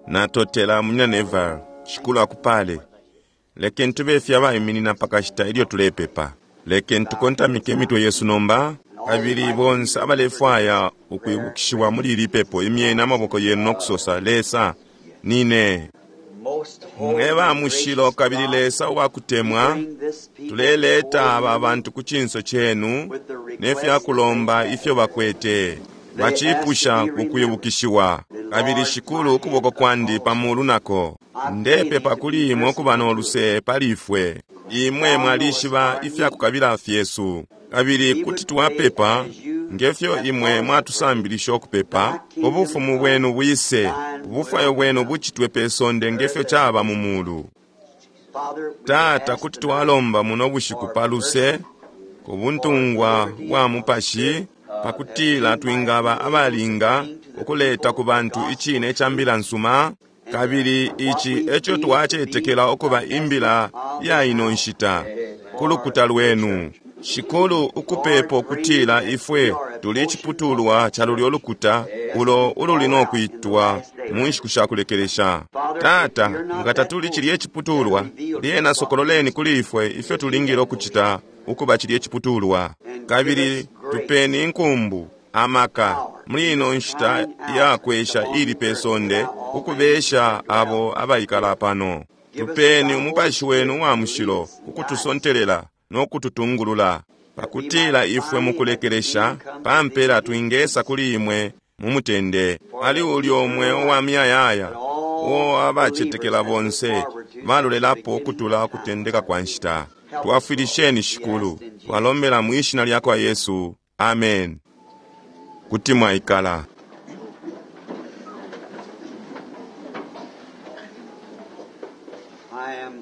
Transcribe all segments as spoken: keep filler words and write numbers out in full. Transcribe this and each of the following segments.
Natotela Munyina Neville. Shikulu akupale. Lekeni tube fye abaiminina pakashita ilyo tulepepa. Lekeni tukontamike imitwe yesu nomba. Kabili bonse abalefwaya ukwibukishiwa muli ili pepo, imyeni amaboko yenu nokusosa, Lesa, nine. Mwe ba mushilo kabili Lesa uwakutemwa, tuleleta aba bantu ku cinso cenu ne fyakulomba ifyo bakwete. Bacipusha ukwibukishiwa. Kabili Shikulu, ukuboko kwandi pamulu nako. Ndepepa kuli imwe ukuba no luse pali ifwe. Imwe mwalishiba ifyakukabila fyesu. Kabili kuti twapepa ngefyo imwe mwatusambilisha ukupepa, ubufumu bwenu bwise, ubufwayo bwenu bucitwe pe sonde ngefyo caba mu mulu. Tata, kuti twalomba muno bushiku pa luse, ku buntungwa bwa mupashi, pakutila twingaba abalinga ukuleta ku bantu icine ca mbila nsuma. Kabili ici eco twacetekela ukuba imbila ya ino nshita ku lukuta lwenu. Shikulu, ukupepo kutila ifwe tuli iciputulwa ca lulyo lukuta ulo ululi no kwitwa mu nshiku sha kulekelesha. Tata, nga tatuli cilye iciputulwa, lyena sokololeni kuli ifwe ifyo tulingile ukucita ukuba cilye iciputulwa. Kabili tupeni inkumbu, amaka, muli ino nshita ya kwesha ili pe sonde, ukubesha abo abaikala pano. Tupeni umupashi wenu wa mushilo ukutusontelela no kututungulula, pakutila ifwe mukulekelesha pampela twingesa kuli imwe mu mutende. Ali ulyo mweo wa miyayaya uo abacetekela bonse balolelapo ukutula ukutendeka kwa nshita. Twafwilisheni Shikulu, twalombela mu ishina lya kwa Yesu. Amen. Kuti mwaikala.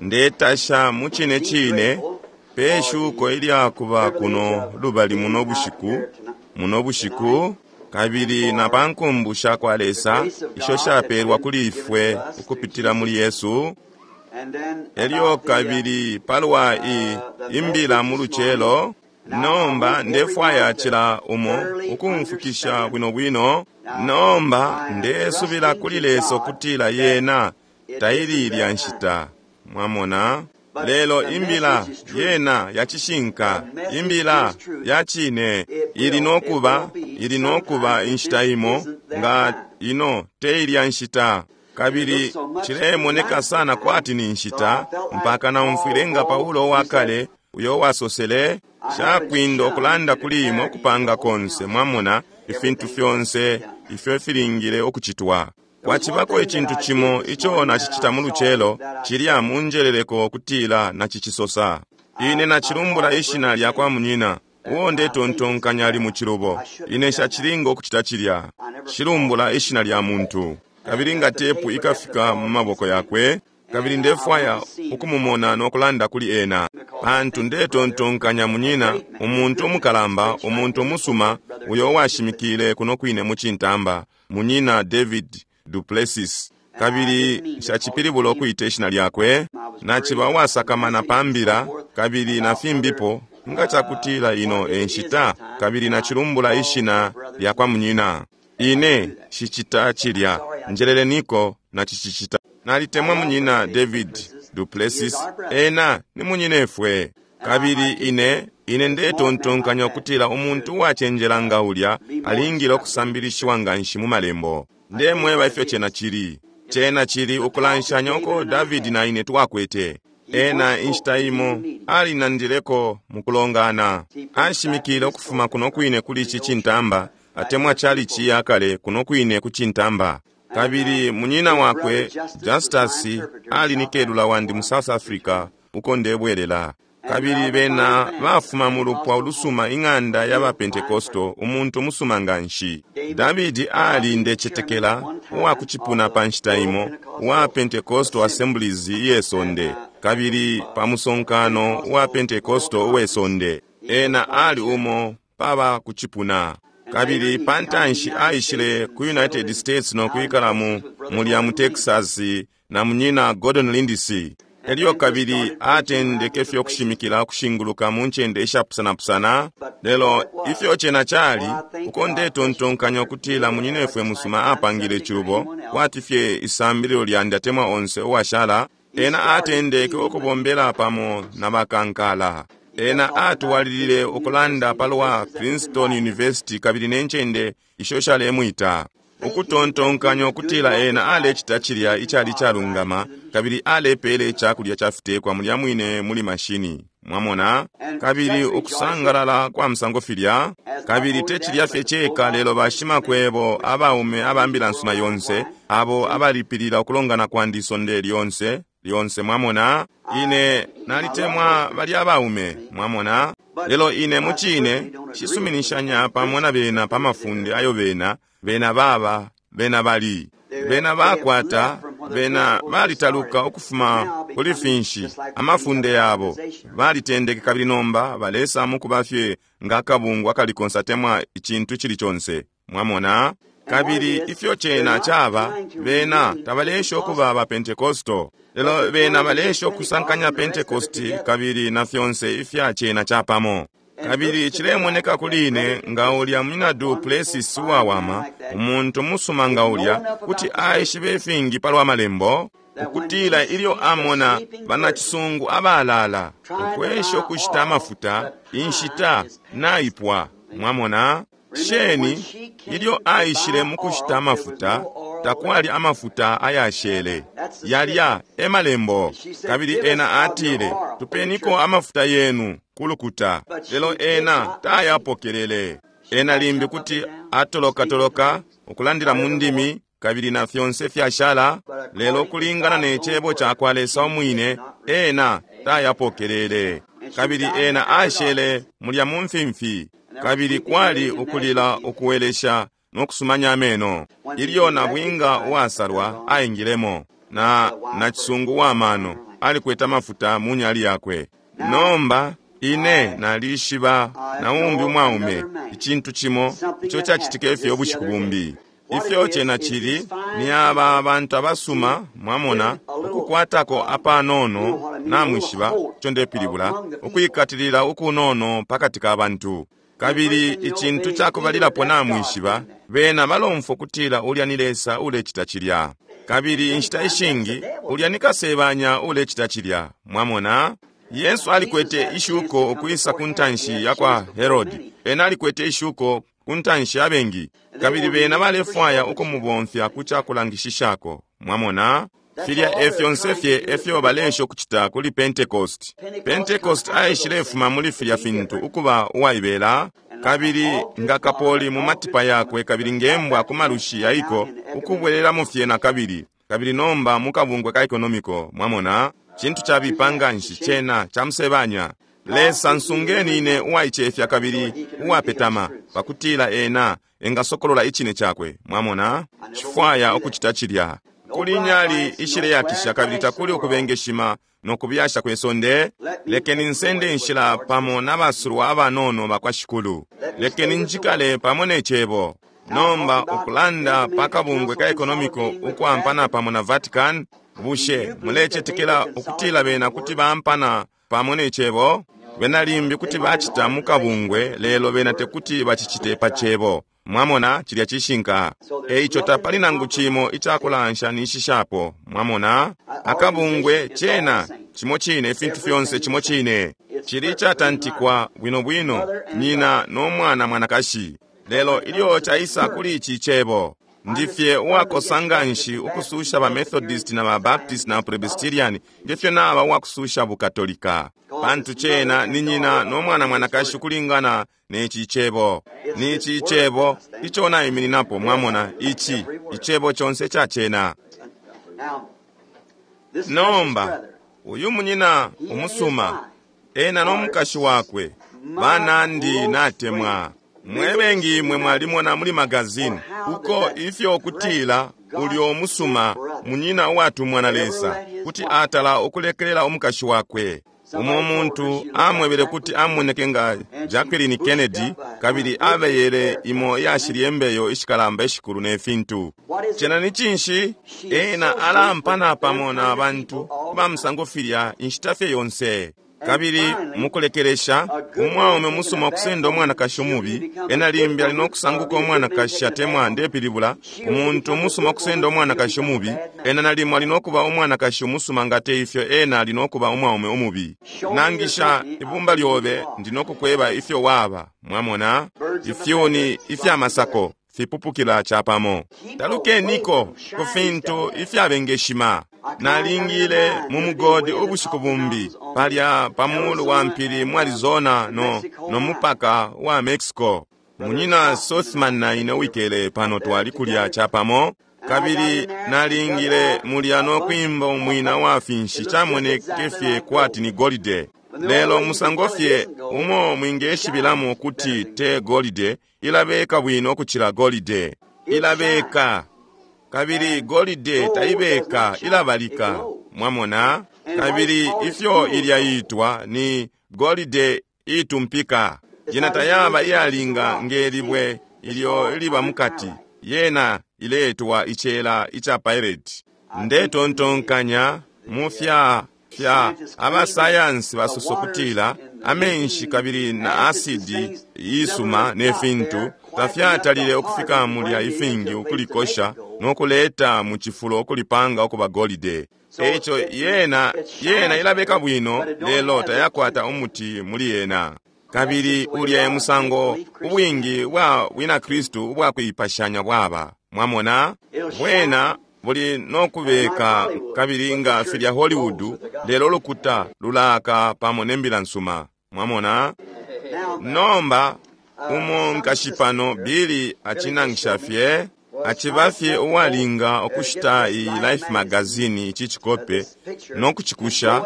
Ndetasha mu cine cine pe shuko ilyakuba kuno lubali muno bushiku, muno bushiku, kabili na pa nkumbu sha kwa Lesa isho shapelwa kuli ifwe ukupitila muli Yesu. Elyo kabili palwa i imbila mu lucelo. Nomba ndefwaya cila umo ukumfukisha bwino bwino. Nomba ndesubila kuli Lesa ukutila yena taili ilya nshita. Mwamona? Lelo imbila yena ya cishinka, imbila ya cine, ili nokuba, ili nokuba inshita imo nga ino te ilya nshita. Kabili cilemoneka sana kwati ni nshita, mpaka naumfwile nga Paulo wa kale uyo wasosele, shakwinda ukulanda kuli imwe ukupanga konse, mwamona, ifintu fyonse ifyo filingile ukucitwa. Kwacibako icintu cimo ico nacicita mu lucelo, cilya munjeleleko kutila nacicisosa. Ine nacilumbula ishina lya kwa munyina, uo ndetontonkanya ali mu cilubo. Ine nshacilinga ukucita cilya. Cilumbula ishina lya muntu. Kabili nga tepu ikafika mu maboko yakwe, kabili ndefwaya ukumumona no kulanda kuli ena. Pantu ndetontonkanya munyina, umuntu umukalamba, umuntu umusuma, uyo washimikile kuno kwine mu cintamba, munyina David Duplessis. Kabili nshacipilibula ukuita ishina lyakwe, naciba uwasakamana pa mbila, kabili na fimbipo, nga cakutila ino e nshita, kabili nacilumbula ishina lya kwa munyina. Ine shicita cilya, njeleleniko nacicicita. Nalitemwa munyina David Duplessis, ena ni munyinefwe. Kabili ine, ine ndetontonkanya ukutila umuntu uwacenjela nga ulya alingile ukusambilishiwa nganshi mu malembo. Ndemweba ifyo cena cili. Cena cili ukulanshanya uko David na ine twakwete. Ena inshita imo alinandileko mukulongana. Ashimikile ukufuma kuno kwine kuli ici cintamba, atemwa chalichi yakale kuno kwine ku cintamba. Kabili munyina wakwe Justus ali ni kelula wandi mu South Africa uko ndebwelela. Kabili bena bafuma mu lupwa ulusuma, ing'anda ya ba Pentecostal, umuntu umusuma nganshi. David ali ndecetekela uwa kucipuna pa nshita imo wa Pentecostal Assemblies iye sonde, kabili pa musonkano wa Pentecostal uwe sonde. Ena ali umo paba kucipuna. Kabili pantanshi aishile ku United States no kwikala mu mulya mu Texas na munyina Gordon Lindsay. Elyo kabili atendeke fye ukushimikila ukushinguluka mu ncende ishapusanapusana. Lelo ifyo cena cali, uko ndetontonkanya ukutila munyinefwe musuma apangile cubo, kwati fye isambililo lyandi atemwa onse uwashala, ena atendeke ukubombela pamo na bakankala. Ena atwalilile ukulanda palwa Princeton University kabili ne ncende isho shalemwita. Ukutontonkanya ukutila ena alecita cilya icali calungama kabili alepele icakulya cafitekwa mulya mwine muli mashini. Mwamona? Kabili ukusangalala kwa musango filya, kabili te cilya fye ceka, lelo bashimakwebo abaume abambila nsuma yonse abo abalipilila ukulongana kwandi isonde lyonse lyonse. Mwamona? Ine nalitemwa balya abaume, mwamona? Lelo ine mucine shisuminishanya pamo na bena pa mafunde ayo bena bena baba bena bali bena bakwata bena balitaluka ukufuma kuli finshi amafunde yabo balitendeke kabili nomba balesa mukuba fye nga akabungwe akalikonse atemwa icintu cili conse. Mwamona? Kabili ifyo cena caba, bena tabalesha ukuba ba Pentecostal, lelo bena balesha ukusankanya Pentecost kabili na fyonse ifya cena capamo. Kabili chilemoneka kuli ine nga ulya munyina Du Plessis uwawama, umuntu musuma nga ulya, kuti aishibe ifingi palwa malembo, ukutila ilyo amona banacisungu abalala ukwesha ukushita amafuta, inshita naipwa. Mwamona? Sheni ilyo aishile mukushita amafuta, takwali amafuta ayashele. Yalya e malembo. Kabili ena atile, tupeniko amafuta yenu kulukuta. Lelo ena tayapokelele. Ena limbi kuti atolokatoloka ukulandila mu ndimi kabili na fyonse fyashala, lelo kulingana ne cebo ca kwa Lesa umwine, ena tayapokelele. Kabili ena ashele mulya mu mfimfi. Kabili kwali ukulila ukuwelesha no kusumanya ameno. Ilyo nabwinga uwasalwa aingilemo, na nacisungu wa mano alikwete amafuta mu nyali yakwe. Nomba ine nalishiba na umbi umwaume icintu cimo ico cacitike fye ubushiku bumbi. Ifyo cena cili ni aba abantu abasuma, mwamona, ukukwatako apanono, namwishiba ico ndepilibula, ukwikatilila ukunono pakati ka bantu. Kabili icintu cakubalilapo namwishiba, bena balomfwa kutila ulya ni Lesa ulecita cilya. Kabili inshita ishingi ulya ni kasebanya ulecita cilya. Mwamona? Yesu alikwete ishuko ukwisa ku ntanshi ya kwa Herodi. Ena alikwete ishuko ku ntanshi abengi. Kabili bena balefwaya ukumubomfya ku cakulangishishako. Mwamona? Filya efyonse fye efyo balesha ukucita kuli Pentecost. Pentecost aishilefuma muli filya fintu ukuba uwaibela, kabili nga kapoli mu matipa yakwe kabili ngembwa ku malushi yaiko ukubwelelamo fye na kabili. Kabili nomba mukabungwe ka ekonomiko, mwamona? Cintu cabipa nganshi cena camusebanya. Lesa nsungeni ine uwaicefya kabili uwapetama, pakutila ena engasokolola icine cakwe. Mwamona? Cifwaya ukucita cilya. Kuli nyali ishileyakisha kabili takuli ukubengeshima no kubyasha kwe sonde. Lekeni nsende nshila pamo n'abasulwa abanono bakwa Shikulu. Lekeni njikale pamo ne cebo. Nomba ukulanda pa kabungwe ka ekonomiko ukwampana pamo na Vatican, bushe mulecetekela ukutila bena kuti bampana pamo ne cebo? Bena limbi kuti bacita mu kabungwe, lelo bena tekuti bacicite pa cebo. Mwamona, cilya cishinka. Eico tapali nangu cimo icakulanshanishishapo. Mwamona? Akabungwe cena cimo cine, ifintu fyonse cimo cine. Cili catantikwa bwino bwino, nyina no mwana mwanakashi. Lelo ilyo caisa kuli ici cebo, ndifye uwakosa nganshi ukususha ba Methodist na ba Baptist na Presbyterian, ngefyo naba uwakususha Bukatolika. Pantu cena ni nyina no mwana mwanakashi ukulingana neci cebo. Ni ici cebo ico naimininapo, mwamona, ici icebo conse ca cena. Nomba uyu munyina umusuma, ena no mukashi wakwe, banandi natemwa. Mwebengi mwe mwalimona muli magazini uko ifyo kutila ulyo musuma munyina uwatumwa na Lesa kuti atala ukulekelela umukashi wakwe. Umo muntu amwebele kuti amoneke nga Jacqueline Kennedy, kabili abeyele imo iyashilye mbeyo ishikalamba ishikulu ne fintu. Cena ni cinshi? Ena alampana pamo na bantu bamusango filya inshita fye yonse. Kabili mukulekelesha umwaume musuma okusenda omwanakashi omubi, ena limbi ali nokusanguka omwanakashi atemwa ndepilibula umuntu umusuma okusenda omwanakashi omubi, ena nalimo ali nokuba omwanakashi umusuma nga te ifyo ena ali nokuba omwaume omubi. Nangisha ibumba lyobe ndi nokukweba ifyo waba. Mwamona ifyuni ifyamasako fipupukila chapamo. Talukeniko ku fintu ifyabengeshima. Nalingile mu mugodi ubushiku bumbi palya pamulu wa mpili mu Arizona no, no mupaka wa Mexico. Munyina Sothman na ine wikele pano twali kulya chapamo, kabili nalingile mulya no kwimba umwina wa finshi chamoneke fye kwati ni golide. Lelo musango fye umo mwingeshibilamo kuti te golide, ilabeka bwino kuchila golide. Ilabeka. Kabili golide taibeka, ilabalika. Mwamona? Kabili ifyo ilya itwa ni golide itumpika. Yena tayaba iyalinga ngelibwe ilyo iliba mukati. Yena iletwa ichela icha pirate. Ndetontonkanya mufya fya abasayansi basosokutila amenshi kabili na asidi isuma ne fintu tafyatalile ukufika mulya ifingi ukulikosha nokuleta mu chifulo okulipanga okuba golide. Echo yena yena ilabeka bwino lelo tayakwata umuti muli yena. Kabili ulya musango ubwingi bwa bwina Kristu ubwakuipashanya bwaba. Mwamona bwena buli nokubeka kabili nga filya Hollywood lelo lukuta lulaka pamo nembila nsuma. Mwamona nomba umo nkashipano Billy achinangisha fye achiba fye uwalinga okushita iyi Life magazine ichi chikope nokuchikusha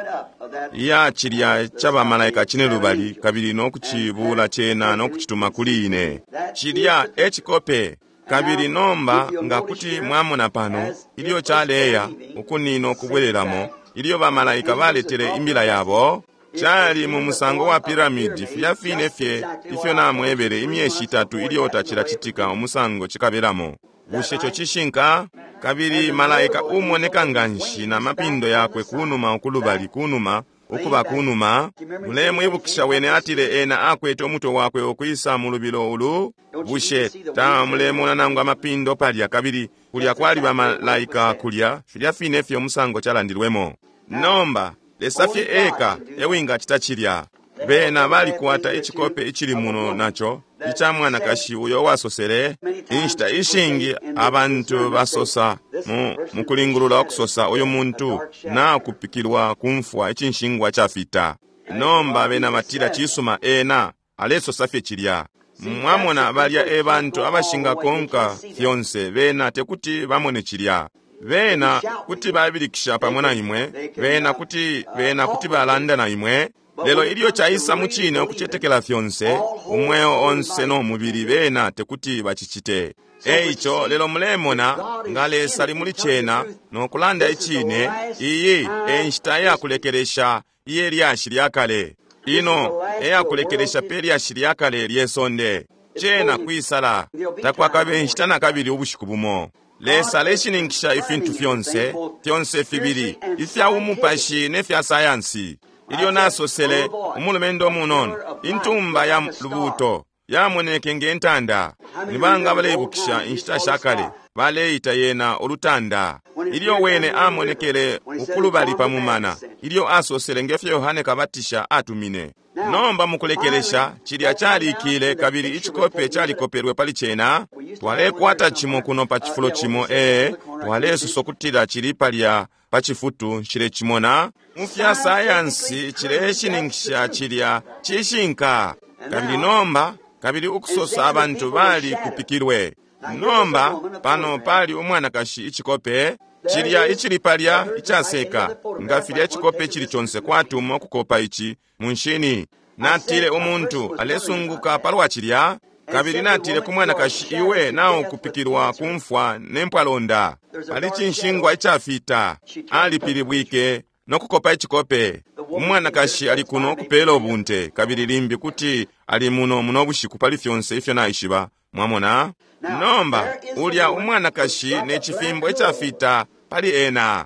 iya chilya chabamalaika chine lubali kabili nokuchibula chena nokuchituma kuli ine chilya echikope. Kabili nomba nga kuti mwamona pano ilyo chaleya ukunino kubwereramo ilyo bamalaika baletele imbila yabo chali mu musango wa piramidi filya fine fye ifyo namwebele imyeshi itatu ilyo tachilachitika umusango chikabelamo. Bushe cho chishinka? Kabili malaika umoneka nganshi na mapindo yakwe kunuma ukulubali kunuma ukuba kunuma. Mulemwibukisha wene atile ena akwete omutwe wakwe okwisa mu lubilo ulu. Bushe tamulemona nangu amapindo palya kabili kulya kwali bamalaika kulya filya fine fye omusango chalandilwemo. Nomba Lesa fye eka ewingachita chilya. Bena balikwata ichikope ichili muno nacho icha mwanakashi uyo wasosele inshita ishingi abantu basosa mu mukulingulula okusosa uyu muntu na kupikilwa kumfwa ichinshingwa chafita. Nomba bena batila chisuma ena alesosa fye chilya. Mwamona balya ebantu abashingakonka fyonse bena tekuti bamone chilya. Bena kuti babilikisha pamo na imwe, bena kuti bena kuti balanda na imwe. Lelo ilyo chaisa muchine okuchetekela fyonse umweo onse no mubili bena tekuti bachichite. Eicho lelo mulemona nga Lesa ali muli chena nokulanda ichine iyi enshita yakulekelesha iye lyashi lyakale. Ino eyakulekelesha pe lyashi lyakale lyesonde. Chena kwisala takwakabe nshita na kabili ubushiku bumo. Lesa aleshininkisha ifintu fyonse fyonse fibili ifya umupashi ne fya sayansi. Ilyo nasosele umulumendo munono intumba ya lubuto yamoneke ngentanda. Nibanga baleibukisha inshita shakale baleita yena olutanda. Ilyo wene amonekele ukulubali pamumana ilyo asosele ngefyo Yohane Kabatisha atumine. Nomba mukulekelesha chilya chalikile kabili ichikope chalikopelwe pali chena. Twalekwata chimo kuno pa chifulo chimo ee twalesosa kutila chili palya pa chifutu nshile chimona. Mufya sayansi chileshininkisha chilya chishinka. Kabili nomba kabili ukusosa abantu bali kupikilwe. Nomba pano pali umwanakashi ichikope chilya ichili palya ichaseka nga filya ichikope chili chonse kwatuma okukopa ichi munshini. Natile umuntu alesunguka palwa chilya kabili natile ku mwanakashi iwe nawo kupikilwa kumfwa nempwalonda pali chinshingwa ichafita. Alipilibwike nokukopa ichikope. Umwanakashi ali kuno kupela ubunte, kabili limbi kuti ali muno muno bushiku pali fyonse ifyo naishiba. Mwamona? Nomba, ulya umwanakashi ne cifimbo icafita pali ena.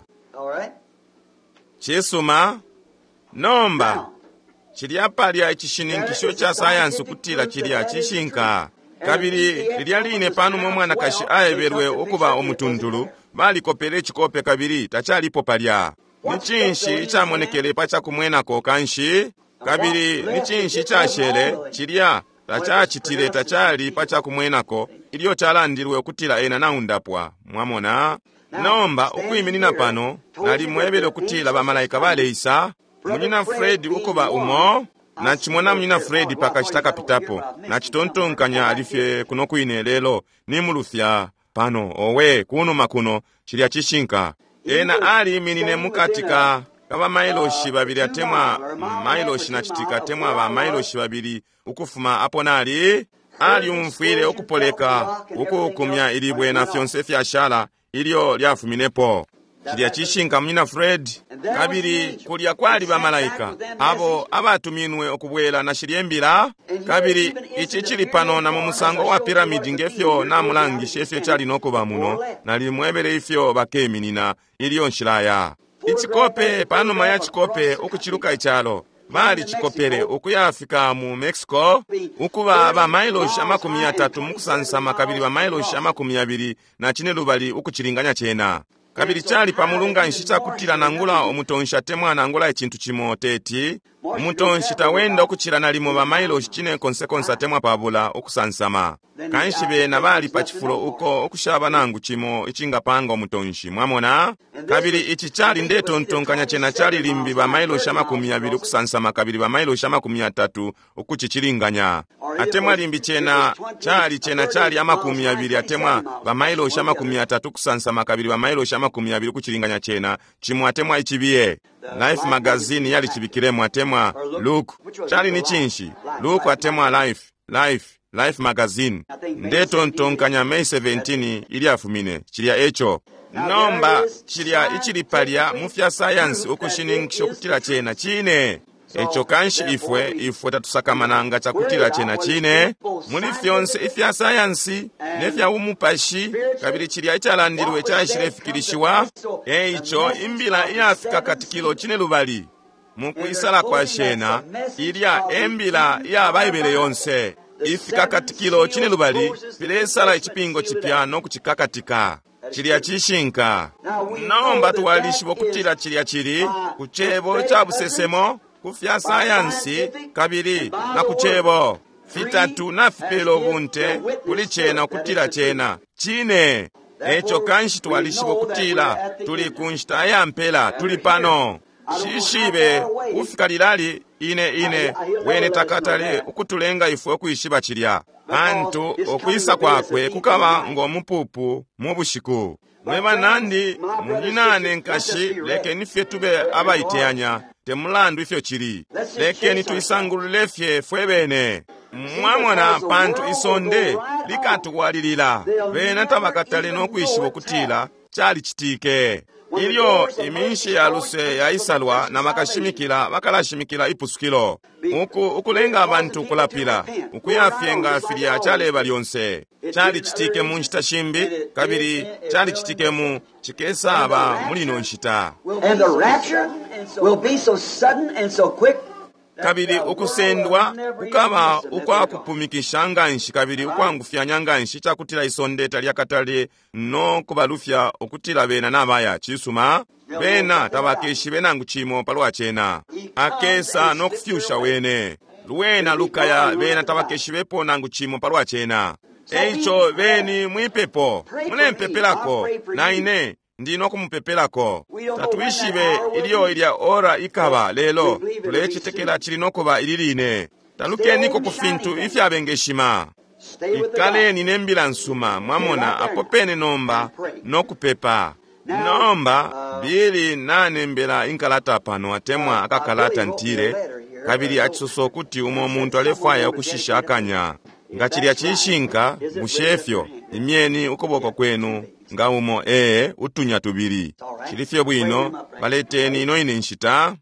Cisuma. Nomba, cilya palya icishininkisho ca sayansi ukutila cilya cishinka. Kabili lilya line panuma umwanakashi aebelwe ukuba umutuntulu, balikopele icikope kabili tacalipo palya. Ni cinshi icamonekele pa cakumwenako kanshi? Kabili ni cinshi icashele cilya tacacitile tacali pa cakumwenako ilyo calandilwe ukutila ena naundapwa. Mwamona? Nomba ukwiminina pano, nalimwebele ukutila bamalaika baleisa. Munyina Fred ukuba umo, nacimona munyina Fred pakashita kapitapo, nacitontonkanya alifye kuno kwine lelo nimulufya pano, owe kunuma kuno, cilya cishinka. Ena aliminine mukati ka kaba mailoshi babili atemwa mailoshi na citika atemwa ba mailoshi babili ukufuma apo nali. Aliumfwile ukupoleka ukukumya ilibwe na fyonse fyashala ilyo lyafuminepo. Cilya cishinka munyina Fred. Kabili kulya kwali bamalaika abo abatuminwe ukubwela na shilye mbila. Kabili ici cili pano na mu musango wa piramidi ngefyo namulangishe ifyo cali nokuba muno, nalimwebele ifyo bakeminina ilyo nshilaya. Icikope panuma ya cikope ukuciluka icalo, bali cikopele ukuyafika mu Mexico, ukuba ba mailoshi amakumi yatatu mukusansama kabili ba mailoshi amakumi yabili na cine lubali ukucilinganya cena. Kabili cali pamulu nshi cakutila nangula umutonshi atemwa nangula icintu cimo teti umutonshi tawenda ukucila nalimo ba mailoshi cine konsekonse atemwa pabula ukusansama. Kanshi bena bali pa cifulo uko ukushaba nangu cimo icingapanga umutonshi. Mwamona? Kabili ici cali ndetontonkanya cena cali limbi ba mailoshi amakumi yabili ukusansama kabili ba mailoshi amakumi yatatu ukucicilinganya. Atemwa limbi cena cali cena cali amakumi yabili atemwa ba mailoshi amakumi yatatu kusansama kabili ba mailoshi amakumi yabili kuchilinganya chena chimwe atemwa ichibiye. Life magazine yali chibikiremo atemwa Look chali ni chinshi Look atemwa Life Life Life magazine ndetontonkanya May seventeen ilyafumine chilya echo. Nomba chilya ichili palya mu fya science ukushininkisha ukutila chena chine. Echo kanshi ifwe ifwe tatusakamana chakutila chena chine muli fyonse ifya sayansi nefya umupashi kabili chilya ichalandilwe chaishilefikilishiwa. Eicho imbila iyafika katikilo chine lubali mukuisala kwa shena ilya embila iya Baibele yonse ifika katikilo chine lubali filesala icipingo chipya no kuchikakatika. Chilya chishinka. Nomba twalishiba ukutila chilya chili ku chebo cha busesemo kufya sayansi kabili na kuchebo fitatu na fipelo bunte kuli chena ukutila chena chine. Echo kanshi twalishiba ukutila tuli kunshita ya mpela, tuli pano. Shishibe kufika lilali ine ine wene takatale ukutulenga ifwe ukwishiba chilya antu okwisa kwakwe kukaba ng'omupupu mu bushiku. Mwe banandi munyinane nkashi, lekeni fye tube abaiteyanya temulandu ifyo chili, lekeni tuisangulule fye fwe bene. Mwamona pantu isonde likatuwalilila bena tabakatale n'okwishiba okutila chalichitike. Ilyo iminshi ya luse yaisalwa na bakashimikila bakalashimikila ipusukilo uku ukulenga abantu kulapila ukuyafyenga filya chaleba lyonse. Chalichitike mu nshita shimbi kabili chalichitike mu chikesaba muli ino nshita. And the rapture will be so sudden and so quick. Kabili ukusendwa kukaba ukwakupumikisha nganshi kabili ukwangufyanya nganshi chakutila isonde talyakatale no kubalufya ukutila bena nabaya chisuma bena tabakeshibe nangu chimo palwa chena. Akesa no kufyusha wene lwena lukaya bena tabakeshibepo nangu chimo palwa chena. Eicho beni mwipepo mulempepelako na ine ndino kumupepelako. Tatuishibe iliyo ilya ora ikaba lelo tulechitekela chili nokuba ililine. Talukeniko ku fintu ifyabengeshima. Ikaleni nembila nsuma mwamona apo pene nomba nokupepa. Nomba bili nanembela inkalata pano atemwa akakalata ntile kabili achisosa okuti umo muntu alefwaya okushisha akanya. Nga chilya chishinka mushefyo imyeni ukuboko kwenu nga umo ee utunya tubili. Chilifye bwino baleteni ino ine nshita.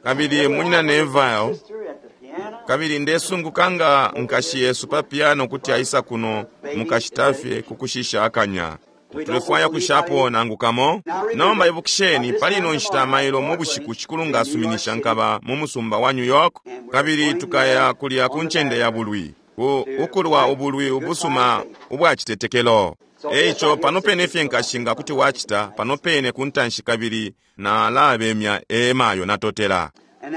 Kabili Munyina Neville, Sister at the piano. kabili ndesunguka nga nkashi yesu pa piano kuti aisa kuno mukashitafye kukushisha akanya. Tulefwaya kushapo nangu kamo. Nomba ibukisheni, pali ino nshita mailo mu bushiku Shikulu nga asuminisha nkaba mu musumba wa New York, kabili tukaya kulya ku ncende ya bulwi, ku ukulwa ubulwi ubusuma ubwa citetekelo. Eico pano pene fye nkashi nga kuti wacita pano pene ku ntanshi, kabili nalabemya emayo natotela.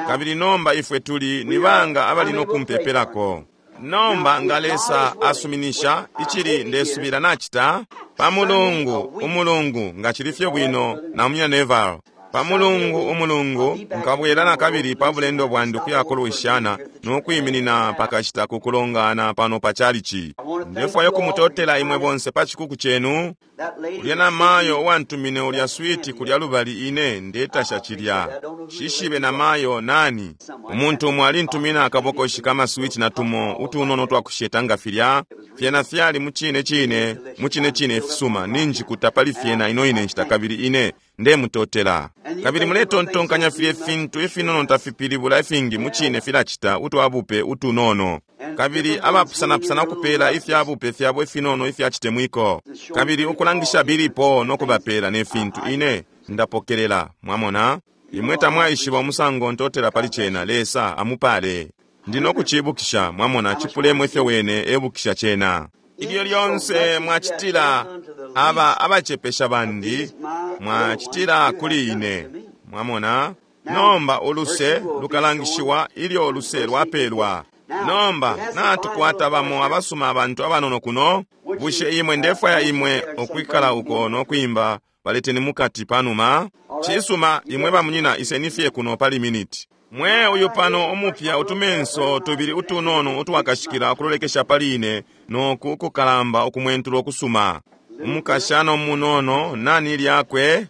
Kabili nomba ifwe tuli ni banga abali no kumpepelako. Nomba nga Lesa asuminisha, icili ndesubila nachita pa Mulungu umulungu nga chili fye bwino na Munyina Neville. Pa Mulungu umulungu nkabwela na kabili pa bulendo bwandi ukuya kulwishana no kwiminina pakashita ku kulongana pano pa chalichi. Ndefwaya kumutotela imwe bonse pa chikuku chenu. That lady Ulya na mayo uwantumine ulya switi kulya lubali, ine ndetasha chilya. Shishibe na mayo nani. Umuntu umwe alintumina akabokoshi kama switi na tumo utunono twakusheta nga filya. Fyena fyali mucine cine, mucine cine ifisuma, ninjikuta pali fyena ino ine nshita, kabili ine ndemutotela. Kabili muletontonkanya filye fintu ifinono tafipilibula ifingi, mucine filacita utwabupe utunono. Kabili abapusanapusana ukupela ifyabupe fyabo ifinono ifya chitemwiko, kabili ukulangisha bilipo no kubapela ne fintu, ine ndapokelela. Mwamona, imwe tamwaishiba umusango ntotela pali cena. Lesa amupale. Ndino kuchibukisha, mwamona, chipulemo ifyo wene ebukisha cena. Ilyo lyonse mwachitila aba abachepesha bandi, mwachitila kuli ine. Mwamona, nomba uluse lukalangishiwa ilyo uluse lwapelwa. Nomba natukwata bamo abasuma abantu abanono kuno. Bushe imwe, ndefwaya imwe ukwikala uko no kwimba baleteni mukati panuma. Cisuma, imwe bamunyina iseni fye kuno pali miniti. Mwe uyu pano umupya, utumenso tubili utunono utwakashikila ukulolekesha pali ine noku kukalamba ukumwentula ukusuma. Umukashana umunono, nani lyakwe?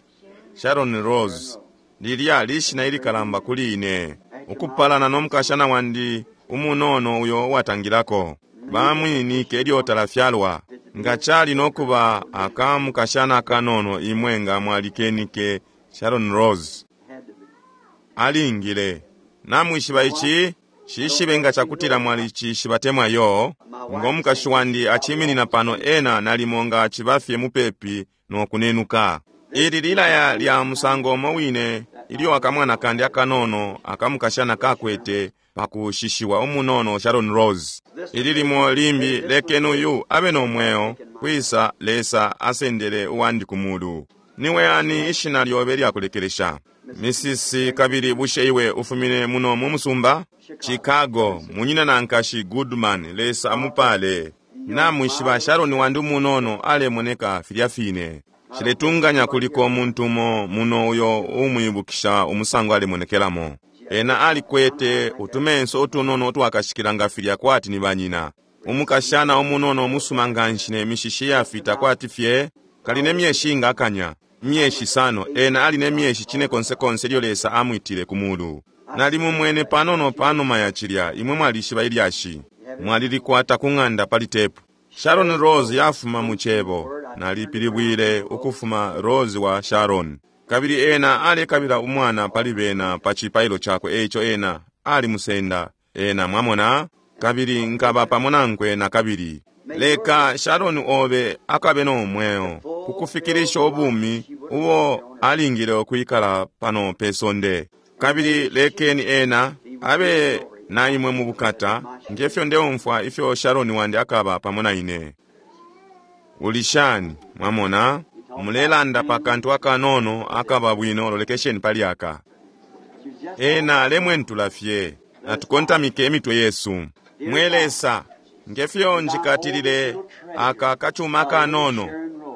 Sharon Rose. Lilya lishina ilikalamba kuli ine, ukupalana no mukashana wandi umunono uyo uwatangilako. Bamwinike ilyo talafyalwa. Nga cali nokuba aka mukashana kanono, imwe nga mwalikenike Sharon Rose. Had to be. Alingile. Namwishiba ici? Shishibe nga chakutila mwalicishiba temwa yo. Ngo mukashi wandi achiminina pano, ena nalimo nga achibafye mupepi nokunenuka. Ili lilaya lya musango omo wine ilyo akamwana kandi akanono akamukashana kakwete pakushishiwa umunono Sharon Rose. Ili limo limbi, lekeni uyu abe nomweo kwisa Lesa asendele uwandi ku mulu. Niwe ani ishina lyobe lyakulekelesha? Misisi. Kabili bushe iwe ufumine muno mu musumba Chicago? Munyina na nkashi Goodman, Lesa amupale. Namwishiba Sharon wandi umunono alemoneka filya fine. Shiletunganya kuliko umuntu umo muno uyo umwibukisha umusango alemonekelamo. Ena alikwete utumenso utunono utwakashikila nga filya kwati ni banyina. Umukashana umunono umusuma nganshi ne mishishi yafita kwati fye kali ne myeshi nga akanya myeshi sano. Ena ali ne myeshi chine konsekonse ilyo Lesa amwitile ku mulu. Nalimumwene panono panuma ya chilya. Imwe mwalishiba ilyashi, mwalilikwata ku ng'anda pali tepu. Sharon Rose yafuma mu chebo, nalipilibwile ukufuma Rose wa Sharon. Kabili ena alekabila umwana pali bena pa chipailo chakwe, eico ena alimusenda ena, mwamona, kabili nkaba pamo nankwe na kabili. Leka Sharon obe akabe nomweo kukufikirisha ubumi ubo alingile ukwikala pano pe sonde, kabili lekeni ena abe na imwe mu bukata, ngefyo ndeumfwa ifyo Sharon wandi akaba pamo na ine. Uli shani? Mwamona, mulelanda pa kantu akanono akaba bwino, lolekesheni pali aka. Ena alemwentula fye. Natukontamike emitwe yesu. Mwe Lesa, ngefyo njikatilile aka kachuma kanono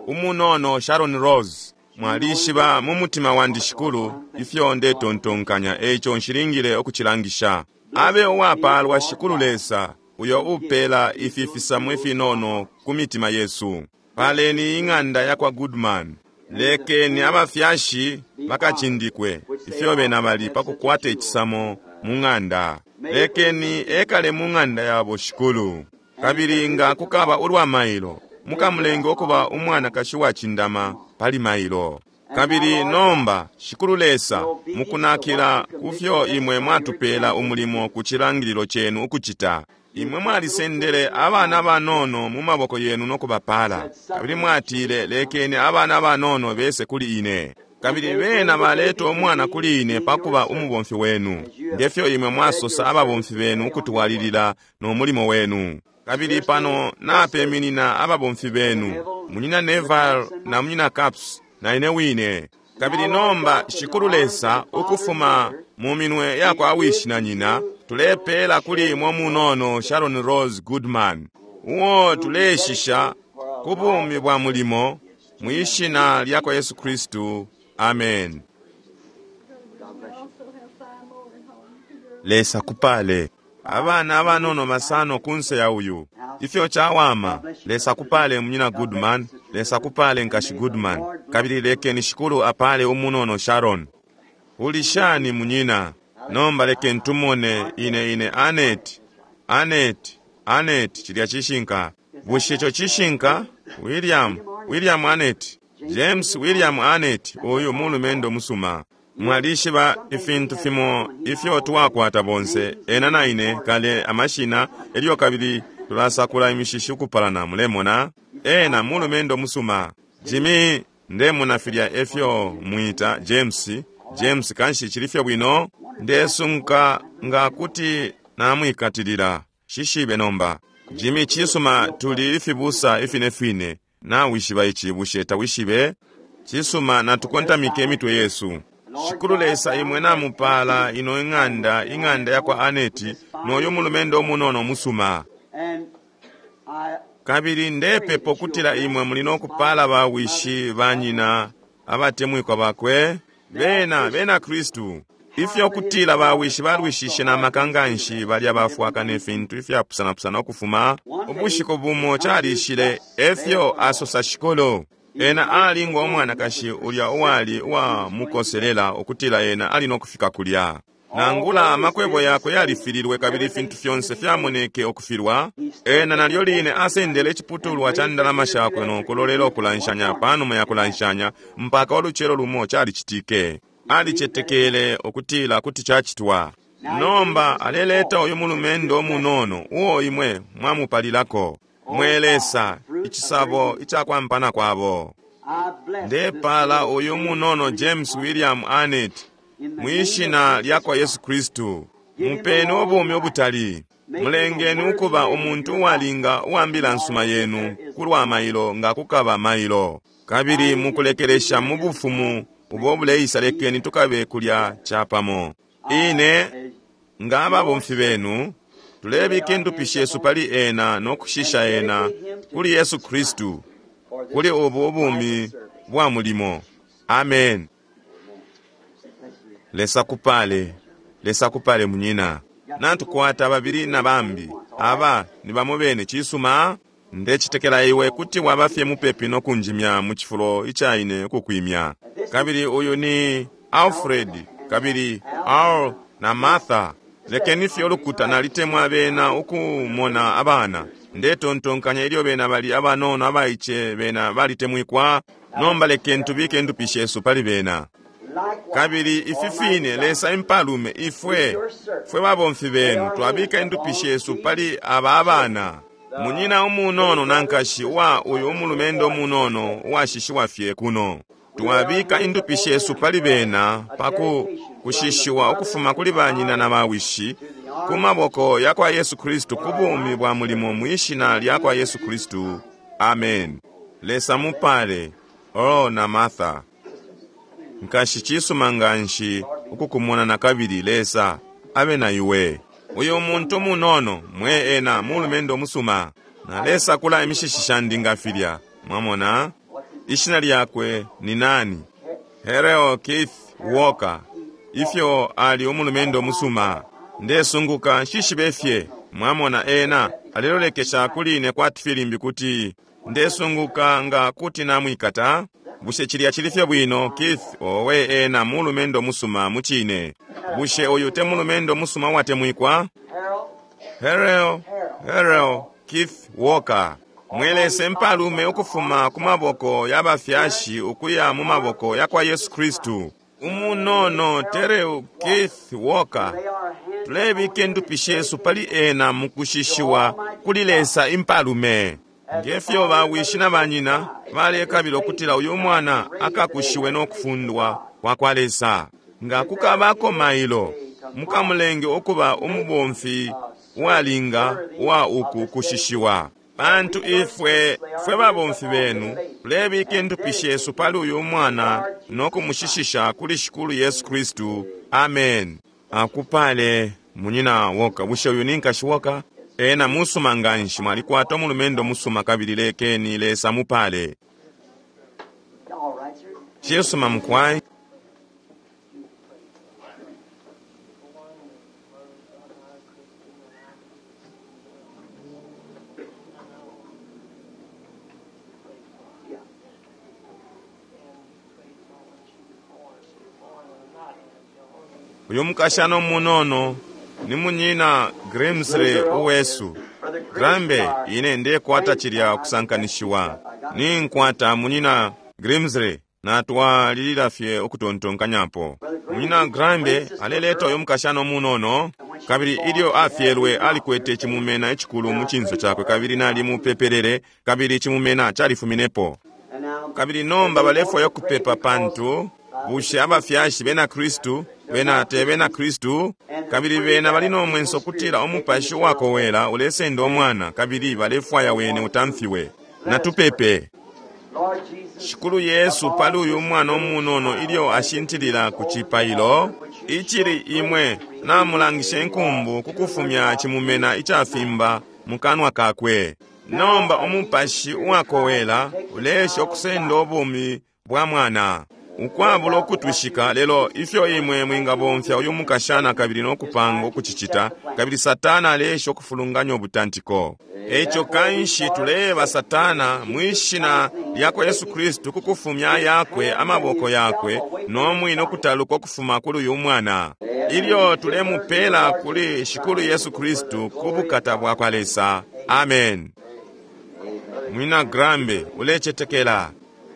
umunono Sharon Rose, mwalishiba mu mutima wandi, Shikulu, ifyo ndetontonkanya, eico nshilingile ukucilangisha. Abe uwapalwa Shikulu Lesa uyo upela ifi fisamo ifinono ku mitima yesu. Paleni ing'anda ya kwa Goodman. Lekeni abafyashi bakachindikwe ifyo bena bali pakukwata icisamo mu ng'anda. Lekeni ekale mu ng'anda yabo, Shikulu. Kabili nga kukaba ulwa mailo, mukamulenge ukuba umwanakashi wacindama pali mailo. Kabili nomba, Shikulu Lesa, mukunakila kufyo imwe mwatupela umulimo ku cilangililo chenu ukucita. Imwe mwalisendele abana banono mu maboko yenu nokubapala. Kabili mwatile, lekeni abana banono bese kuli ine. Kabili bena baleta umwana kuli ine pakuba umubomfi wenu. Ngefyo imwe mwasosa ababomfi benu ukutwalilila no mulimo wenu. Kabili pano napeminina ababomfi benu, Munyina Neville na Munyina Caps, na ine wine. Kabili nomba, Shikulu Lesa, ukufuma mu minwe yakwa wishi na nyina, tulepela kuli imwe munono Sharon Rose Goodman, uo tuleshisha ku bumi bwa mulimo, mwishina lya kwa Yesu Kristu. Amen. Lesa kupale. Abana abanono basano kunse ya uyu. Ifyo chawama. Lesa kupale Munyina Goodman, Lesa kupale Nkashi Goodman. Kabili lekeni Shikulu apale umunono Sharon. Ulishani munyina. Nomba lekeni tumone ine ine Anet. Anet, Anet chilya chishinka. Bushe icho chishinka? William, William Anet. James William Anet, uyu mulumendo musuma. Mwalishiba ifintu fimo ifyo twakwata bonse ena na ine kale amashina elyo kabili tulasakula imishishi ukupalana mulemona ena mulumendo musuma. Jimmy ndemona filya efyo mwita James. James kanshi chilifyo bwino ndesunka nga kuti namwikatilila shishibe nomba. Jimmy chisuma tuli ifibusa ifinefine nawishiba ichi bushe tawishibe chisuma natukontamike emitwe yesu. Shikulu Lesa imwe namupala ino ing'anda ing'anda yakwa Aneti noyo mulumendo omunono musuma. Kabili ndepepo kutila imwe muli nokupala bawishi banyina abatemwikwa bakwe bena bena Kristu. Ifyo kutila bawishi balwishishe na maka nganshi balya bafwaka ne fintu ifyapusanapusana ukufuma ubushiku bumo chalishile efyo asosa Shikulu. Ena ali ngo mwanakashi ulya uwali uwa mukoselela ukutila ena ali nokufika kulya. Nangula amakwebo yakwe yalifililwe kabili fintu fyonse fyamoneke okufilwa. Ena nalyo line asendele iciputulwa cha ndalama shakwe nokulolela okulanshanya panuma ya kulanshanya mpaka oluchelo lumo chalichitike. Alichetekele okutila kuti chachitwa. Nomba aleleta uyu mulumendo omunono uo imwe mwamupalilako. Mwelesa ichisabo ichakwampana kwabo. Ndepala uyu munono James William Anet mwishina lyakwa Yesu Kristu. Mupeni ubumi obutali. Mulengeni ukuba umuntu uwalinga uwambila nsuma yenu kulwa mailo nga kukaba mailo. Kabili mukulekelesha mu bufumu ubo buleisa lekeni tukabe kulya chapamo. Ine nga ababomfi benu tulebika endupi shesu pali ena nokushisha ena kuli Yesu Kristu kuli ubu ubumi bwa mulimo. Amen. Lesa kupale, Lesa kupale munyina. Natukwata babili na bambi aba ni bamo bene chisuma. Ndechitekela iwe kuti wabafye mupepi nokunjimya mu chifulo ichaine ukukwimya. Kabili uyu ni Alfred, kabili Al na Martha. Lekeni fye olukuta nalitemwa bena ukumona abana. Ndetontonkanya ilyo bena bali abanono abaiche bena balitemwikwa. Nomba lekeni tubike endupi shesu pali bena. Kabili ifi fine Lesa impalume ifwe fwe babomfi benu twabika endupi shesu pali aba abana. Munyina umunono nankashi wa uyu umulumendo umunono uwashishiwa fye kuno. Twabika endupi shesu pali bena paku kushishiwa ukufuma kuli banyina na bawishi ku maboko yakwa Yesu Kristu ku bumi bwa mulimo mwishina lyakwa Yesu Kristu. Amen. Lesa mupale Earl na Martha. Nkashi chisuma nganshi ukukumona na kabili Lesa abe na iwe. Uyu muntu munono mwe ena mulumendo musuma. Na Lesa kula emishishi shandi ngafilya. Mwamona? Ishina lyakwe ni nani? Hereo Keith Walker. Ifyo ali umulumendo musuma. Ndesunguka shishibe fye. Mwamona ena alelolekesha kuli ine kwati filimbi kuti ndesunguka nga kuti namwikata. Bushe chilya chilifye bwino Keith owe ena mulumendo musuma muchine. Bushe uyu te mulumendo musuma watemwikwa? Hereo, Hereo Keith Walker. Mwelese mpalume ukufuma ku maboko ya bafyashi ukuya mu maboko ya kwa Yesu Kristu. Umunono Tereu Keith Walker, tulebika indupi shesu pali ena mukushishiwa kuli Lesa impalume. Ngefyo bawishi na banyina balekabila ukutila uyu mwana akakushiwe nokufundwa kwa kwa Lesa. Nga kukabako mailo, mukamulenge ukuba umubomfi uwalinga wa uku kushishiwa. Pantu ifwe fwe babomfi benu tulebika indupi shesu pali uyu mwana nokumushishisha kuli Shikulu Yesu Kristu. Amen. Akupale munyina Woka. Bushe uyu ni nkashi Woka? Ena musuma nganshi, mwalikwata umulumendo musuma kabili lekeni Lesa mupale. All right, sir. Cisuma mukwai. Yeah. Uyu mukashana umunono ni munyina Grimsley uwesu. Grambe ine ndekwata chilya kusankanishiwa. Ninkwata munyina Grimsley natwalilila fye ukutontonkanyapo. Munyina Grambe aleleta uyu mukashana umunono kabili ilyo afyelwe alikwete chimumena echikulu mu chinso chakwe kabili nali mupepelele kabili chimumena chalifuminepo. And now, Kabili nomba balefwaya kupepa pantu bushe abafyashi bena Kristu bena te bena Kristu kabili bena bali nomwenso kutila umupashi wakowela ulesenda omwana kabili balefwaya wene utamfiwe. Natupepe. Lord Jesus, Shikulu Yesu pali uyu mwana umunono ilyo ashintilila ku cipailo icili imwe namulangisha inkumbu kukufumya chimumena icafimba mukanwa kakwe. Nomba umupashi uwakowela ulesha okusenda obumi bwa mwana ukwabula okutwishika. Lelo ifyo imwe mwingabomfya uyu mukashana kabili nokupanga okucicita, kabili Satana alesha okufulunganya obutantiko. Echo kanshi tuleba Satana mwishina lyakwa Yesu Kristu kukufumya yakwe amaboko yakwe nomwine okutaluka okufuma kuli uyu mwana ilyo tulemupela kuli Shikulu Yesu Kristu ku bukata bwa kwa Lesa. Amen. Mwina Grambe ulecetekela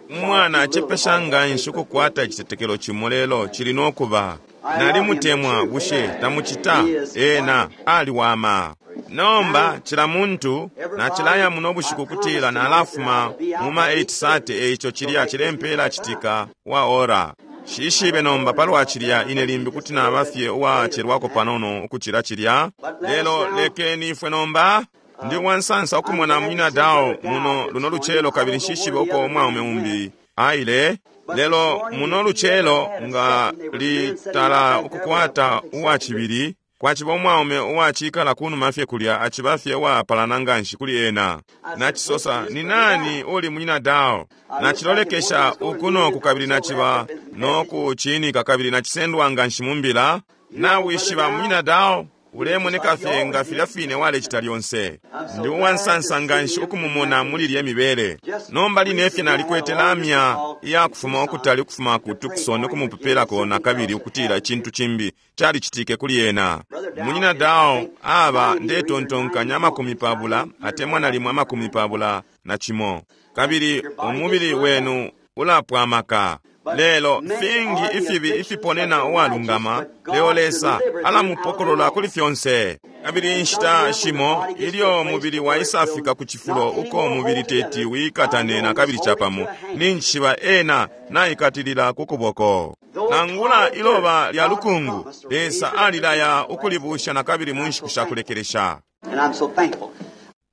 umwana acepesha nganshi ukukwata icitetekelo cimo lelo chili nokuba. Nalimutemwa, bushe tamucita? Ena aliwama. Nomba chila muntu nachilaya muno bushiku kutila nalafuma muma eight thirty, eicho chilya chilempela chitika wa ora. Shishibe nomba palwa chilya ine limbi kuti nabafye uwachelwako panono ukuchila chilya. Lelo lekeni ifwe nomba ndi wansansa okumona munyina Dao muno luno luchelo kabili nshishibe uko omwaume umbi aile. Lelo muno luchelo nga litala ukukwata uwachibili kwachiba omwaume uwachikala kunuma fye kulya achiba fye uwapalana nganshi kuli ena. Nachisosa, ni nani uli munyina Dao? Nachilolekesha uku noku kabili nachiba nokuchinika kabili nachisendwa nganshi mumbila. Nawishiba munyina Dao ulemoneka fye nga filya fine walecita lyonse. Ndi uwansansa nganshi ukumumona muli lye mibele. Nomba line fye nalikwete lamya iyakufuma okutali ukufuma ku Tucson okumupepelako nakabili ukutila icintu cimbi calicitike kuli ena. Munyina Dao aba ndetontonkanya amakumi pabula atemwa nalimwe amakumi pabula na cimo. Kabili umubili wenu ulapwamaka. Lelo fingi ifibi ifiponena uwalungama, leo Lesa alamupokolola kuli fyonse. Kabili inshita shimo ilyo mubili waisafika ku cifulo uko mubili teti wikatane na kabili chapamo, ninchiba ena naikatilila ku kuboko. Nangula iloba lya lukungu, Lesa alilaya ukulibusha na kabili mu nshiku sha kulekelesha. And I'm so thankful.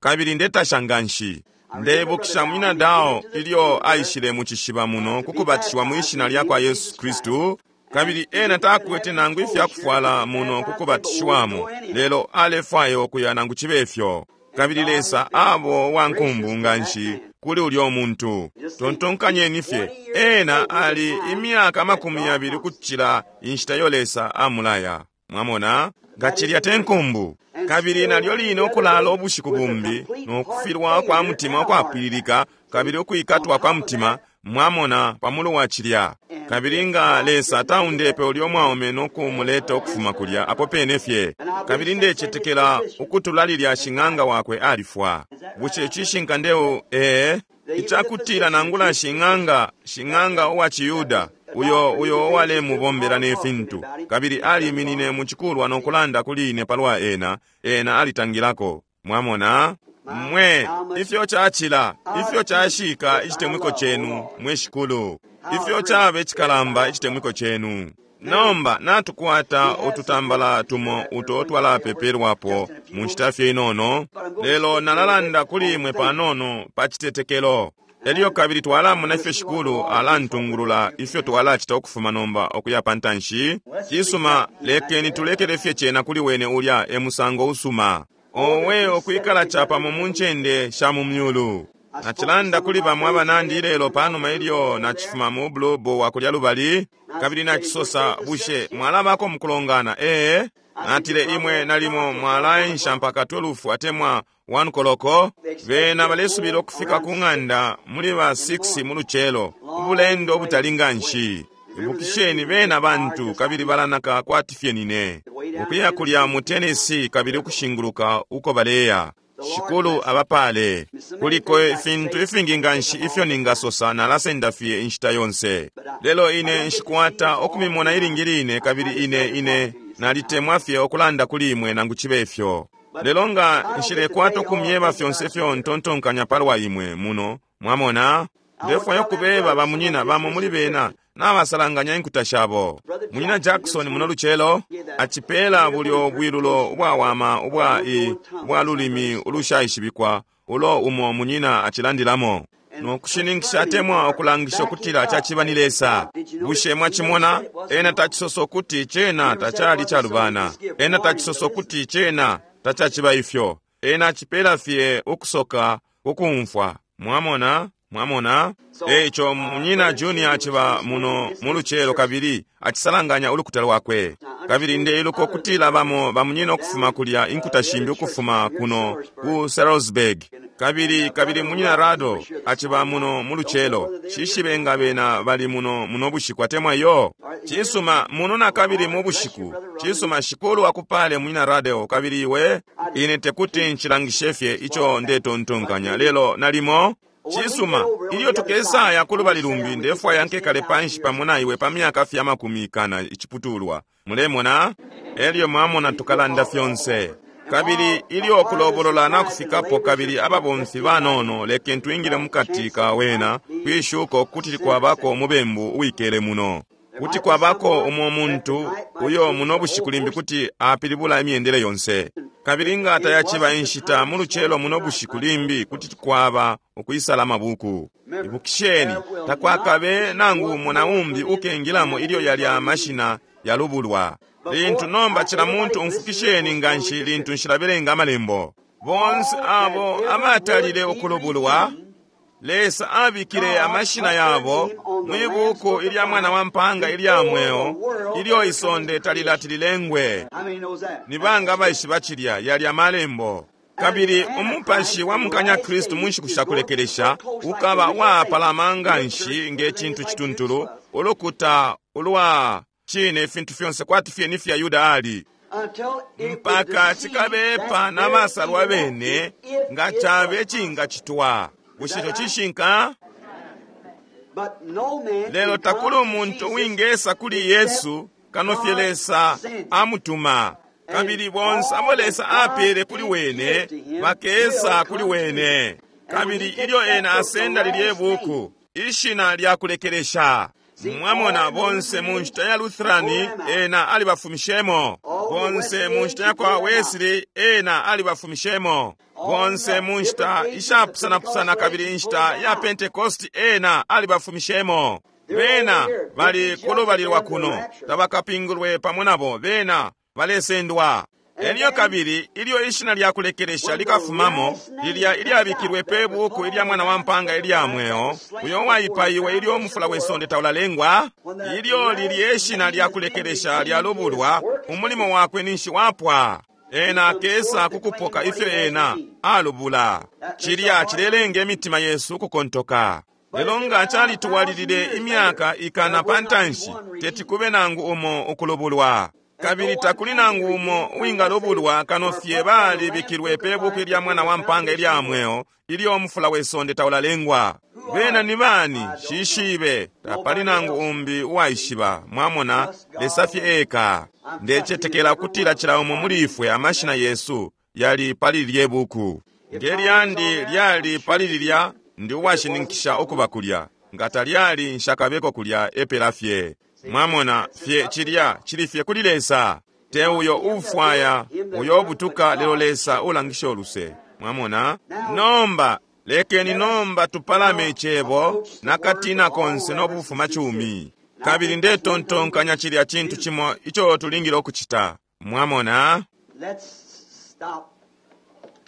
Kabili ndetasha nganshi. Ndebukisha munyina Dao ilyo aishile mu cishiba muno kukubatishiwa mwishina lya kwa Yesu Kristu, kabili ena takwete nangu ifyakufwala muno kukubatishiwamo, lelo alefwaya okuya nangu chibe ifyo. Kabili Lesa abo wankumbu nganshi kuli ulyo muntu. Tontonkanyeni fye, ena ali imyaka amakumi yabili kuchila inshita yo Lesa amulaya. Mwamona nga chilya te nkumbu. Kabili nalyo line okulala obushiku bumbi nokufilwa kwa mutima okwapwililika kabili okwikatwa kwa mutima, mwamona pamulu wa chilya. Kabili nga Lesa taundepe ulyo mwaume no kumuleta ukufuma kulya apo pene fye. Kabili ndecetekela ukutula lilya shing'anga wakwe alifwa. Bushe cishinka ndeu? Ee, icakutila nangula shing'anga, shing'anga uwa Chiyuda, uyo uyo uwalemubombela ne fintu, kabili aliminine mu cikulwa no kulanda kuli ine palwa ena, ena alitangilako. Mwamona? Mwe, ifyo cacila, ifyo cashika icitemwiko chenu, mwe Shikulu. Ifyo cabe cikalamba icitemwiko chenu. Nomba natukwata ututambala tumo uto twalapepelwapo mu nshita fye inono, lelo nalalanda kuli imwe panono pa citetekelo. Elyo kabili twalamona ifyo Shikulu alantungulula ifyo twalacita ukufuma nomba ukuya pa ntanshi. Cisuma, lekeni tulekele fye cena kuli wene ulya e musango usuma. Owe okwikala capamo mu ncende sha mu myulu. Nacilanda kuli bamwe abanandi ilelo panuma ilyo nacifuma mu bulobo wa kulya lubali, kabili nacisosa, bushe mwalabako mukulongana? Ee, natile imwe nalimo mwalaensha mpaka twelve atemwa one koloko. Bena balesubila ukufika ku ng'anda muli ba six mu lucelo, ubulendo obutali nganshi. Ibukisheni bena bantu kabili balanaka kwati fye nine. Ukuya kulya mu Tennessee kabili ukushinguluka uko baleya. Shikulu abapale. Kuliko ifintu ifingi nganshi ifyo ningasosa nalasenda fye inshita yonse. Lelo ine nshikwata okumimona ilingi line kabili ine ine nalitemwa fye okulanda kuli imwe nangu chibe ifyo. Lelo nga nshilekwata okumyeba fyonse fyo ntontonkanya palwa imwe muno, mwamona? Ndefwaya okubeba bamunyina bamo muli bena nabasalanganya inkuta shabo. Munyina Jackson muno lucelo acipela bulyo bwilulo ubwawama ubwa i ubwa lulimi ulushaishibikwa ulo umo munyina acilandilamo. No kushininkisha atemwa okulangisha okutila caciba ni Lesa. Bushe mwacimona? Ena tacisosa ukuti cena tacali calubana. Ena tacisosa ukuti cena tacaciba ifyo. Ena acipela fye ukusoka kukumfwa. Mwamona? Mwamona? Eico munyina Junior aciba muno mu lucelo kabili acisalanganya ulukuta lwakwe. Kabili ndeiluka okutila bamo bamunyina okufuma kulya inkuta shimbi ukufuma kuno ku Salisbury. Kabili kabili munyina Rado aciba muno mu lucelo. Shishibe nga bena bali muno muno bushiku atemwa yo. Cisuma muno na kabili mu bushiku. Cisuma Shikulu akupale munyina Rado kabili iwe ine tekuti nchilangishe fye ico ndetontonkanya lelo nalimo. Cisuma, ilyo tukesaya kulubali lumbi ndefwaya nkekale panshi pamo na iwe pa myaka fya makumi kana iciputulwa. Mulemona? Elyo mwamona tukalanda fyonse. Kabili ilyo kulobolola nakufikapo kabili ababomfi banono leke twingile mukati ka wena kwishuko kuti kwabako umubembu uwikele muno. Kuti kwabako umo muntu uyo muno bushiku limbi kuti apilibula imyendele yonse. Kabili nga tayaciba inshita mu lucelo muno bushiku limbi kuti kwaba ukwisala mabuku. Ibukisheni, takwakabe nangu muna umbi ukengilamo ilyo yali amashina yalubulwa. Lintu nomba cila muntu umfukisheni nganshi lintu nshilabelenga amalembo. Bonse abo abatalile ukulubulwa, Lesa abikile amashina yabo mwibuku ilya mwana wa mpanga ilya mweo ilyo isonde talilati lilengwe. Ni banga abaishiba cilya yali amalembo. Kabili umupashi wa mukanya Kristu mu nshiku sha kulekelesha ukaba uwapalama nganshi nge cintu cituntulu ulukuta ulwa cine ifintu fyonse kwati fye ni fya Yuda ali. Mpaka cikabepa n'abasalwa bene nga cabe cingacitwa. Bushe ico cishinka? Lelo takuli umuntu uwingesa kuli Yesu kano fye Lesa amutuma. Kabili bonse abo Lesa apele kuli wene bakesa kuli wene. Kabili ilyo ena asenda lilye buku ishina lya kulekelesha. Mwamona bonse mu nshita ya Lutherani ena alibafumishemo. Bonse mu nshita ya kwa Wesley ena alibafumishemo. Bonse mu nshita ishapusana-pusana kabili inshita ya Pentecost ena alibafumishemo. Bena bali kulubali lwa kuno tabakapingulwe pamo nabo bena balesendwa. Elyo kabili ilyo ishina lya kulekelesha likafumamo lilya ilyabikilwe pe buku ilya mwana wa mpanga ilya mweo uyo waipaiwe ilyo umufula we sonde taulalengwa. Ilyo lilye ishina lya kulekelesha lyalubulwa umulimo wakwe ninshi wapwa. Ena akesa kukupoka ifyo ena alubula. Cilya cilelenga imitima yesu ukukontoka. Lelo nga calitwalilile imyaka ikana pa ntanshi, teti kube nangu umo ukulubulwa. Kabili takuli nangu umo uwingalubulwa kano fye balibikilwe pe buku ilya mwana wa mpanga ilya mweo ilyo umufula we sonde taulalengwa. Bena ni bani? Shishibe, tapali nangu umbi uwaishiba. Mwamona, Lesa fye eka. Ndecetekela kutila cila umo muli ifwe amashina yesu yali pali lye buku. Nge lyandi lyali pali lilya, ndi uwashininkisha ukuba kulya. Nga talyali, nshakabeko kulya epela fye. Mwamona fye chilya chili fye kuli Lesa. Te uyo ufwaya uyo obutuka, lelo Lesa ulangisha oluse. Mwamona? Nomba lekeni nomba tupalame icebo nakatina konse n'obufuma chumi. Kabili ndetontonkanya chilya chintu chimo icho tulingile okuchita. Mwamona? Let's stop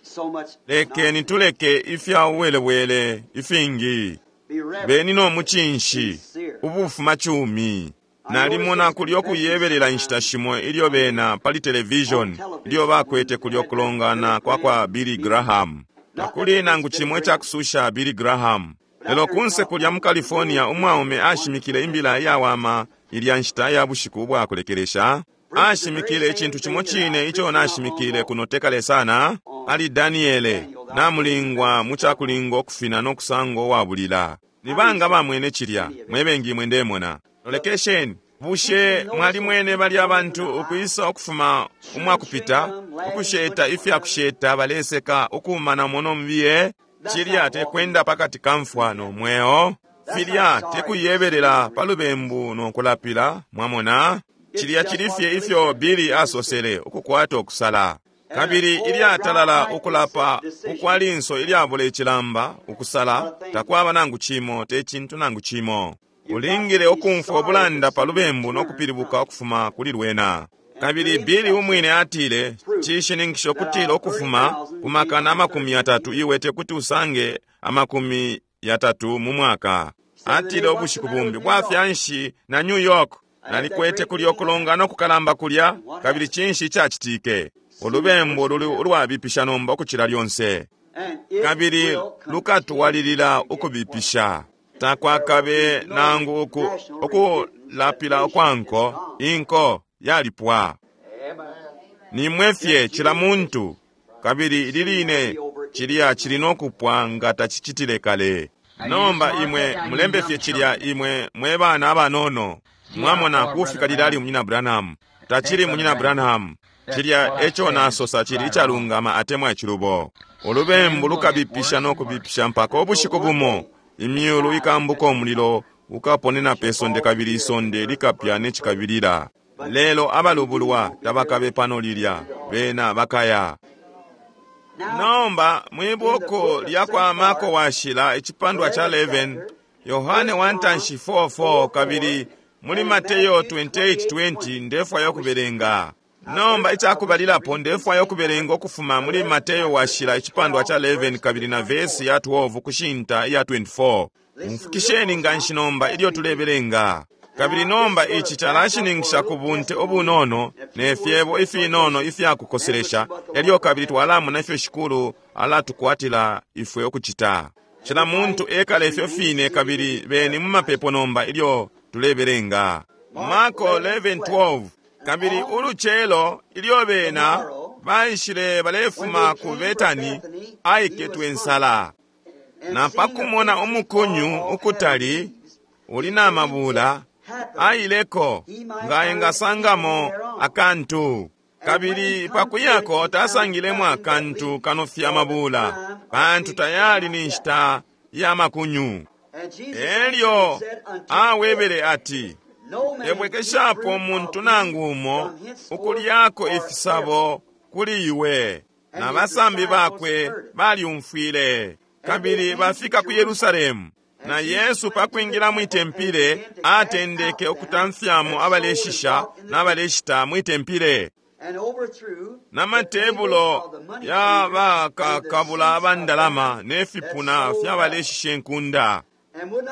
so much. Lekeni tuleke ifya uwelewele ifingi. Be reverent. Beni no muchinshi ubufuma chumi. Nalimona kulyo kuyebelela inshita shimo ilyo bena pali television ilyo bakwete kulyo kulongana kwa kwa Billy Graham. Takuli nangu chimwe chakususha Billy Graham. Lelo kunse kulya mu California umwaume ashimikile imbila iyawama ilya nshita ya bushiku bwakulekelesha. Ashimikile ichintu chimo chine icho nashimikile kuno tekale sana. Ali Daniele namulingwa muchakulinga okufina n'okusanga owabulila. Nibanga bamwene chilya mwebengi mwe ndemona. Lolekesheni bushe mwali mwene bali abantu ukwisa okufuma umwakupita ukusheta ifyakusheta baleseka okumana mono mubiye. Chilya tekwenda pakati ka mfwa n'omweo. Filya tekuyebelela pa lubembu n'okulapila. Mwamona chilya chili fye ifyo Billy asosele okukwata okusala. Kabili ilyatalala okulapa ukwalinso ilyabula echilamba okusala takwaba nangu chimo te chintu nangu chimo. Ulingile okumfwa obulanda pa lubembu n'okupilibuka okufuma kuli lwena. Kabili Billy umwine atile chishininkisho okutila okufuma ku makana amakumi atatu iwe tekuti usange amakumi yatatu mu mwaka. Atile obushiku bumbi bwafyanshi na New York. Nalikwete kulya okulongana okukalamba kulya, kabili chinshi ichachitike. Olubembu luli ulwabipisha nomba okuchila lyonse. And it Kabili will continue lukatwalilila to get okubipisha. Takwakabe nangu oku, okulapila okwanko, inko yalipwa. Nimwe fye chila muntu, kabili ililine chilya chili n'okupwa nga tachichitile kale. Nomba imwe mulembe fye chilya imwe mwe bana abanono. Mwamona kufika lilali munyina Branham. Tachili munyina Branham. Chilya echo nasosa chili ichalungama atemwa echilubo. Olubembu lukabipisha n'okubipisha mpaka obushiku bumo. Imyulu ikambuka omulilo ukaponena pe sonde kabili isonde likapya n'echikabilila. Lelo abalubulwa tabakabe pano lilya bena bakaya. Nomba mwibuku lya kwa Marko washila echipandwa cha eleven, Yohane wantanshi four four kabili muli Mateyo twenty-eight twenty ndefwayo okubelenga. Nomba ichakubalilapo ndefwayo okubelenga okufuma muli Mateyo washila echipandwa cha eleven kabili na vesi ya twelve kushinta iya twenty-four. Mfukisheni nganshi nomba ilyo tulebelenga. Kabili nomba ichi chalashininkisha ku bunte obunono ne fyebo ifinono ifyakukoselesha, elyo kabili twalamona ifyo shikulu alatukwatila ifwe okuchita. Chila muntu ekale ifyo fine kabili beni mu mapepo nomba ilyo tulebelenga. Marko eleven twelve. Kabili uluchelo ilyo bena baishile balefuma ku Betani aiketwe ensala. Na pakumona umukunyu ukutali uli na mabula aileko nga engasangamo akantu. Kabili pakuyako tasangilemo akantu kanofya mabula pantu tayali ni nshita ya makunyu. Elyo awebele ati ebwekeshapo muntu nangu umo ukulyako ifisabo kuli iwe. Na basambi bakwe balyumfwile. Kabili bafika ku Yerusalemu. Na Yesu pakwingira mwitempile atendeke okutamfyamo abaleshisha n'abaleshita mwitempile. Na matebulo ya bakakabula abandalama n'efipuna fy'abaleshisha enkunda.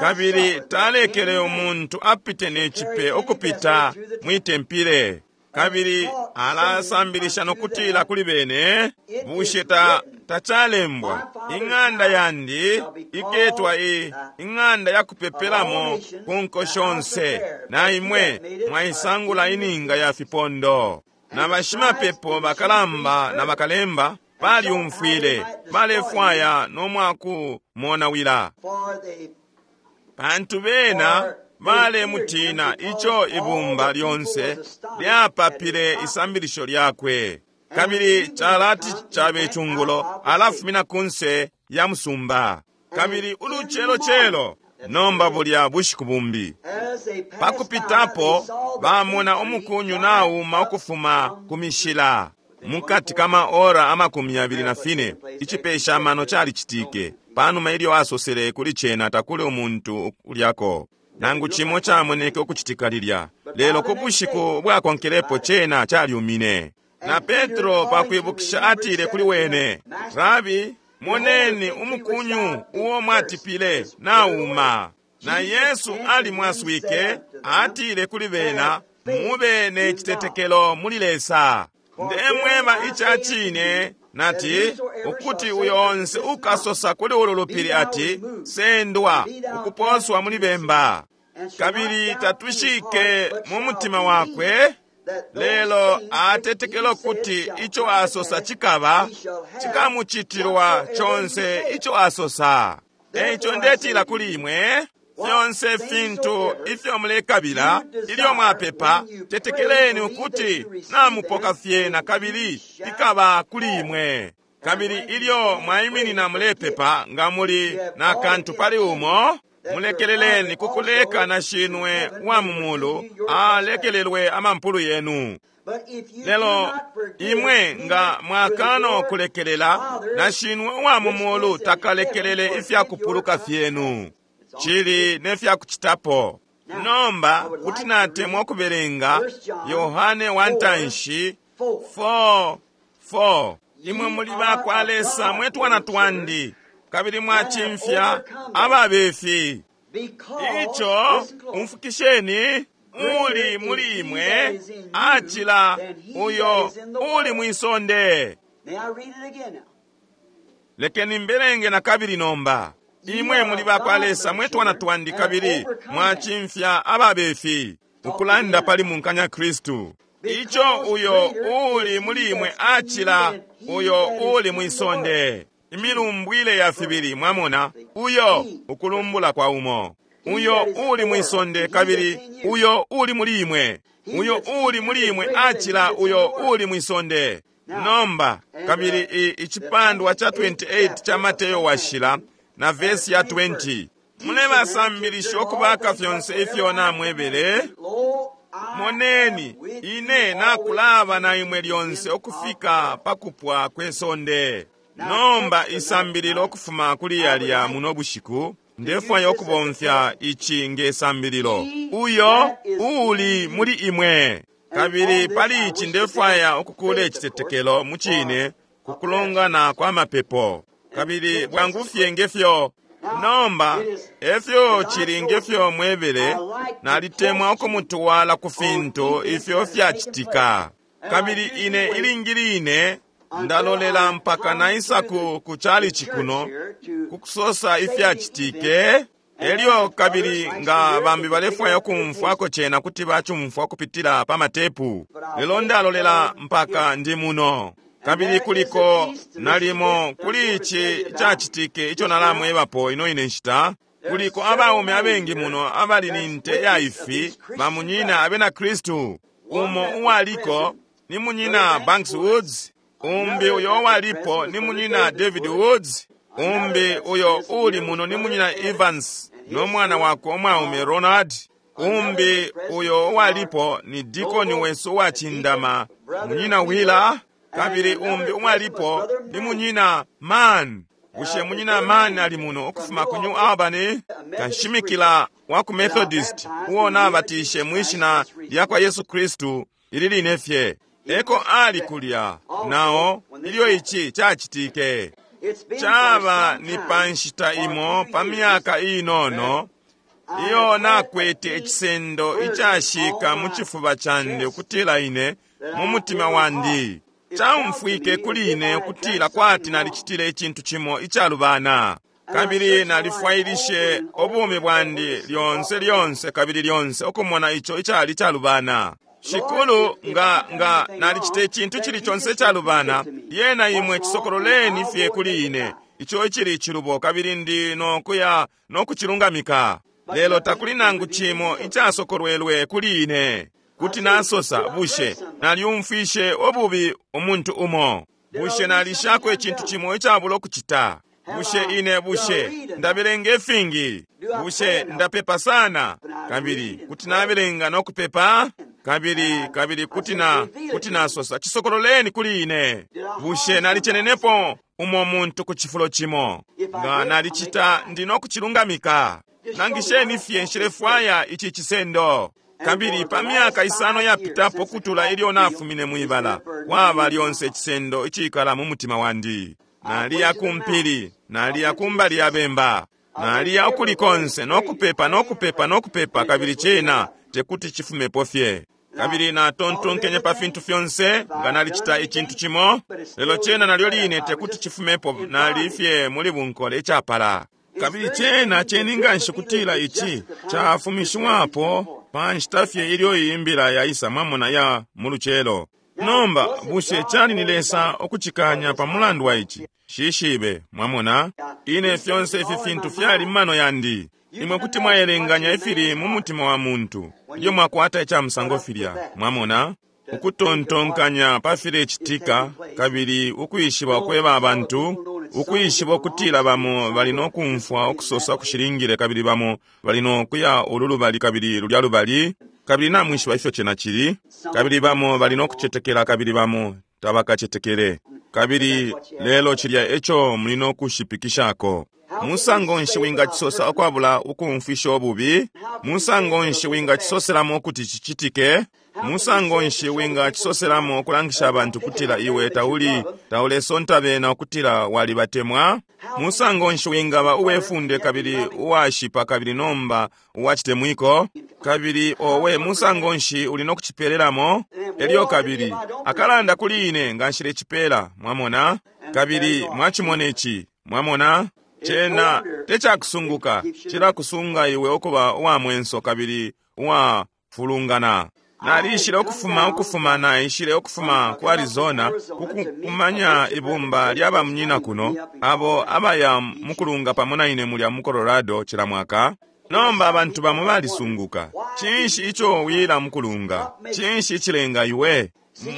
Kabili talekele omuntu apite n'echipe okupita mwitempile. Kabili alasambilisha nokutila kuli bene, bushe ta tacalembwa, ing'anda yandi iketwa i ing'anda yakupepelamo ku nko shonse, na imwe mwaisangula ininga ya fipondo. Na bashimapepo bakalamba na bakalemba balyumfwile, balefwaya no mwakumonawila, pantu bena balemutina ico ibumba lyonse lyapapile isambilisho lyakwe. Kabili calati cabe cungulo alafumina kunse ya musumba. Kabili ulucelocelo nomba bulya bushiku bumbi, pakupitapo bamona umukunyu nauma ukufuma ku mishila. Mukati kama ora amakumi yabili na fine icipesha amano calicitike. Panuma ilyo asosele kuli cena takuli umuntu ulyako nangu cimo camoneke ukucitika lilya, lelo ku bushiku bwakonkelepo cena calyumine. Na Petro pakwibukisha atile kuli wene, Rabi, moneni umukunyu uo mwatipile nauma. Na Yesu alimwaswike atile kuli bena, mube ne citetekelo muli Lesa. Ndemweba ica cine nati ukuti uyo onse ukasosa kuli ulu lupili ati sendwa ukuposwa muli bemba, kabili tatwishike mu mutima wakwe, lelo atetekelo kuti ico asosa cikaba, cikamucitilwa conse ico asosa. Eico ndetila kuli imwe, fyonse fintu ifyo mulekabila ilyo mwapepa, tetekeleni ukuti namupoka fyena kabili ikaba kuli imwe. Kabili ilyo mwaiminina mulepepa, nga muli na kantu pali umo, mulekeleleni kukuleka na shinwe wa mumulu alekelelwe amampulu yenu. Lelo imwe nga mwakano kulekelela, na shinwe wa mumulu takalekelele ifyakupuluka fyenu. Chili nefyakucitapo. Nomba kuti natemwa ukubelenga Yohane wantanshi four four. Imwe muli bakwa Lesa mwe twana twandi, kabili mwacimfya ababefi. Ico umfukisheni, uli muli imwe acila uyo uli mwisonde. Lekeni mbelenge na kabili nomba. Imwe muli bakwa Lesa mwe twana twandi, kabili mwacimfya ababefi. Ukulanda pali munkanya Kristu. Ico uyo uli muli imwe acila uyo uli mwisonde. Imilumbwile ya fibili, mwamona, uyo ukulumbula kwa umo, uyo uli mwisonde kabili uyo uli muli imwe. Uyo uli muli imwe acila uyo uli mwisonde. Nomba kabili icipandwa cha twenty-eight cha Mateyo washila na vesi ya twenty, mulebasambilisha ukubaka fyonse ifyo namwebele. Moneni, ine nakulaba na imwe lyonse ukufika pakupwa kwe sonde. Nomba isambililo ukufuma kuli yalya muno bushiku, ndefwaya ukubomfya ici nge sambililo, uyo uli muli imwe. Kabili pali ici ndefwaya ukukula icitetekelo mu cine kukulongana kwa mapepo. Kabili bwangu fye ngefyo nomba efyo chili ngefyo mwebele, nalitemwa ukumutuwala ku fintu ifyo fyacitika. Kabili ine ilingi ine ndalolela mpaka naisa ku kuchalichi kuno kukusosa ifyacitike. Elyo kabili nga bambi balefwaya ukumfwako cena kuti bacumfwa kupitila pa matepu, lelo ndalolela mpaka ndi muno. Kabili kuliko nalimo kuli ici cacitike ico nalamwebapo ino ine nshita, kuliko abaume abengi muno abali ni nte ya ifi bamunyina abena Kristu. Umo uwaliko ni munyina Banks Woods, umbi uyo uwalipo ni munyina David Woods, umbi uyo uli muno ni munyina Evans no mwana wakwe umwaume Ronald, umbi uyo uwalipo ni dikoni wesu uwacindama munyina Wheeler, kabili umbi umwalipo ni munyina Mann. Bushe munyina Mann ali muno ukufuma ku New Albany, kanshimikila wa ku Methodist uo nabatishe mwishina lya kwa Yesu Kristu ili line fye. Eko ali kulya nao ilyo ici cacitike. Caba ni pa nshita imo pa myaka inono Iyo nakwete icisendo icashika mu cifuba candi ukutila ine mu mutima wandi caumfwike kuli ine ukutila kwati nalicitile icintu cimo icalubana. Kabili nalifwailishe ubumi bwandi lyonse lyonse kabili lyonse ukumona ico icali calubana. Shikulu, nga nga nalicita icintu cili conse icalubana, lyena imwe cisokololeni fye kuli ine ico icili icilubo, kabili ndi nokuya nokucilungamika. Lelo takuli nangu cimo icasokolwelwe kuli ine. Kuti nasosa, bushe nalyumfwishe ububi umuntu umo? Bushe nalishako icintu cimo icabula ukucita? Bushe ine bushe ndabelenga ifingi? Bushe ndapepa sana? Kabili kuti nabelenga nokupepa? Kabili kabili kuti na kuti nasosa, cisokololeni kuli ine. Bushe nalicenenepo umo muntu ku cifulo cimo? Nga nalicita, ndi nokucilungamika. Nangisheni fye, nshilefwaya ici cisendo. Kabili pa myaka isano yapitapo kutula ilyo nafumine mwibala, kwaba lyonse icisendo icikala mu mutima wandi. Naliya kumpili, naliya kumbali ya bemba, naliya ukuli konse nokupepa nokupepa nokupepa, kabili cena tekuti chifumepo fye. Kabili natontonkenye pa fintu fyonse, nga nalicita icintu cimo, lelo cena nalyo line tekuti chifumepo, nali fye muli bunkole icapala. Kabili cena ceninga nshi kutila ici cafumishiwapo pa nshita fye ilyo iyi mbila yaisa, mwamona, ya mu lucelo. Nomba bushe cali ni Lesa ukucikanya pa mulandu wa ici? Shishibe, mwamona, ine fyonse ifi fintu fyali mumano yandi. Imwe kuti mwaelenganya ifili mu mutima wa muntu ilyo mwakwata ica musango filya, mwamona, ukutontonkanya pa filecitika, kabili ukwishiba ukweba abantu, ukwishiba ukutila bamo bali nokumfwa ukusosa kushilingile, kabili bamo bali nokuya ulu lubali kabili lulya lubali, kabili namwishiba ifyo cena cili, kabili bamo bali nokucetekela kabili bamo tabakacetekele. Kabili lelo cilya eco muli nokushipikishako. Musango nshi wingacisosa ukwabula ukumfwisha ububi? Musango nshi wingacisoselamo ukuti cicitike? Musango nshi wingacisoselamo ukulangisha abantu kutila iwe tauli taulesonta bena ukutila walibatemwa? Musango nshi wingaba uwefunde kabili uwashipa kabili nomba uwacitemwiko? Kabili owe, musango nshi uli nokucipelelamo? Elyo kabili akalanda kuli ine nga nshilecipela, mwamona? Kabili mwacimona ici, mwamona? Cena tecakusunguka, cilakusunga iwe ukuba uwa mwenso kabili uwa fulungana. Nalishile ukufuma ukufuma naishile ukufuma ku Arizona kukumanya ibumba lya bamunyina kuno, abo abaya mukulunga pamo na ine mulya mu Colorado cila mwaka. Nomba abantu bamo balisunguka, cinshi ico wila mukulunga? Cinshi icilenga iwe?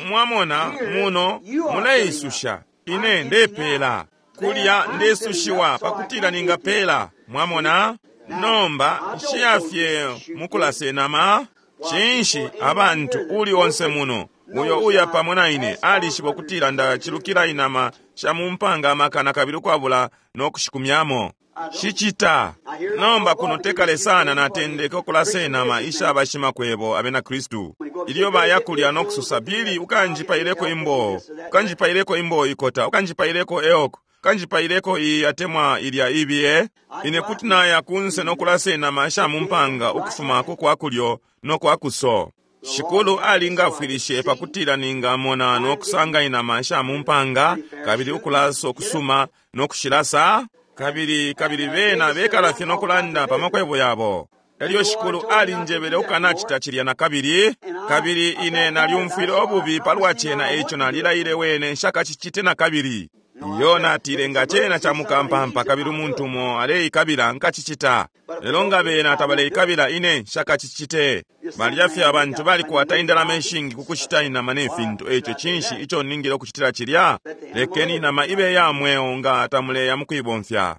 Mwamona, muno muleisusha, ine ndepela kulya ndesushiwa pakutila ningapela, mwamona? Nomba nshiyafye mukulasenama. Cinshi abantu uli onse muno uyo uya pamo na ine alishiba ukutila ndacilukila inama sha mumpanga amakana kabili ukwabula nokushikumyamo. Shicita. Nomba kuno tekale sana natendeke ukulasenama isha bashimakwebo abena Kristu. Ilyo baya kulya nokusosa, Bili ukanjipaileko imboo, ukanjipaileko imboo ikota, ukanjipaileko eoko, ukanjipaileko iyi atemwa ilya ibiye. Ine kuti naya kunse nokulasenama isha mumpanga ukufuma ku kwa kulyo nokwa kuso. Shikulu alingafwilishe pakutila ningamona nokusanga inama isha mumpanga kabili ukulasa okusuma nokushilasa. Kabili kabili bena bekala fye nokulanda pa makwebo yabo. Elyo shikulu alinjebele ukanacita cilya na kabili, kabili ine nalyumfwile ububi palwa cena, eico nalilaile wene nshakacicite na kabili. Iyo natile nga cena ca mukampampa kabili umuntu umo aleikabila nkacicita, lelo nga bena tabaleikabila ine nshakacicite. Balya fye abantu balikwata indalama ishingi ku kushita inama ne fintu, eico cinshi ico ningile ukucitila cilya? Lekeni inama ibe ya mweo nga tamuleya mukuibomfya.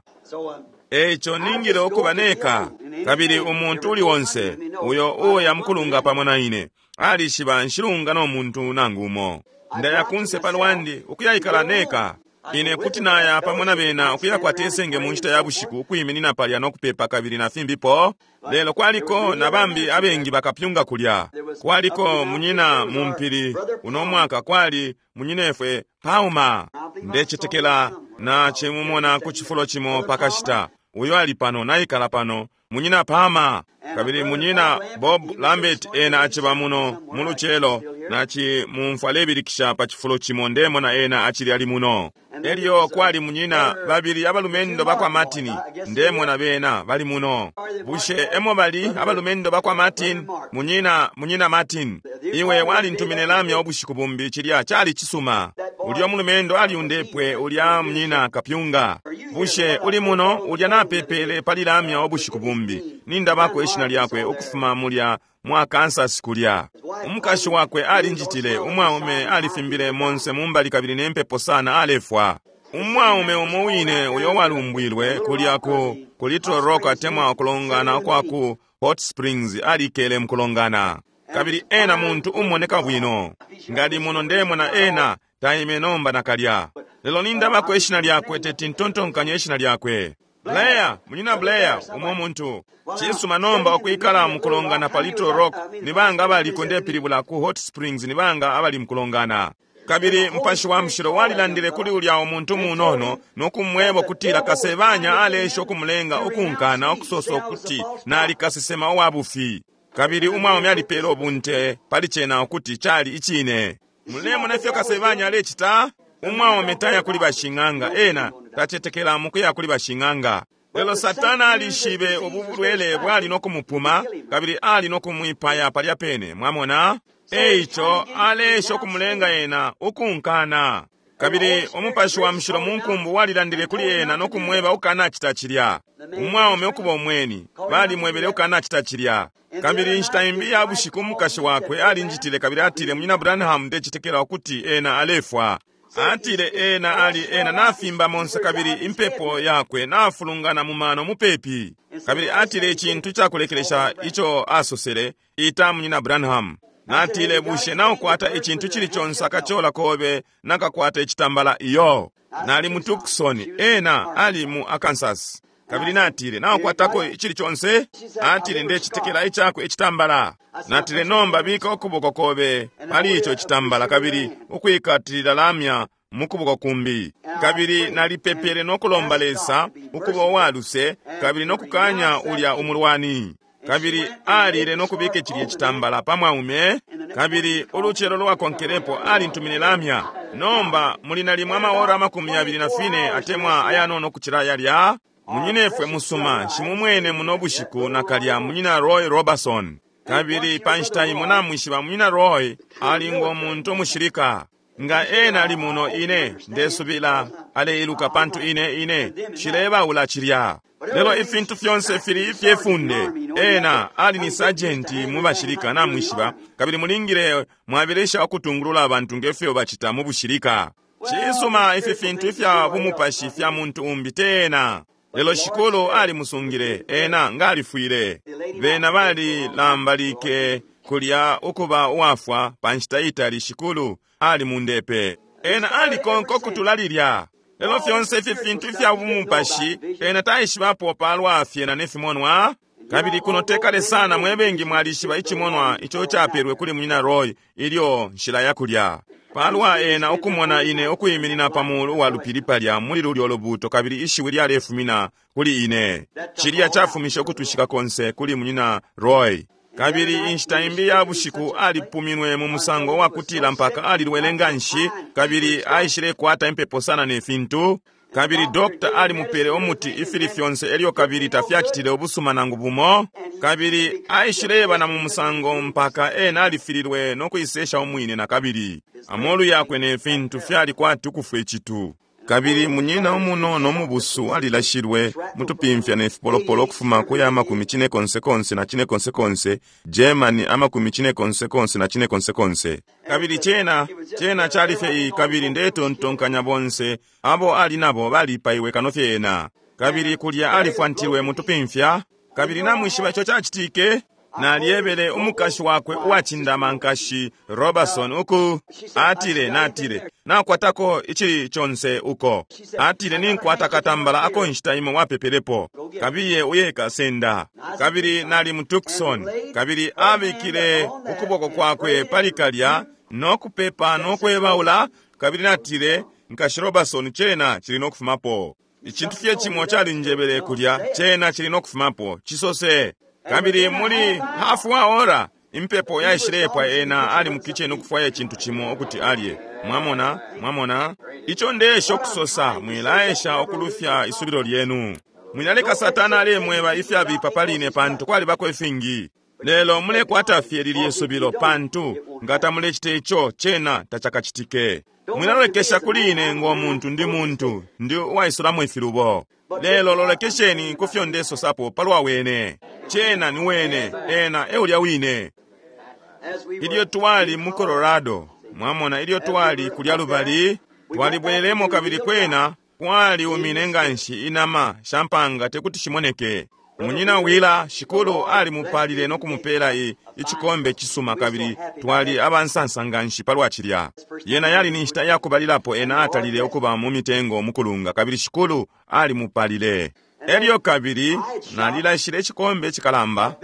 Eico ningile ukuba neka, kabili umuntu uli onse uyo uya mukulunga pamo na ine alishiba nshilunga no muntu nangu umo. Ndaya kunse palwandi ukuyaikala neka. Ine kuti naya pamo na bena ukuyakwata isenge mu nshita ya bushiku ukwiminina palya nokupepa kabili na fimbipo. Lelo kwaliko na bambi abengi bakapyunga kulya. Kwaliko munyina mu mpili uno mwaka, kwali munyinefwe Pauma. Ndecetekela na chimumona ku cifulo cimo pakashita. Uyo ali pano, naikala pano, munyina Palmer. Kabili munyina Bob Lambert ena aciba muno mu lucelo, naci mumfwa alebilikisha pa cifulo cimo, ndemona ena acili ali muno. Elyo kwali munyina babili abalumendo bakwa Martin, ndemona bena bali muno. Bushe emo bali abalumendo bakwa Martin? Munyina, munyina Martin, iwe walintumine lamya ubushiku bumbi, cilya cali cisuma. Ulya mulumendo aliundepwe, ulya munyina kapyunga. Bushe uli muno? Ulya napepele pali lamya ubushiku bumbi, nindabako ishina lyakwe ukufuma mulya mwa Kansas kulya. Umukashi wakwe alinjitile, umwaume alifimbile monse mumbali kabili nempepo sana alefwa. Umwaume umo wine uyo walumbwilwe kulya ku ku Little Rock atemwa ukulongana kwa ku Hot Springs alikele mukulongana. Kabili ena muntu umoneka bwino. Ngali muno ndemona ena taime nomba nakalya. Lelo nindabako ishina lyakwe, teti ntontonkanye ishina lyakwe. Blair, munyina Blair, umo muntu. Cisuma nomba ukwikala mukulongana pa Little Rock, nibanga abaliko ndepilibula ku Hot Springs, nibanga abali mukulongana. Kabili Mupashi wa Mushilo walilandile kuli ulya umuntu munono nokumweba ukutila kasebanya alesha ukumulenga ukunkana ukusosa ukuti nali kasesema uwa bufi. Kabili umwaume alipele ubunte pali cena ukuti cali icine. Mulemona ifyo kasebanya alecita? Umwaume taya kuli bashing'anga, ena tacetekela mukuya kuli bashing'anga. Lelo Satana alishibe ubu bulwele bwali no kumupuma, kabili ali no kumwipaya palya pene, mwamona? Eico alesha ukumulenga ena ukunkana. Kabili Umupashi wa Mushilo munkumbu walilandile kuli ena no kumweba ukanacita cilya. Umwaume ukuba umweni, balimwebele ukanacita cilya. Kabili inshita imbi ya bushiku umukashi wakwe alinjitile kabili atile, Munyina Branham, ndecetekela ukuti ena alefwa. Atile ena ali ena nafimba monse kabili impepo yakwe nafulungana mu mano mupepi. Kabili atile icintu cakulekelesha ico asosele, ita Munyina Branham. Natile, bushe naukwata icintu cili conse akachola kobe nakakwata icitambala? Iyo. Nali mu Tucson, ena ali mu Arkansas. Kabili natile, naukwatako icili conse? Atile, ndecitekela icakwe icitambala. Natile, nomba bika ukuboko kobe pali ico citambala kabili ukwikatilila lamya mukuboko kumbi. Kabili nalipepele nokulomba Lesa ukuba uwaluse kabili nokukanya ulya umulwani. Kabili alile nokubika cilye citambala pa mwaume. Kabili ulucelo lwakonkelepo alintumine lamya. Nomba muli nalimwe amaora amakumi yabili na fine atemwa ayanono kucila yalya. Munyinefwe musuma shimumwene muno bushiku nakalya munyina Roy Robertson. Kabili pa nshita imo namwishiba munyina Roy ali ngo muntu umushilika. Nga ena ali muno ine ndesubila aleiluka pantu ine ine shilebaula cilya. Lelo ifintu fyonse fili ifyefunde. Ena ali ni sajenti mu bashilika namwishiba, kabili mulingile mwabelesha ukutungulula abantu ngefyo bacita mu bushilika. Cisuma ifi fintu ifya bumupashi fya muntu umbi tena. Lelo shikulu alimusungile ena ngalifwile. Bena balilambalike kulya ukuba uwafwa pa nshita itali shikulu alimundepe. Ena alikonka ukutula lilya. Lelo fyonse ifi fintu ifya bumupashi ena taishibapo palwa fyena nefimonwa. Kabili kuno tekale sana mwebengi mwalishiba icimonwa ico capelwe kuli munyina Roy ilyo nshila yakulya. Palwa ena ukumona ine ukuyiminina pa mulu wa lupili palya muli lulyo lubuto kabili ishiwi lyalefumina kuli ine. Cilya cafumishe ukutwishika konse kuli munyina Roy. Kabili inshita imbi ya bushiku alipuminwe mu musango wa kutila mpaka alilwele nganshi kabili aishile kwata impepo sana ne fintu. Kabili dokta alimupele umuti ifili fyonse elyo kabili tafyacitile ubusuma nangu bumo. Kabili aishileba na mu musango mpaka ena alifililwe no kuisesha umwine na kabili. Amolu yakwe ne fintu fyali kwati ukufwa icitu. Kabili munyina umunono mubusu alilashilwe mutupimfya ne fipolopolo ukufuma kuya amakumi cine konse konse na cine konse konse, Germany amakumi cine konse konse na cine konse konse. Kabili cena, cena cali fye iyi kabili ndetontonkanya bonse abo ali nabo balipaiwe kano fye ena. Kabili kulya alifwantilwe mutupimfya, kabili namwishiba ico cacitike. Nalyebele umukashi wakwe uwacindama nkashi Robertson uku atile, natile nakwatako icili conse uko. Atile ninkwata katambala ako nshita imo wapepelepo, kabiye uye kasenda. Kabili nali mu Tucson, kabili abikile ukuboko kwakwe pali kalya no kupepa no kwebaula. Kabili natile nkashi Robertson cena cili no kufumapo. Icintu fye cimo calinjebele kulya, cena cili nokufumapo, cisose. Kabili muli hafu wa ora, impepo yaishilepwa ena ali mu kitchen ukufwaya icintu cimo ukuti alye. Mwamona, mwamona, ico ndesha ukusosa, mwilaesha ukulufya isubilo lyenu. Mwilaleka Satana alemweba ifyabipa pali ine pantu kwalibako ifingi. Lelo mulekwata fye lilye subilo pantu nga tamulecita ico cena tacakacitike. Mwilalolekesha kuli ine ngo muntu ndi muntu, ndi uwaisulamo ifilubo. Lelo lolekesheni ku fyo ndesosapo palwa wene. Cena ni wene, ena eulya wine. Ilyo twali mu Colorado, mwamona ilyo twali kulya lubali, twalibwelemo kabili kwena kwali umine nganshi inama shampanga tekuti shimoneke. Munyina Wila shikulu alimupalile no kumupela i ichikombe chisuma kabili twali abansansa nganshi palwa cilya. Yena yali ni nshita yakubalilapo ena atalile ukuba mu mitengo mukulunga kabili shikulu alimupalile. Elyo kabili nalilashile ichikombe chikalamba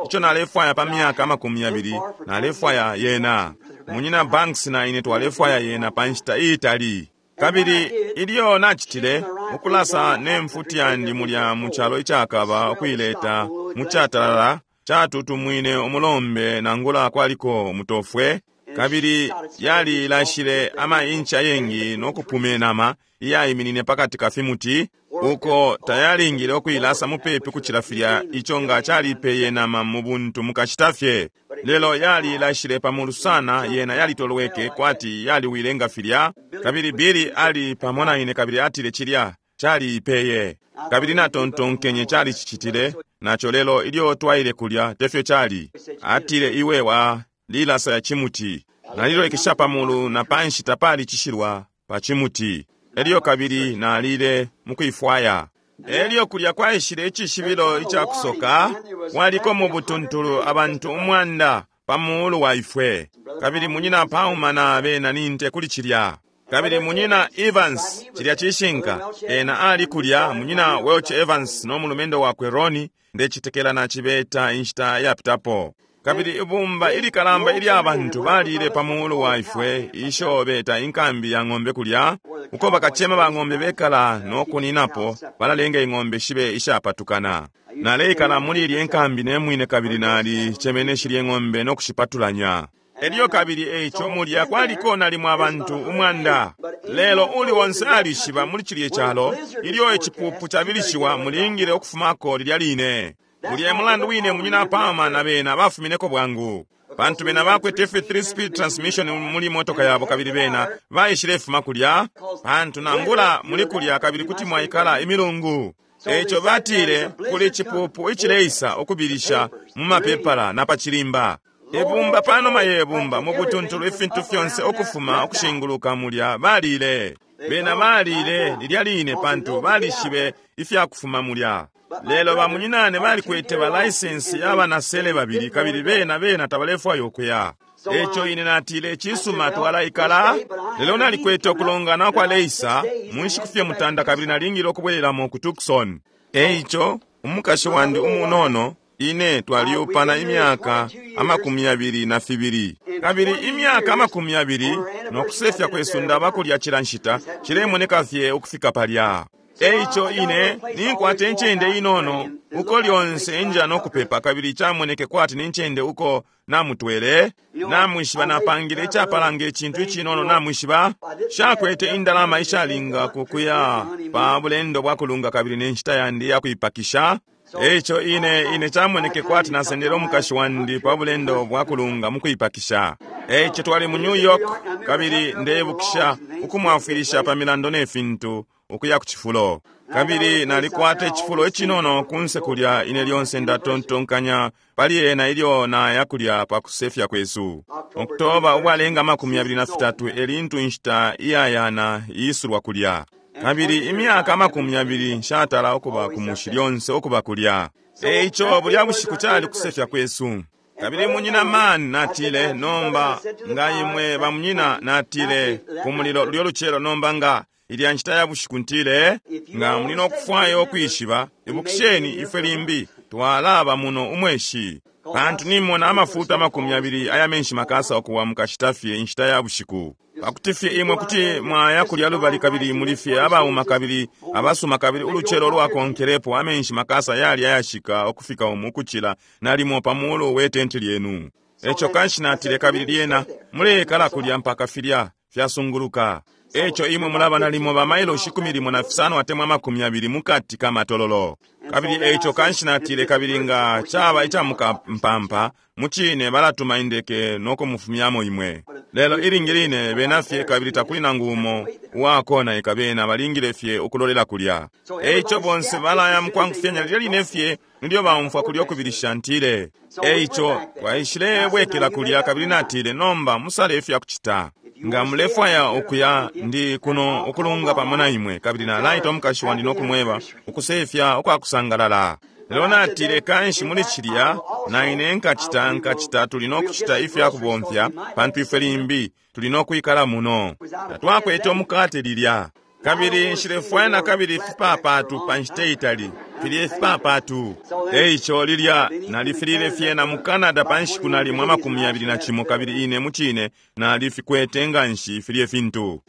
icho nalefwaya pa myaka amakumi yabili nalefwaya yena. Munyina Banks na ine twalefwaya yena pa nshita iitali. Kabili ilyo nachitile ukulasa ne mfuti yandi mulya mu chalo ichakaba ukuileta mu chatalala chatutumwine umulombe nangula kwaliko mutofwe kabili yali ilashile ama inchi ayengi nokupume nama iyayiminine pakati ka fimuti uko tayalingile okuilasa mupepi kuchila filya icho nga chalipeye nama mu buntu mukachita fye. Lelo yali ilashile pamulu sana yena yalitolweke kwati yaliwile nga filya kabili Billy ali pamo na ine kabili atile chilya chaliipeye kabili natontonkenye chali chichitile nacho lelo ilyo twaile kulya tefyo chali atile iwe wa lilasa ya chimuti nalilolekesha pamulu na panshi tapali chishilwa pa chimuti elyo kabili nalile mukuifwaya. Elyo kulya kwaishile icishibilo icakusoka waliko mu butuntulu abantu umwanda pamulu wa ifwe kabili munyina Palmer na bena ninte kuli chilya kabili munyina Evans chilya chishinka ena ali kulya munyina Welch Evans no mulumendo wakwe Ronnie ndechitekela na chibeta inshita yapitapo. Kabili ibumba ilikalamba ilya abantu balile pamulu wa ifwe isho beta inkambi ya ng'ombe kulya uko bakachema ba ng'ombe bekala nokuninapo balalenga ing'ombe shibe ishapatukana. Naleikala muli ilye nkambi nemwine kabili nali chemene shilye ng'ombe nokushipatulanya. Elyo kabili eicho mulya kwaliko nalimwe abantu umwanda. Lelo uli wonse alishiba muli chilye chalo ilyo echipupu chabilishiwa mulingile okufumako lilya line. Mulye mulandu wine munyina Palmer na bena bafumineko bwangu. Bantu bena bakwete F three speed transmission muli motoka yabo kabili bena baishile fuma kulya. Bantu nangula muli kulya kabili kuti mwaikala imilungu. Eicho batile kuli chipupu ichileisa okubilisha mu mapepala na pachilimba. Ebumba panoma yebumba mu butuntulu ifintu fyonse okufuma okushinguluka mulya balile. Bena balile lilya line pantu balishibe ifyakufuma mulya. Lelo bamunyinane balikwete ba license y'abanasele babili kabili bena bena tabalefwayo okuya. Echo ine natile chisuma twalaikala lelo nalikwete okulongana kwa leisa munshiku fye mutanda kabili nalingile okubwereramo ku Tucson. Eicho umukashi wandi umunono ine twaliupana imyaka amakumi yabili na fibili kabili imyaka amakumi yabili nokusefya kwesu ndaba kulya chila nshita chilemoneka fye ukufika palya. Eicho ine ninkwate nchende inono uko lyonse nja nokupepa kabili chamoneke kwati ninchende uko namutwele namwishiba napangile ichapalanga echintu ichinono namwishiba shakwete indalama ishalinga kukuya pa bulendo bwakulunga kabili nenshita yandi yakuipakisha. Eicho ine ine chamoneke kwati nasendele omukashi wandi pa bulendo bwakulunga mukuipakisha. Eicho twali mu New York kabili ndebukisha ukumwafwilisha pa milando nefintu ukuya ku chifulo. Kabili nalikwata echifulo echinono kunse kulya ine lyonse ndatontonkanya pali ena ilyo naya kulya pa kusefya kwesu. Oktoba ubwalenga amakumi abili na fitatu elintu inshita iyayana iisulwa kulya. Kabili imyaka amakumi abili nshatala okuba ku mushi lyonse okuba kulya. Eicho bulya bushiku chali kusefya kwesu. Kabili munyina man natile nomba nga imwe bamunyina natile ku mulilo lulyo luchelo nomba nga ilya nshita ya bushiku ntile nga mulina okufwayo okwishiba ibukisheni ifwe limbi twalaba muno umweshi. Pantu nimona amafuta amakumi yabili aya menshi makasa ukuwa mukashita fye inshita ya bushiku. Pakuti fye imwe kuti mwaya kulya lubali kabili muli fye abauma kabili abasuma kabili ulucelo lwakonkelepo amenshi makasa yali ayashika ukufika umu ukucila nalimo pa mulu we tenti lyenu. Eco kanshi natile kabili lyena mulekala kulya mpaka filya fyasunguluka. Eco imwe mulaba nalimo ba mailoshi ikumi limo na fisano atemwa amakumi abili mukati ka matololo. Kabili eco kanshi natile kabili nga chaba icamukampampa mucine balatuma indeke nokumufumyamo imwe. Lelo ilingi line bena fye kabili takuli nangu umo uwakonaika bena balingile fye ukulolela kulya. Eico bonse balaya mukwangufyanya lilya line fye nilyo baumfwa kulya ukubilisha ntile. Eico twaishile bwekela kulya kabili natile nomba musale ifyakucita. Nga mulefwaya ukuya ndi kuno ukulunga pamo na imwe kabili nalaita omukashi wandi nokumweba ukusefya ukwakusangalala. Lelo natile kanshi muli cilya na ine nkacita nkacita tuli nokucita ifyakubomfya pantu ifwe limbi tuli nokwikala muno. Tatwakwete omukate lilya. Kabili nshilefwaya na kabili ifipapatu pa nshita itali filya ifipapatu. Eico lilya nalifilile fye na mu Canada pa nshiku nalimo amakumi yabili na cimo kabili ine mucine nalifikwete nga nshi filya fintu.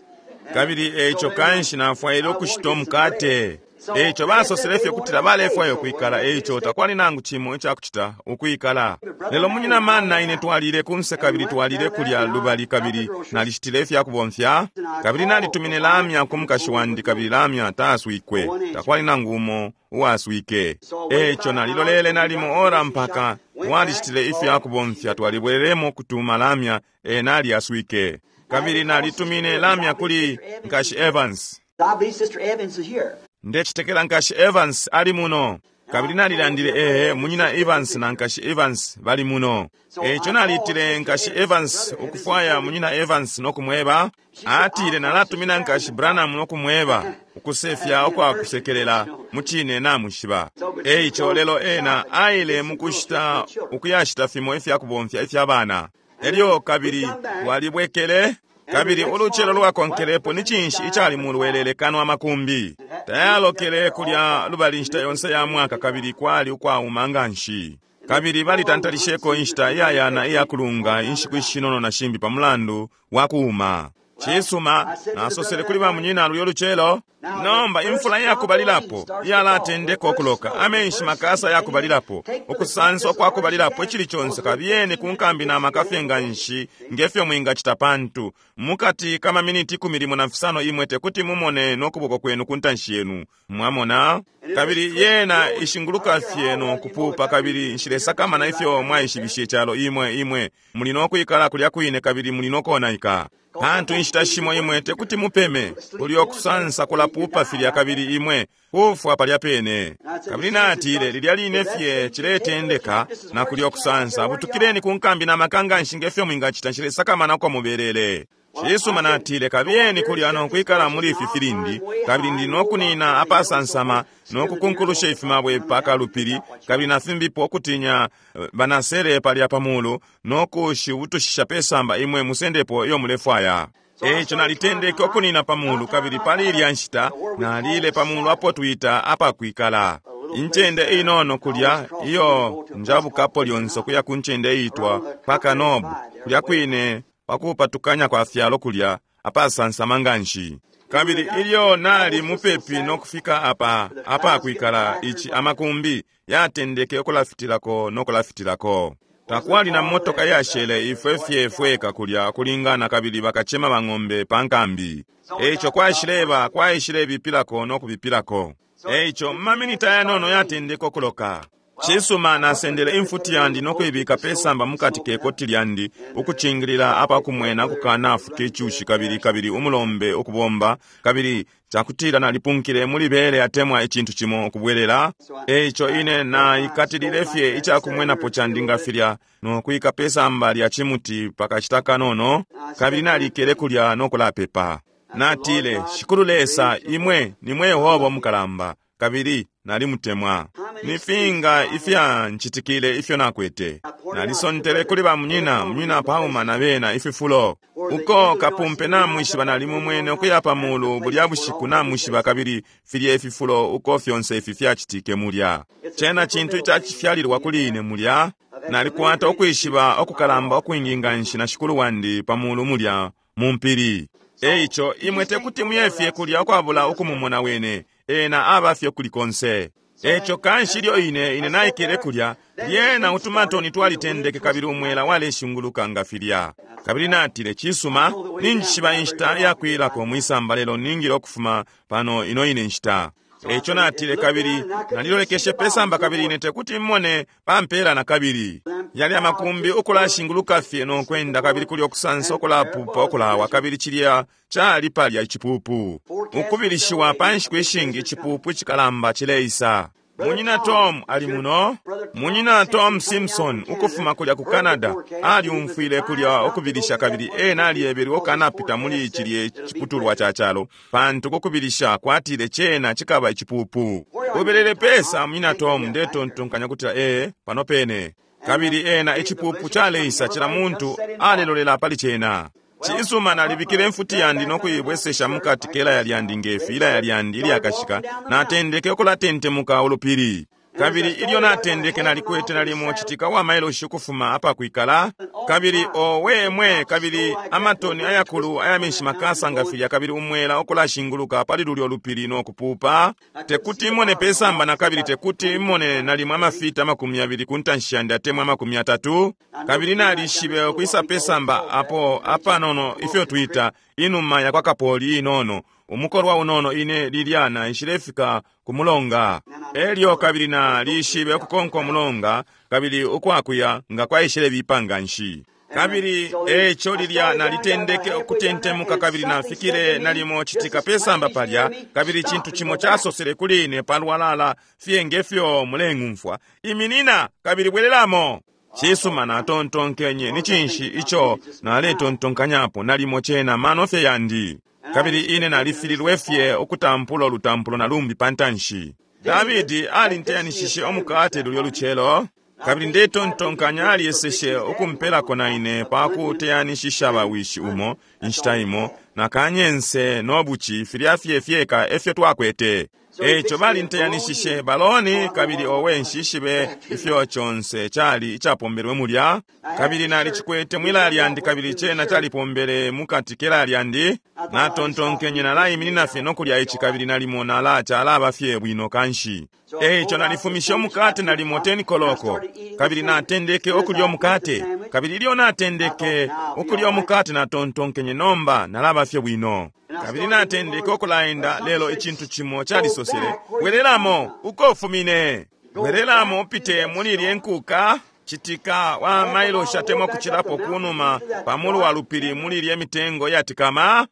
Kabili eico kanshi nafwaile ukushita omukate. Eico basosele fye kutila balefwaya ukwikala eico takwali nangu cimo icakucita ukwikala. Lelo munyina mana ine twalile kunse kabili twalile kulya lubali kabili nalishitile ifyakubomfya kabili nalitumine lamya ku mukashi wandi kabili lamya taaswikwe takwali nangu umo uwaswike. Eico nalilolele nalimo ora mpaka walishitile ifyakubomfya twalibwereremo kutuma lamya ena alyaswike. Kabili nalitumine lamya kuli nkashi Evans. I believe Sister Evans is here. Ndecitekela nkashi Evans ali muno. Kabili nalilandile ehe munyina Evans na nkashi Evans bali muno. Eico nalitile nkashi Evans ukufwaya munyina Evans nokumweba. Atile nalatumina nkashi Branham nokumweba ukusefya ukwakusekelela mucine namushiba. Eico lelo ena aile mukushita ukuyashita fimo ifyakubomfya ifya bana. Elyo kabili walibwekele. Kabili ulucelo lwakonkelepo ni cinshi icali mulwelele kano amakumbi. Tayalokele kulya lubali inshita yonse ya mwaka kabili kwali ukwauma nga nshi. Kabili balitantalisheko inshita iyayana iyakulunga inshiku ishinono na shimbi pa mulandu wa kuuma. Cisuma, nasosele kuli ba munyina lulyo lucelo. Nomba imfula iyakubalilapo iyalatendeka ukuloka, amenshi makasa yakubalilapo, ukusansa okwakubalilapo icili conse kabiyeni ku nkambi na makafye nga nshi ngefyo mwingacita pantu mukati ka maminiti ikumi limo na fisano imwe tekuti mumone n'okuboko kwenu ku ntanshi yenu. Mwamona? Kabili yena ishinguluka fye nokupupa kabili nshilesakamana ifyo mwaishibishe icalo imwe imwe muli nokwikala kulya kwine kabili muli nokonaika. Pantu inshita shimo imwe tekuti mupeme kulyo kusansa kulapupa filya kabili imwe kufwa palya pene. Kabili natile lilya line fye ciletendeka na kulyo kusansa butukileni ku nkambi na makanga nshi ngefyo mwingacita nshilesakamana uko muberere. Cisuma natile kabiyeni kulya nokwikala muli ifi filindi kabili ndi nokunina apasansama nokukunkulusha ifimabwe paka lupili kabili nafimbipo okutinya banasele palya pamulu nokushibutushisha pesamba imwe musendepo iyo mulefwaya. Eico nalitendeke okunina pamulu kabili pali ilya nshita nalile pamulu apo twita apakwikala. Incende inono kulya iyo njabukapo lyonse okuya ku ncende iitwa Pakanobu kulya kwine pakupatukanya kwa fyalo kulya apasansama nga nshi. Kabili ilyo nali mupepi nokufika apa apakwikala ichi amakumbi yatendeke okulafitilako nokulafitilako. Takwali na motoka yashele ifwe fye fweka kulya kulingana kabili bakachema bang'ombe pa nkambi. Eico kwaishileba kwaishilebipilako nokubipilako. Eico maminita yanono yatendeke okuloka. Cisuma nasendele imfuti yandi nokuibika pesamba mukati ke koti lyandi ukucingilila apakumwena kukanafuka icushi kabili kabili umulombe ukubomba kabili cakutila nalipunkile muli bele atemwa icintu cimo ukubwelela. Eico ine naikatilile fye icakumwenapo candi nga filya nokuika pesamba lya cimuti pakashita kanono kabili nalikele kulya nokulapepa. Natile, Shikulu Lesa imwe nimwe Yehova mukalamba kabili nalimutemwa. Nifinga ifya nchitikile ifyo nakwete. Nalisontele kuli ba munyina, munyina Pauma na bena ififulo. Uko kapumpe namwishiba nalimumwene ukuya pa mulu bulya bushiku namwishiba, kabili filye ififulo uko fyonse ifi fyacitike mulya. Cena cintu icacifyalilwa kuli ine mulya. Nalikwata ukwishiba okukalamba ukwingi nganshi na shikulu wandi pa mulu mulya mu mpili. Eico imwe tekuti muyefye kulya ukwabula ukumumona wene, ena abafye kuli konse. Eco kanshi ilyo ine ine naikele kulya, lyena utumatoni twalitendeke kabili umwela waleshinguluka nga filya. Kabili natile, cisuma, ninjishiba inshita yakwilako mwisamba, lelo ningile ukufuma pano ino ine nshita. Eco natile, kabili nalilolekeshe pesamba kabili ine tekuti mmone pampela na kabili. Yali amakumbi ukulashinguluka fye nokwenda, kabili kuli okusansa okulapupa okulawa, kabili cilya cali palya icipupu. Ukubilishiwa pa nshiku ishingi icipupu icikalamba cileisa. Munyina Tom ali muno. Munyina Tom Simpson ukufuma kulya ku Canada aliumfwile kulya okubilisha, kabili ena aliyebelwe okanapita muli cilye ciputulwa ca calo, pantu kukubilisha kwatile cena cikaba icipupu. Ubelele pesa munyina Tom, ndetontonkanya kutila ee pano pene. Kabili ena icipupu caleisa, cila muntu alelolela pali cena. Cisuma, nalibikile mfuti yandi nokuibwesesha mukati kelaya lyandi ngefi ilaya lyandi ilyakashika, natendeke ukulatentemuka ulupili. Kabili ilyo natendeke nalikwete nalimo citika wa mailoshi ukufuma apakwikala, kabili owe mwe, kabili amatoni ayakulu ayamenshi makasa nga filya, kabili umwela ukulashinguluka pali lulyo lupili nokupupa. Tekuti imone pesamba na kabili tekuti imone nalimo amafita amakumi abili ku ntanshi yandi atemwa amakumi atatu. Kabili nalishibe ukwisa pesamba apo apanono ifyo twita inuma yakwa kapoli inono, umukolwa unono ine lilya naishilefika ku mulonga. Elyo kabili nalishibe ukukonka umulonga, kabili ukwakuya nga kwaishile bipa nganshi. Kabili eco lilya nalitendeke ukutentemuka, kabili nafikile nalimo citika pesamba palya, kabili cintu cimo casosele kuli ine palwalala fye ngefyo muleng'umfwa, iminina kabili bwelelamo. Cisuma, natontonkenye ni cinshi ico naletontonkanyapo, nalimo cena mano fye yandi. Kabili ine nalifililwe fye ukutampula ulutampulo na lumbi pa ntanshi. Davidi alinteyanishishe umukate lulyo lucelo, kabili ndetontonkanya aliyeseshe ukumpelako na ine pa kuteyanishisha bawishi umo inshita imo, na kanyense no buci filya fye fyeka efyo twakwete. Eco balinteyanishishe baloni, kabili owe nshishibe ifyo conse cali icapombelwe mulya. Kabili nalicikwete mwilaya lyandi, kabili cena calipombele mukati kelaya lyandi. Natontonkenye nalaiminina fye nokulya ici, kabili nalimo nala calaba fye bwino kanshi. Eco nalifumishe umukate nalimo ten koloko, kabili natendeke okulya umukate. Kabili ilyo natendeke okulya umukate natontonkenye nomba nalaba fye bwino. Kabili natendeke okulaenda, lelo icintu cimo calisosele, bwelelamo uko ufumine, bwelelamo upite muli ilye nkuka citika wa mailoshi atemwa kucilapo kunuma pamulu wa lupili muli ilye mitengo yatikama,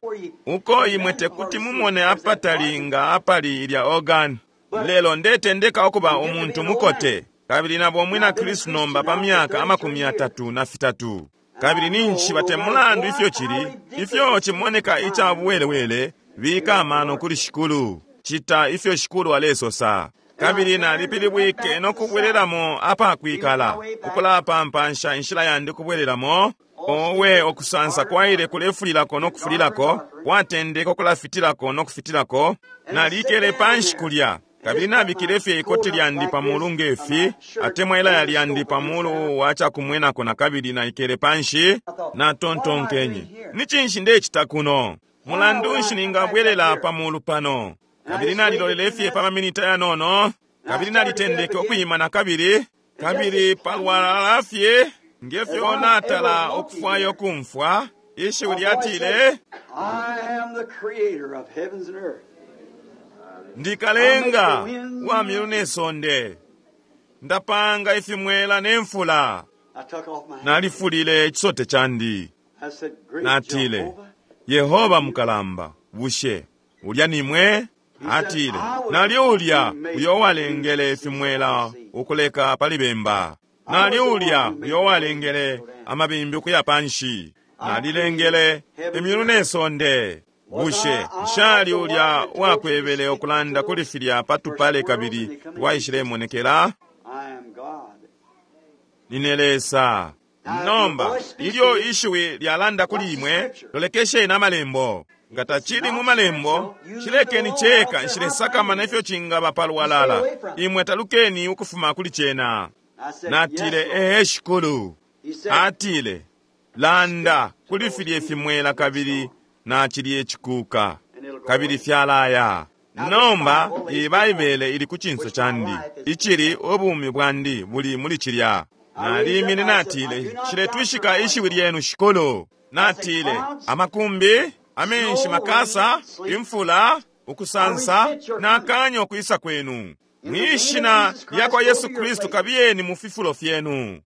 uko imwe tekuti mumone apatali nga apali ilya organ. Lelo ndetendeka okuba umuntu mukote, kabili nabo mwina Kristu nomba pa myaka amakumi atatu na fitatu. Kabili ninshi batemulandu ifyo cili, ifyo cimoneka ica buwelewele, bika amano kuli shikulu, cita ifyo shikulu alesosa. Kabili nalipilibwike nokubwelelamo apakwikala, ukulapampansha inshila yandi kubwelelamo. Owe okusansa kwaile kulefulilako nokufulilako, kwatendeka okulafitilako nokufitilako. Nalikele panshi kulya, kabili nabikile fye ikoti lyandi pamulu ngefi, atemwa ilaya lyandi pamulu wa cakumwenako, na kabili naikele panshi. Natontonkenye, ni cinshi ndecita kuno? Mulandu nshi ningabwelela pamulu pano? Kabili nalilolele fye pa maminita yanono, kabili nalitendeke okuyima na kabili, kabili palwalala fye ngefyo natala okufwayo okumfwa ishiwi lyatile, I am the creator of heavens and earth. Ndikalenga wa myulu ne sonde, ndapanga ifimwela ne mfula. I took off my hat. Nalifulile ichisote chandi. I said, Great Natile, Jehovah. Yehova mukalamba, bushe ulya nimwe? Atile, nali ulya uyo walengele ifimwela ukuleka pali bemba, nali ulya uyo walengele amabimbi ukuya panshi, nalilengele imyulu ne sonde. Bushe nshali ulya wakwebele okulanda kuli filya patupale kabili twaishilemonekela? I am God. Nine Lesa. Nomba ilyo ishiwi lyalanda kuli imwe, lolekesheni amalembo. Nga tacili mu malembo, cilekeni ceka, nshilesakamana ifyo cingaba palwalala. Imwe talukeni ukufuma kuli cena. Natile, ee Shikulu. Atile, landa kuli filye fimwela kabili na cilye cikuka, kabili fyalaya. Nomba iyi Baibele ili ku cinso candi, icili ubumi bwandi buli muli cilya. Nalimine natile, nshiletwishika ishiwi lyenu Shikulu. Natile, amakumbi, amenshi makasa, imfula, ukusansa, nakanya ukwisa kwenu. Mwishina lya kwa Yesu Kristu kabiyeni mu fifulo fyenu.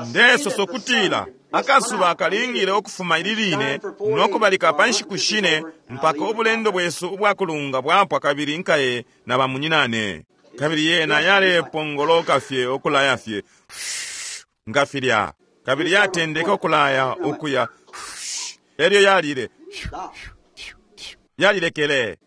Ndesoso kutila akasuba kalingile ukufuma ili line nokubalika pa nshiku shine mpaka ubulendo bwesu ubwakulunga bwapwa kabili nkaye na bamunyinane. Kabili yena yalepongoloka fye ukulaya fye nga filya, kabili yatendeka ukulaya ukuya, elyo yalile yalilekele.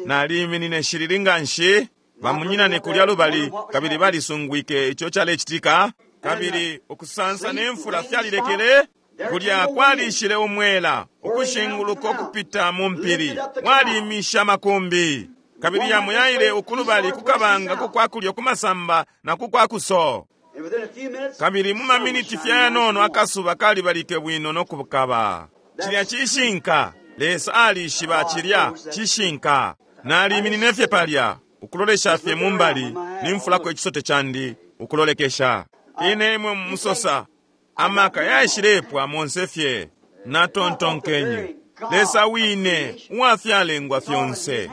Naliminine shilili nga nshi. Bamunyinane kulya lubali kabili balisungwike ico calecitika, kabili ukusansa ne mfula fyalilekele. Kulya kwalishile umwela ukushinguluka ukupita mu mpili, walimisha makumbi, kabili yamuyaile ukulubali kukabanga kukwakulyo kumasamba na kukwakuso. Kabili mu maminiti fyanono akasuba kalibalike bwino nokukaba. Cilya cishinka. Lesa alishiba cilya cishinka. Naliminine fye palya ukulolesha fye mumbali, nimfulako ichisote chandi ukulolekesha. Ine imwe musosa amaka yaishilepwa monse fye. Natontonkenye, Lesa wine uwafyalengwa fyonse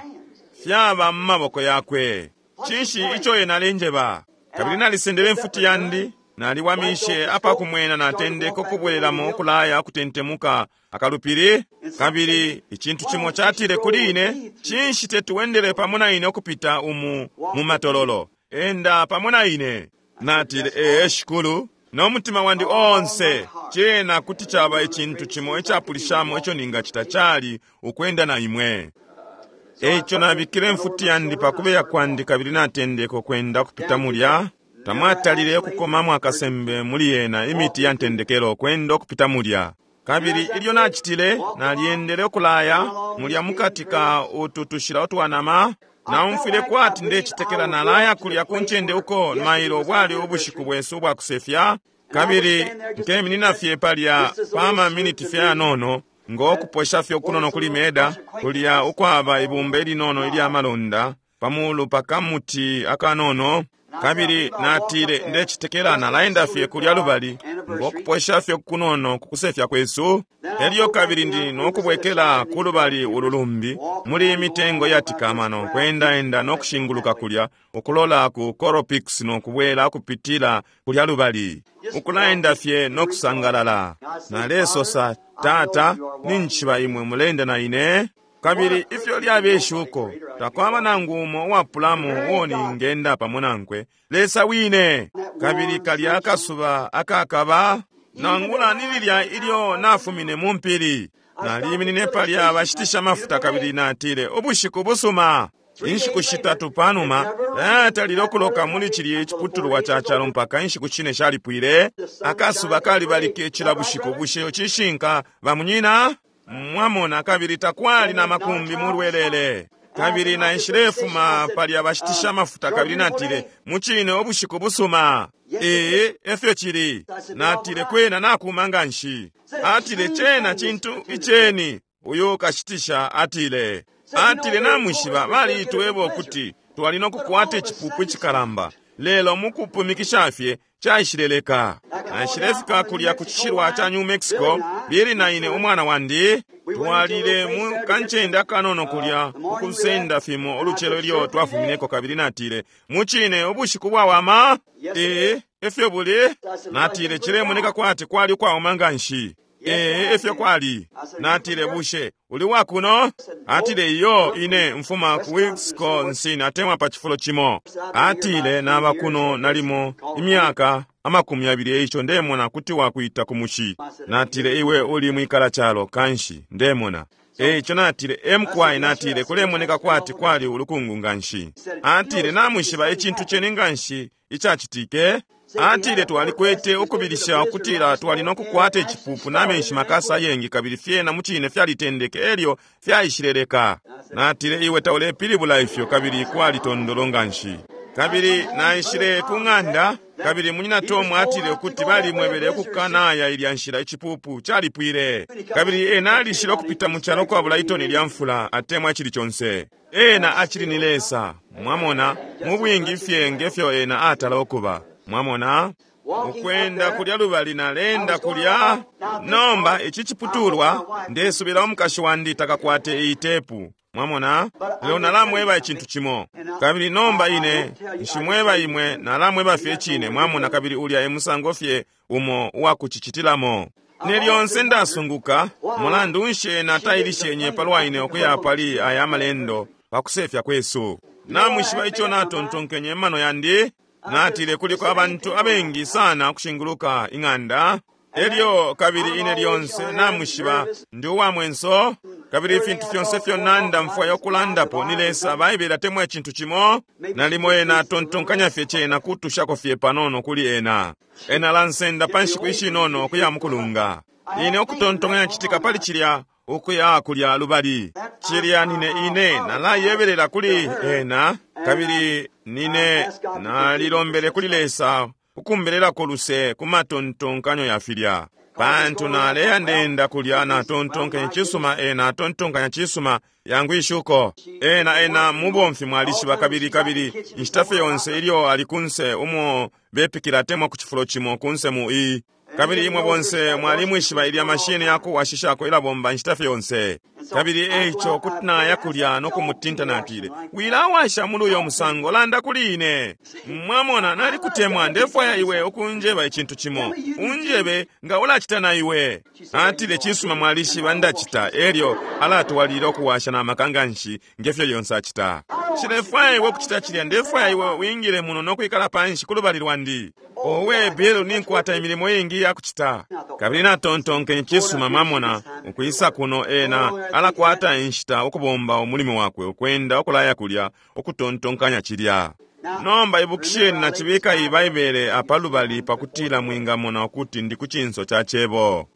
fyaba mu maboko yakwe. Cinshi ico ena alenjeba? Kabili nalisendele imfuti yandi, naliwamishe apakumwena, natendeka ukubwelelamo ukulaya ukutentemuka akalupili. Kabili icintu cimo catile kuli ine, cinshi tetuwendele pamo na ine ukupita umu mu matololo? Enda pamo na ine. Natile, ee Shikulu, no mutima wandi onse. Cena kuti caba icintu cimo icapulishamo ico ningacita cali ukwenda na imwe. Eico nabikile imfuti yandi pakubeya kwandi kabili natendeka ukwenda ukupita mulya. Tamwatalile ukukomamo akasembe muli yena imiti ya ntendekelo kwenda ukupita mulya. Kabili ilyo nacitile, nalyendele ukulaya mulya mukati ka utu tushila utwanama. Naumfwile kwati ndecitekela nalaya kulya ku ncende uko mailo bwali ubushiku bwesu ubwakusefya. Kabili nkeminina fye palya pa maminiti fyanono ngokuposha fye ukunono kuli meda, kulya ukwaba ibumba ilinono ilya malonda pamulu pakamuti akanono. Kabili natile, ndecitekela nalaenda fye kulya lubali ngokuposha fye kunono kukusefya kwesu. Elyo kabili ndi nokubwekela kulubali ululumbi muli imitengo yatikamano kwendaenda nokushinguluka kulya ukulola ku Coropix nokubwela kupitila kulya lubali ukulaenda fye nokusangalala. Nalesosa, Tata, ninchiba imwe mulenda na ine. Kabili ifyo lyabeshuko takwaba nangu umo uwapulamo uo ningenda pamo nankwe, Lesa wine. Kabili kalya akasuba akakaba nangula ni lilya ilyo nafumine mu mpili. Naliminine palya bashitisha mafuta kabili natile, ubushiku busuma. Inshiku shitatu panuma tayatalile ukuloka muli cilya iciputulwa ca calo mpaka inshiku shine shalipwile. Akasuba kalibalike cila bushiku. Bushe cishinka bamunyina? Mwamona, kabili takwali na makumbi mulwelele. Kabili naishilefuma palya bashitisha mafuta kabili natile, mucine ubushiku busuma. Ee, efyo cili. Natile, kwena nakuma nga nshi. Atile, cena cintu iceni. Uyu kashitisha atile, atile namwishiba balitweba ukuti twali nokukwata icipupu icikalamba, lelo mukupumikisha fye caishileleka. Naishilefika kulya ku cishilwa ca New Mexico, bili na ine umwana wandi twalile mu kancende akanono kulya ukusenda fimo ulucelo ilyo twafumineko. Kabili natile, mucine ubushiku bwawama. Ee, efyo buli. Natile, cilemoneka kwati kwali ukwauma nga nshi. Ee, efyo kwali. Natile, bushe uli wakuno? Atile, iyo, ine mfuma ku Wisconsin atemwa pa cifulo cimo. Atile, naba kuno nalimo imyaka amakumi abili, eico ndemona kuti wakuita ku mushi. Natile, iwe uli mwikala calo kanshi ndemona. Eico natile, emkwai. Natile, kulemoneka kwati kwali ulukungu nga nshi. Atile, namwishiba icintu ceni nga nshi icacitike. Atile twalikwete ukubilisha ukutila twali nokukwata icipupu na menshi makasa ayengi, kabili fyena mucine fyalitendeke elyo fyaishileleka. Natile, iwe taulepilibula ifyo, kabili kwali tondolo nganshi. Kabili naishile ku ng'anda, kabili munyina Tom atile ukuti balimwebele ukukanaya ilya nshila, icipupu calipwile. Kabili ena alishile ukupita mu calo kwabula itoni lya mfula atemwa icili conse. Ena acili ni Lesa, mwamona, mu bwingi fye ngefyo ena atala ukuba, mwamona. Ukwenda kulya lubali nalenda kulya. Nomba ici ciputulwa, ndesubila umukashi wandi takakwate iyi tepu, mwamona. Lelo nalamweba icintu cimo, kabili nomba ine nshimweba imwe, nalamweba fye cine, mwamona, kabili ulya e musango fye umo uwakucicitilamo. Ne lyonse ndasunguka mulandu nshi ena tailishenye palwa ine ukuya pali aya malendo pakusefya kwesu. Namwishiba ico natontonkenye mano yandi? Natile kuliko abantu abengi sana ukushinguluka ing'anda. Elyo kabili ine lyonse namwishiba ndi uwa mwenso, kabili ifintu fyonse fyo nanda mfwaya okulandapo ni Lesa. Baibele atemwa icintu cimo, nalimo ena atontonkanya fye cena kutushako fye panono kuli ena. Ena alansenda pa nshiku ishinono ukuya mukulunga. Ine ukutontonkanya citika pali cilya ukuya kulya lubali. Cilya nine ine nalayebelela kuli ena, kabili nine nalilombele kuli Lesa ukumbelelako luse ku matontonkanyo ya filya. Pantu naleya ndenda kulya natontonkanya cisuma, ena atontonkanya cisuma yangu ishuko. Ena ena mubomfi mwalishiba, kabili kabili inshita fye yonse ilyo ali kunse umo bepikila atemwa ku cifulo cimo kunse mu i. Kabili imwe bonse mwalimwishiba ilya mashini yakuwashishako ilabomba inshita fye yonse. Kabili eico kuti naya kulya no kumutinta, natile, wilawasha muli uyo musango, landa kuli ine. Mwamona, nalikutemwa, ndefwaya iwe ukunjeba icintu cimo. Unjebe nga ulacita na iwe. Atile, cisuma, mwalishiba ndacita. Elyo alatwalila ukuwasha na maka nganshi ngefyo yonse acita. Nshilefwaya iwe ukucita cilya, ndefwaya iwe wingile muno no kwikala panshi ku lubali lwandi. Owe Bill, ninkwata imilimo iingi yakucita. Kabili natontonkenye cisuma, mwamona, ukwisa kuno ena alakwata inshita ukubomba umulimo wakwe, ukwenda ukulaya kulya, ukutontonkanya cilya. Nomba ibukisheni, nacibika iyi Baibele apa lubali pakutila mwingamona ukuti ndi ku cinso ca cebo.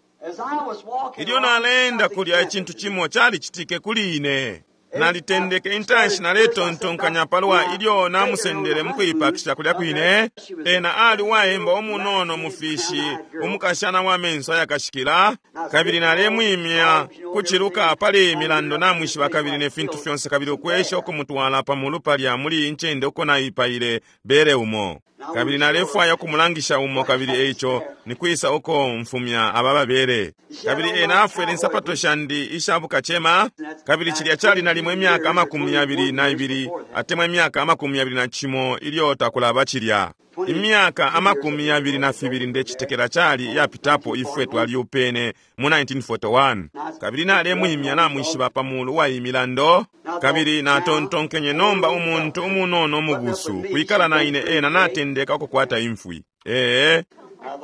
Ilyo naleenda kulya, icintu cimo calicitike kuli ine. Nalitendeke intanshi naletontonkanya palwa ilyo namusendele mukuipakisha kulya kwine. Ena ali uwaemba umunono mufishi, umukashana wa menso ayakashikila, kabili nalemwimya kuciluka pali milando namwishiba, kabili ne fintu fyonse, kabili ukwesha ukumutwala pamulu palya muli incende uko naipaile bere umo. Kabili nalefwaya ukumulangisha umo, kabili eico nikwisa uko mfumya aba babere. Kabili ena afwele insapato shandi isha bukacema, kabili cilya cali nalimo imyaka amakumi yabili na ibili atemwa imyaka amakumi yabili na cimo ilyo takulaba cilya. Imyaka amakumi yabili na fibili ndecitekela cali yapitapo ifwe twaliupene mu nineteen forty-one. Kabili nalemwimya namwishiba pamulu wa imilando, kabili natontonkenye nomba umuntu umunono mubusu kwikala na ine, ena natendeka ukukwata imfwi. Ee,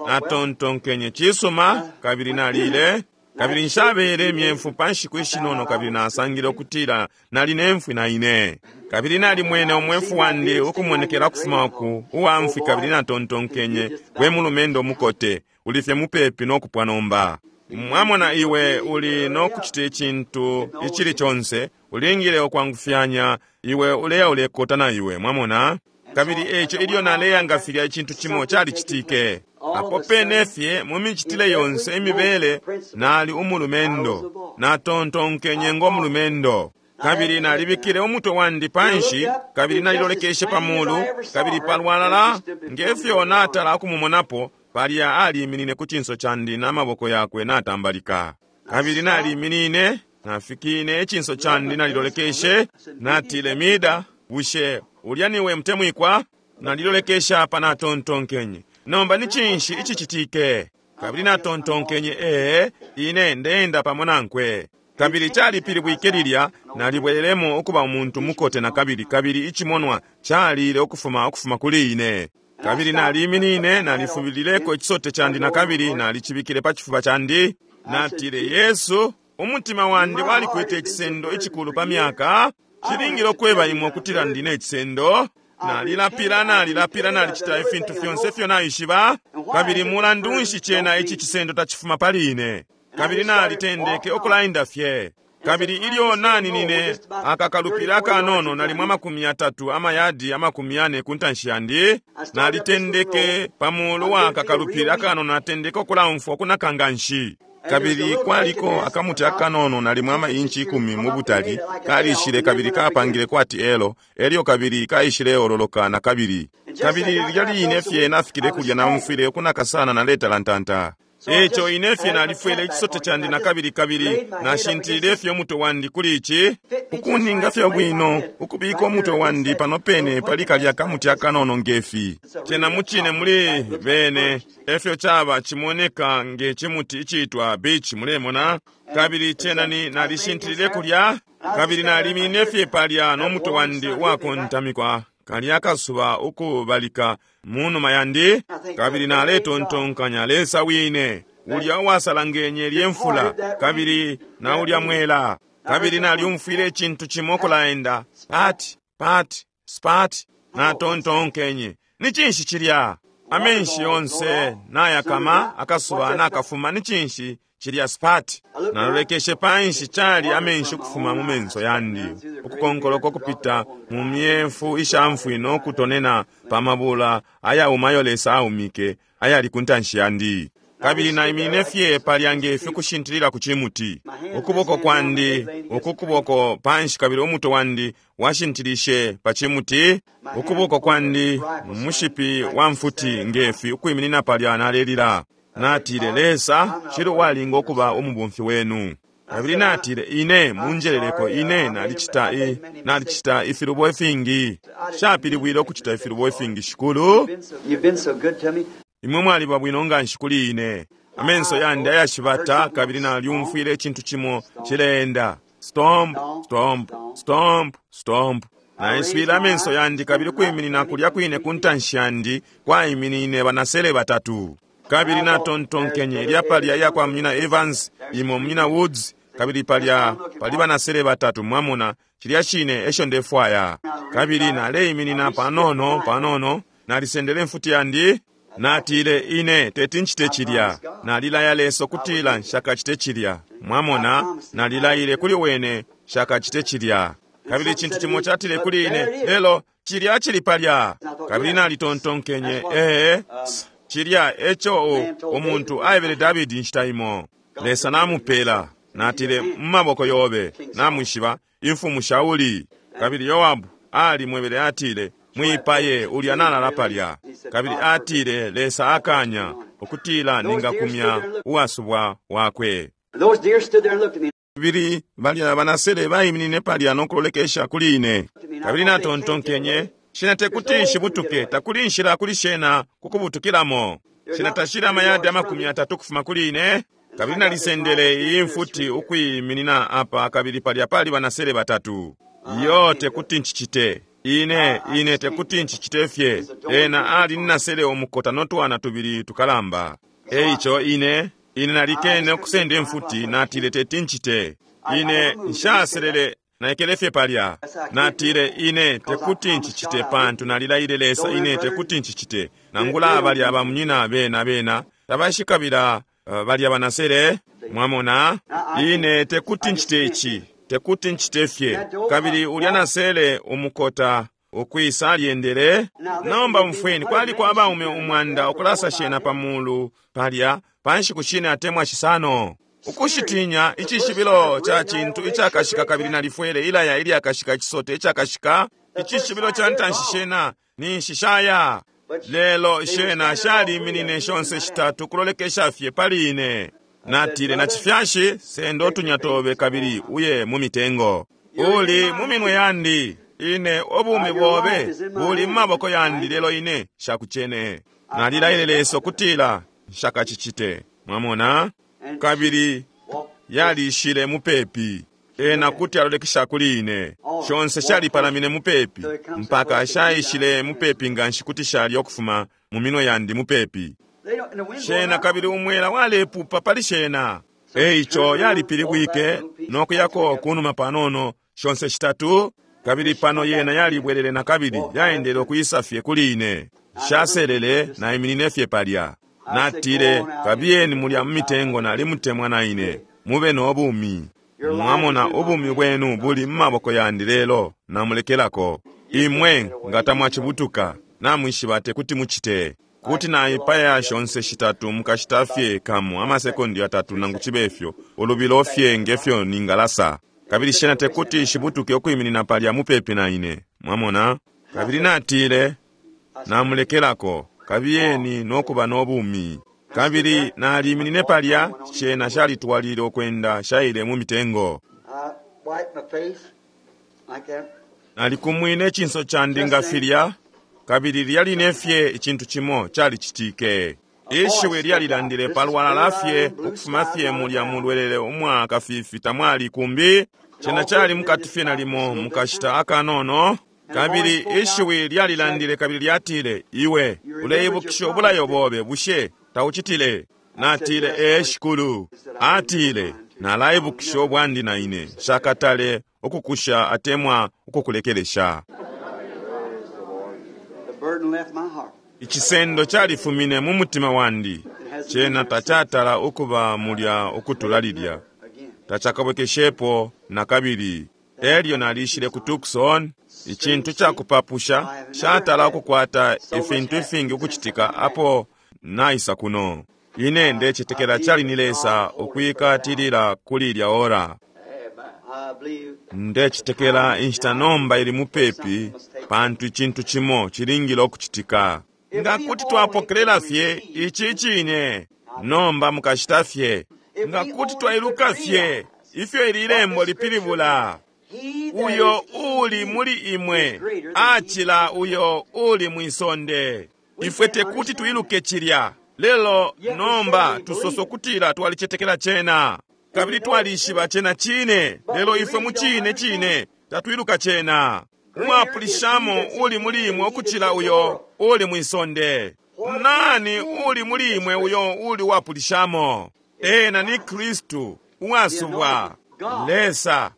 natontonkenye cisuma, kabili nalile, kabili nshabele imyemfu pa nshiku ishinono, kabili nasangile ukutila nali nemfwi na ine. Kabili nalimwene umwefu wandi ukumonekela kufuma uku uwa mfwi, kabili natontonkenye, we mulumendo mukote, ulifye mupepi nokupwa nomba. Mwamona, iwe uli nokucita icintu icili conse, ulingile ukwangufyanya, iwe uleya ulekota na iwe, mwamona. Kabili eico ilyo naleya nga filya icintu cimo calicitike. Apo pene fye mu micitile yonse imibele nali umulumendo, natontonkenye ngo mulumendo. Kabili nalibikile umutwe wandi panshi, kabili nalilolekeshe pamulu, kabili palwalala ngefyo natala ukumumonapo, palya aliminine ku cinso candi na maboko yakwe natambalika. Kabili naliminine, nafikine icinso candi nalilolekeshe, natile, Mida, bushe ulya niwe mutemwikwa? Nalilolekesha apa natontonkenye, nomba ni cinshi icicitike? Kabili natontonkenye, ee, ine ndeenda pamo nankwe. Kabili calipilibwike lilya, nalibwelelemo ukuba umuntu mukote na kabili, kabili icimonwa calile ukufuma ukufuma kuli ine. Kabili naliminine, nalifubilileko icisote candi na kabili nalicibikile pa cifuba candi. Natile, Yesu, umutima wandi walikwete icisendo icikulu pa myaka. Cilingile ukweba imwe ukutila ndine icisendo. Nalilapila, nalilapila, nalicita ifintu fyonse ifyo naishiba. Kabili mulandu nshi cena ici cisendo tacifuma pali ine? Kabili nalitendeke ukulaenda fye. Kabili ilyo naninine akakalupila akanono nalimo amakumi yatatu amayadi amakumi yane ku ntanshi yandi, nalitendeke pamulu wa kakalupila akanono, natendeke ukulaumfwa ukunaka nganshi. Kabili kwaliko akamuti akanono nalimo ama inchi ikumi mu butali, kalishile kabili kapangile kwati elo, elyo kabili kaishile ololoka na kabili. Kabili lilya line fye nafikile kulya naumfwile ukunaka sana naletalantanta. Eco ine fye nalifwele ichisote chandi na kabili kabili nashintilile fye umutwe wandi kuli ichi, ukuninga fye bwino ukubika umutwe wandi pano pene pali kalya kamuti akanono ngefi. Cena muchine muli bene efyo chaba chimoneka nge chimuti ichitwa beach, mulemona. Kabili cena ni nalishintilile kulya, kabili nalimine fye palya no mutwe wandi wakontamikwa kalya kasuba ukubalika munuma yandi. Kabili naletontonkanya Lesa wine ulya uwasalangenye lyemfula kabili na ulya mwela. Kabili nalyumfwile icintu cimo kulaenda pati pati spati. Natontonkenye, ni cinshi cilya? Amenshi yonse nayakama, akasuba nakafuma, ni cinshi cilya spati? Nalolekeshe panshi, chali amenshi ukufuma mu menso yandi, ukukonkoloko kupita mu myefu ishamfwi nokutonena pa mabula ayaumayo Lesa aumike ayali ku ntanshi yandi. Kabili naimine fye palya ngefi kushintilila ku chimuti, ukuboko kwandi uku kuboko panshi, kabili umutwe wandi washintilishe pa chimuti, ukuboko kwandi mushipi wa mfuti ngefi ukwiminina palya nalelila. Natile, Lesa, shili uwalinga ukuba umubumfi wenu. Kabili natile, ine munjeleleko, ine nalicita i nalicita ifilubo ifingi. Shapilibwile ukucita ifilubo ifingi, Shikulu. Imwe mwaliba bwino nganshi kuli ine. Amenso yandi ayashibata, kabili nalyumfwile icintu cimo cileenda stomp stomp stomp stomp. Naiswile amenso yandi, kabili kwiminina kulya kwine ku ntanshi yandi kwaiminine banasele batatu. Kabili natontonkenye, ilya palya iya kwa Munyina Evans, imo Munyina Woods, kabili palya pali banasele batatu. Mwamona, cilya cine esho ndefwaya. Kabili naleiminina panono panono, nalisendele mfuti yandi. Natile, ine teti nchite cilya. Nalilaya Lesa kutila nshakachite cilya. Mwamona, nalilayile kuli wene nshakachite cilya. Kabili cintu cimo chatile kuli ine, lelo cilya cili palya. Kabili nalitontonkenye, ee, cilya eco umuntu aebele Davidi nshita imo. Lesa namupela. Natile, mumaboko yobe namwishiba imfumu Shauli. Kabili Yoabu alimwebele, atile, mwipaye ulya nalala palya. Kabili atile, Lesa akanya ukutila ningakumya uwasubwa wakwe. Kabili balya banasele baiminine palya nokulolekesha kuli ine. Kabili natontonkenye, shena tekuti nshibutuke, takuli nshila kuli shena kukubutukilamo. Shena tashila amayadi amakumi atatu kufuma kuli ine. Kabili nalisendele iyi mfuti ukwiminina apa, kabili palya pali banasele batatu. Iyo tekuti nchichite. Ine, ine tekuti nchichite fye. Ena ali ninasele omukota notwana tubili tukalamba. Eico ine, ine nalikene okusenda emfuti, natile teti nchite. Ine nshaselele naikele fye palya. Natile, ine tekuti nchichite pantu nalilayile Lesa, ine tekuti nchichite. Nangula balya bamunyina bena bena tabashikabila uh, balya banasele. Mwamona, ine tekuti nchite ichi, tekuti nchite fye. Kabili ulya nasele umukota ukwisa alyendele. Nomba mfweni, kwaliko abaume umwanda ukulasa shena pamulu palya panshiku shine atemwa shisano. Ukushitinya icishibilo cha cintu icakashika, kabili nalifwele ilaya ilyakashika, ichisote icakashika, icishibilo cha ntanshi shena ninshi shaya. Lelo shena shaliminine shonse shitatu kulolekesha fye pali ine. Natile, na chifyashi sendo otunya tobe kabili uye mu mitengo. Uli mu minwe yandi, ine obumi bobe buli mu maboko yandi, lelo ine shakuchene. Nalilayile Lesa kutila nshakachichite. Mwamona, kabili yalishile mupepi. Ena kuti alolekesha kuli ine. Shonse shalipalamine mupepi mpaka shaishile mupepi nganshi kuti shali okufuma mu minwe yandi mupepi. Shena kabili umwela walepupa pali shena. Eico yalipilibwike nokuyako kunuma panono shonse shitatu. Kabili pano yena yalibwelele na kabili yaendele ukwisa fye kuli ine. Shaselele naiminine fye palya. Natile, kabiyeni mulya mu mitengo, nalimutemwa na ine. Mube no bumi. Mwamona, ubumi bwenu buli mu maboko yandi lelo namulekelako. Imwe nga tamwacibutuka, namwishiba tekuti mucite. Kuti naipaya shonse shitatu mukashita fye kamo amasekondi yatatu nangu chibe fyo, ulubilo fye ngefyo ningalasa. Kabili shena tekuti shibutuke ukwiminina palya mupepi na ine. Mwamona? Kabili natile, namulekelako, kabiyeni nokuba nobumi. Kabili naliminine palya, shena shalitwalile ukwenda shaile mu mitengo. I wiped my face like that. Nalikumwine ichinso chandi nga filya, kabili lyaline fye icintu chimo chalicitike. Ishiwi lyalilandile palwalala fye ukufuma fye mulya mulwelele umwaka fifi tamwali kumbi. Chena chali mukati fye nalimo mukashita akanono. Kabili ishiwi lyalilandile kabili lyatile, iwe uleibukisha ubulayo bobe, bushe taucitile? Natile, ee shikulu. Atile, nalaibukisha ubwandi na ine, shakatale ukukusha atemwa ukukulekelesha. The burden left my heart. Icisendo califumine mu mutima wandi, cena tacatala ukuba mulya ukutula lilya, Again. tacakabwekeshepo na kabili. Elyo nalishile ku Tucson, icintu cakupapusha shatala ukukwata ifintu ifingi ukucitika apo naisa kuno. Ine ndecetekela cali ni Lesa ukwikatilila kuli ilya ora. I believe Ndecetekela inshita nomba ili mupepi, pantu icintu chimo chilingile ukucitika. Nga kuti twapokelela fye ici cine nomba mukashita fye, nga kuti twailuka fye ifyo ili lembo lipilibula. he that Uyo is in uli you muli imwe is greater than he acila uyo uli mwisonde. Ifwe tekuti tuiluke chilya lelo nomba tusoso kutila twalicetekela chena kabili twalishiba chena chine, lelo ifwe mu chine chine tatwiluka chena. Umwapulishamo uli muli imwe ukuchila uyo uli mwisonde. Nani uli muli imwe uyo uli wapulishamo? Ena ni Kristu uwasubwa, Lesa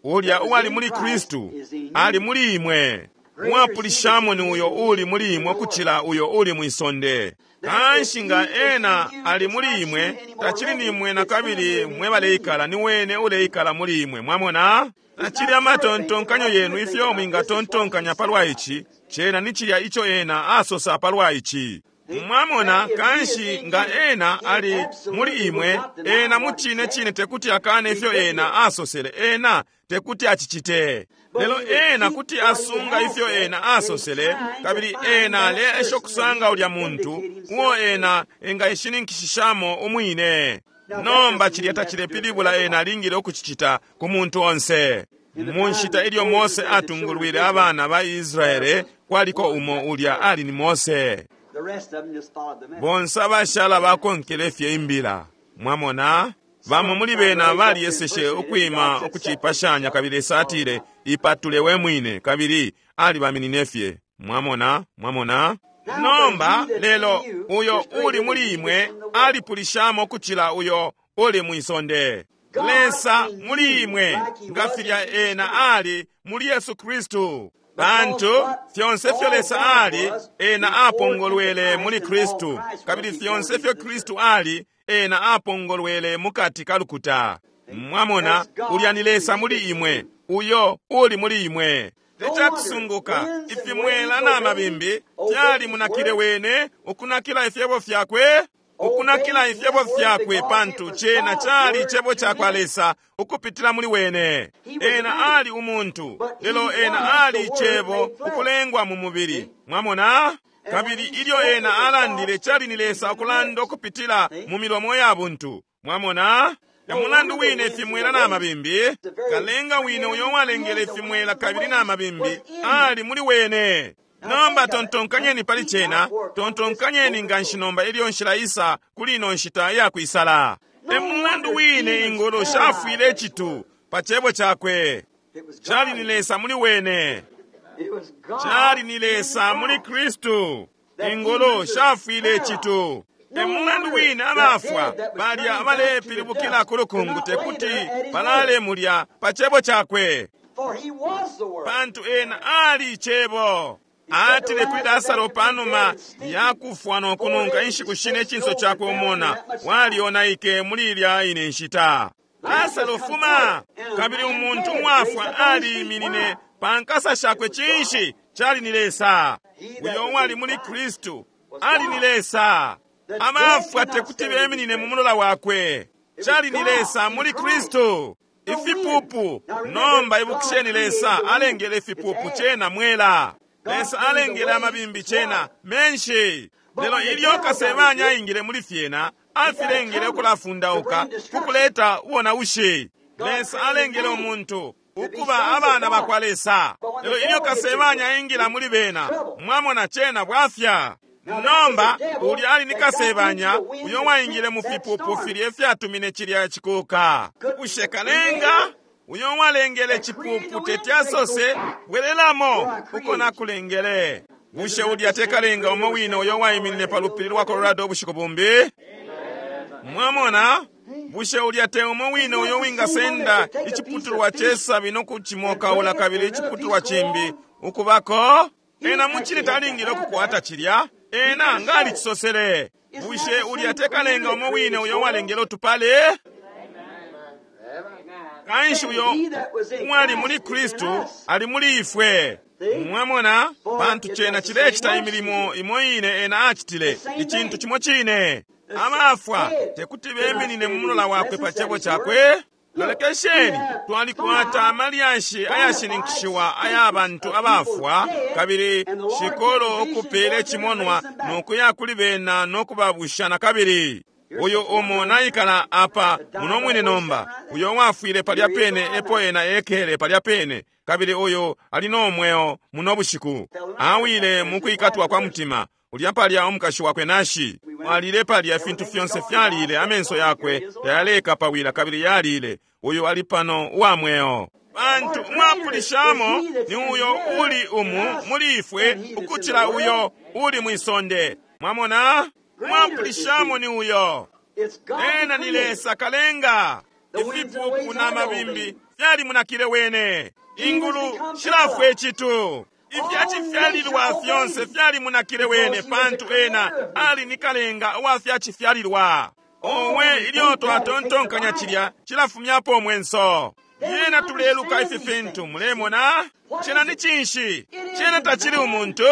ulya uwali muli Kristu ali muli imwe. Mwapulishamo ni uyo uli muli imwe ukuchila uyo uli mwisonde. Kanshi nga ena ali muli imwe, tachili ni imwe na kabili mwe baleikala, ni wene uleikala muli imwe. Mwamona? Tachili amatontonkanyo yenu ifyo mwingatontonkanya palwa ichi, chena ni chilya icho ena asosa palwa ichi. Mwamona, kanshi nga ena ali muli imwe, ena muchine chine tekuti akane ifyo ena asosele, ena tekuti achichite. Lelo ena kuti asunga ifyo ena asosele, kabili ena aleesha okusanga ulya muntu uo ena engayishininkishishamo umwine. Nomba chilya tachilepilibula ena alingile ukuchichita ku muntu onse. Mu nshita ilyo Mose atungulwile abana ba Israele, kwaliko umo ulya ali ni Mose. The rest of them just followed the message. Bonse abashala bakonkele fye imbila. Mwamona, bamo muli bena baliyeseshe ukwima ukucipashanya, kabili Lesa atile, ipatule we mwine, kabili alibaminine fye. Mwamona, mwamona. Nomba lelo uyo uli muli imwe alipulishamo ukuchila uyo uli mwisonde. Lesa muli imwe nga filya ena ali muli Yesu Kristu. Pantu fyonse fyo Lesa ali, ena apongolwele muli Kristu, kabili fyonse fyo Kristu ali, ena apongolwele mukati ka lukuta. Mwamona, ulya ni Lesa muli imwe, uyo uli muli imwe. Tecakusunguka ifimwela na mabimbi fyali munakile wene ukunakila ifyebo fyakwe, ukunakila ifyebo fyakwe, pantu chena chali chebo chakwa Lesa ukupitila muli wene. Ena ali umuntu, lelo ena ali chebo ukulengwa mu mubili. Mwamona? Kabili ilyo ena alandile chali ni Lesa ukulanda ukupitila mu milomo ya buntu. Mwamona? Ya mulandu wine ifimwela na mabimbi, kalenga wine uyo walengele ifimwela kabili na mabimbi ali muli wene. Nomba tontonkanyeni pali chena, tontonkanyeni nga nshinomba ilyo nshila isa kuli ino nshita ya kwisala. E mulandu wine ingolo shafwile chitu pa chebo chakwe. It was Chali God. ni Lesa muli wene. It was God. Chali ni Lesa muli Kristu. Ingolo shafwile chitu. E mulandu wine abafwa balya abalepilibukila ku lukungu tekuti balale mulya pa chebo chakwe. Pantu ena ali Icebo. Atile kuli Lasaro panuma yakufwa no kununka inshiku shine icinso cakwe umona walionaike muli ilya ine nshita. Lasaro fuma! Kabili umuntu umwafwa aliiminine pa nkasa shakwe. Cinshi? Cali ni Lesa. Uyo uwali muli Kristu ali ni Lesa. Abafwa tekuti beminine mu mulola wakwe. Cali ni Lesa muli Kristu. Ifipupu. Nomba ibukisheni, Lesa alengele ifipupu cena mwela. Lesa alengele amabimbi cena menshi. Lelo ilyo kasebanya aingile muli fyena, afilengele ukulafundauka kukuleta ubonaushi. Lesa alengele umuntu ukuba abana bakwa Lesa. Lelo ilyo kasebanya aingila muli bena, mwamona cena bwafya. Nomba ulya ali ni kasebanya uyo waingile mu fipupu filye fyatumine cilya cikuka. Bushe kalenga uyo walengele cipupu teti asose bwelelamo uko nakulengele? Bushe ulya tekalenga umo wine uyo waiminine pa lupili lwa Colorado ubushiku bumbi? Mwamona? Bushe ulya te umo wine uyo wingasenda iciputulwa cesabi nokucimokaula kabili iciputulwa cimbi ukubako? Ena mucine talingile ukukwata cilya. Ena ngali cisosele. Bushe ulya tekalenga umo wine uyo walengele utupale? Kanshi uyo uwali muli Kristu ali muli ifwe. Mwamona? Pantu cena cilecita imilimo imo ine ena acitile, icintu cimo cine. Abafwa tekuti beminine mu mulola wakwe pa cebo cakwe. Lolekesheni, twalikwata amalyashi ayashininkishiwa aya bantu abafwa, kabili shikolo ukupele cimonwa nokuya kuli bena nokubabusha na kabili. Uyo umo naikala apa muno mwine nomba, uyo wafwile palya pene epo ena ekele palya pene, kabili uyo ali no mweo muno bushiku. Awile mukwikatwa kwa mutima. Ulya palya umukashi wakwe nashi alile palya, ifintu fyonse fyalile, amenso yakwe tayaleka pawila kabili yalile. Uyo ali pano uwa mweo. Pantu umwapulishamo ni uyo uli umu muli ifwe ukucila uyo uli mwisonde. Mwamona? Umwapulishamo ni uyo. Ena ni Lesa kalenga. Ifipupu na mabimbi fyali munakile wene. Ingulu shilafwe icitu. Ifyacifyalilwa fyonse fyali munakile wene, pantu ena ali ni kalenga uwa fyacifyalilwa. Owe, ilyo twatontonkanya cilya cilafumyapo mwenso. Yena tuleluka ifi fintu, mulemona? Cena ni cinshi? Cena tacili umuntu.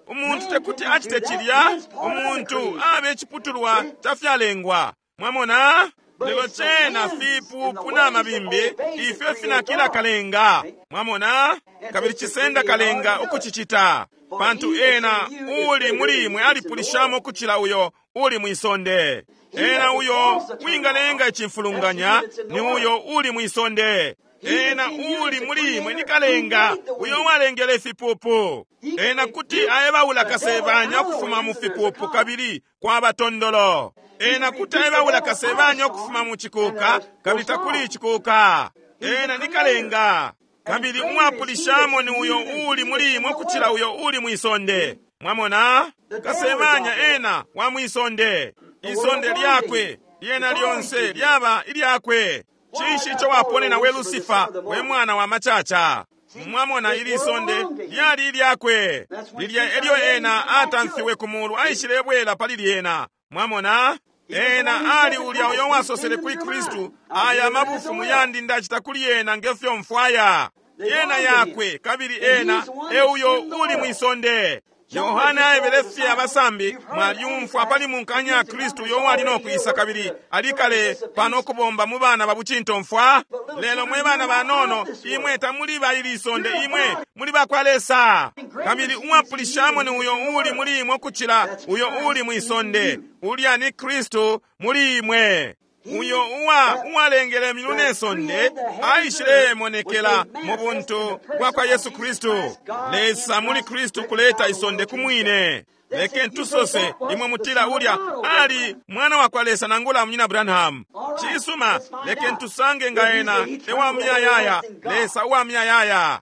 Umuntu tekuti acite cilya. Umuntu abe iciputulwa ca fyalengwa. Mwamona? Lelo cena fipupu na mabimbi ifyo finakila kalenga. Mwamona? Kabili cisenda kalenga ukucicita, pantu ena uli muli imwe alipulishamo ukucila uyo uli mwisonde. Ena uyo wingalenga icimfulunganya ni uyo uli mwisonde. Ena uli muli imwe ni kalenga uyo walengele ifipupu. Ena kuti aebaula kasebanya ukufuma mu fipupu kabili kwaba tondolo. Ena kuti aebaula kasebanya ukufuma mu cikuka kabili takuli icikuka. Ena ni kalenga kabili umwapulishamo ni uyo uli muli imwe ukucila uyo uli mwisonde. Mwamona? Kasebanya ena wa mwisonde. Isonde lyakwe lyena lyonse lyaba ilyakwe. Cinshi ico waponena we Lusifa, we mwana wa macaca? Mwamona, ili sonde lyali ilyakwe. Lilya elyo ena atamfiwe ku mulu aishilebwela pali lyena. Mwamona? Ena ali ulya uyo wasosele kuli Kristu, aya mabufumu yandi ndacita kuli ena ngefyo mfwaya. Yena yakwe, kabili ena euyo uli mwisonde. Yohana aebele fye abasambi, mwalyumfwa pali munkanya ya Kristu uyo wali nokwisa kabili alikale pano kubomba mu bana babucintomfwa. Lelo mwe bana banono, imwe tamuli ba ili isonde, imwe muli ba kwa Lesa. Kabili umwapulishamo ni uyo uli muli imwe ukucila uyo uli mwisonde. Ulya ni Kristu muli imwe. Uyo uwa uwalengele imyulu ne sonde aishilemonekela mu buntu bwa kwa Yesu Kristu. Lesa muli Kristu kuleta isonde kumwine. Leken tusose imwe mutila ulya ali mwana wa kwa Lesa nangula munyina Branham. Cisuma, leken tusange nga ena ewa muyayaya, Lesa uwa muyayaya.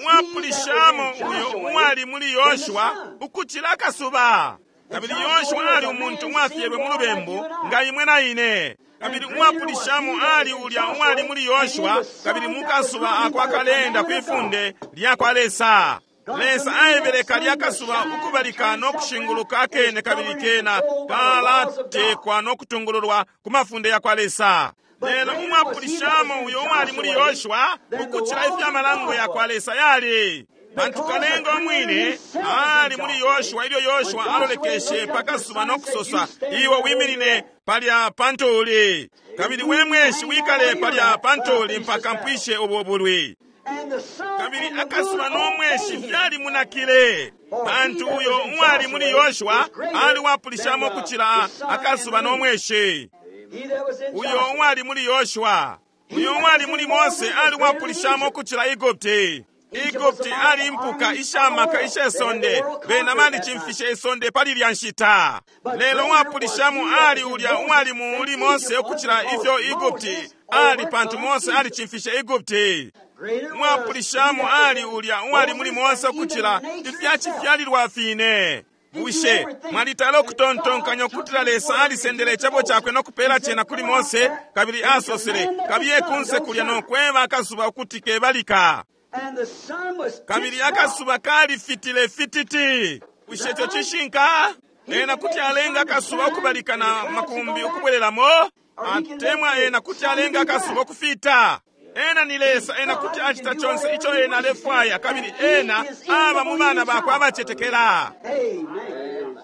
Mwapulishamo uyo uwali muli Yoshua ukucila akasuba. Kabili Yoshua ali umuntu mwafyelwe mu lubembu nga imwe na ine. Kabili umwapulishamo ali ulya uwali muli Yoshua, kabili mukasuba ako akalenda kwifunde lya kwa Lesa. Lesa aebele kalya kasuba ukubalika no kushinguluka akene, kabili kena kalatekwa no kutungululwa ku mafunde ya kwa Lesa. Lelo umwapulishamo uyo uwali muli Yoshua ukucila ifya malango ya kwa Lesa yali, pantu kalenga umwine ali muli Yoshua ilyo Yoshua alolekeshe pakasuba no kusosa, iwe wiminine palya pantuli, kabili we mweshi wikale palya pantuli mpaka mpwishe ubo bulwi. Kabili akasuba no mweshi fyali munakile, pantu uyo uwali muli Yoshua ali wapulishamo kucila akasuba no mweshi. Uyo uwali muli Yoshua, uyo uwali muli Mose ali wapulishamo kucila Egupti. Egupti ali impuka ishamaka ishe sonde, bena balicimfishe isonde pali lya nshita. Lelo uwapulishamo ali ulya uwali muli Mose ukucila ifyo Egupti ali, pantu Mose alicimfishe Egupti. Uwapulishamo ali ulya uwali muli Mose ukucila ifyacifyalilwa fine. Bushe mwalitala ukutontonkanya ukutila Lesa alisendele icebo cakwe no kupela cena kuli Mose, kabili asosele, kabiye kunse kulya no kweba akasuba ukuti kebalika? Kabili akasuba kalifitile fititi. Bushe ico cishinka? Ena kuti alenga akasuba ukubalika na makumbi ukubwelelamo, atemwa ena kuti alenga akasuba ukufita. Ena ni Lesa, ena kuti acita conse ico ena alefwaya, kabili ena aba mu bana bakwe abacetekela.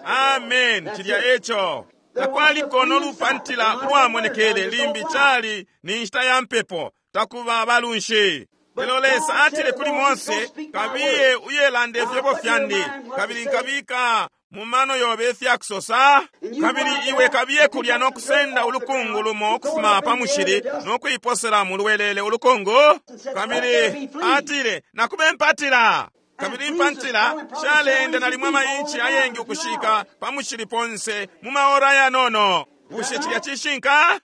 Amen. Cilya eco. Takwaliko no lupantila ulwamonekele limbi, cali ni nshita ya mpepo, takuba balunshi. Lelo Lesa atile kuli Mose, kabiye uyelande ifyebo fyandi, kabili nkabika mu mano yobe ifyakusosa, kabili iwe kabiye kulya no kusenda ulukungu lumo ukufuma pa mushili no kuiposela mu lwelele ulukungu. Kabili atile, nakube mpatila. Kabili impantila shaleenda nalimwe amayinchi ayengi ukushika pa mushili ponse mu maora yanono. Bushe cilya cishinka?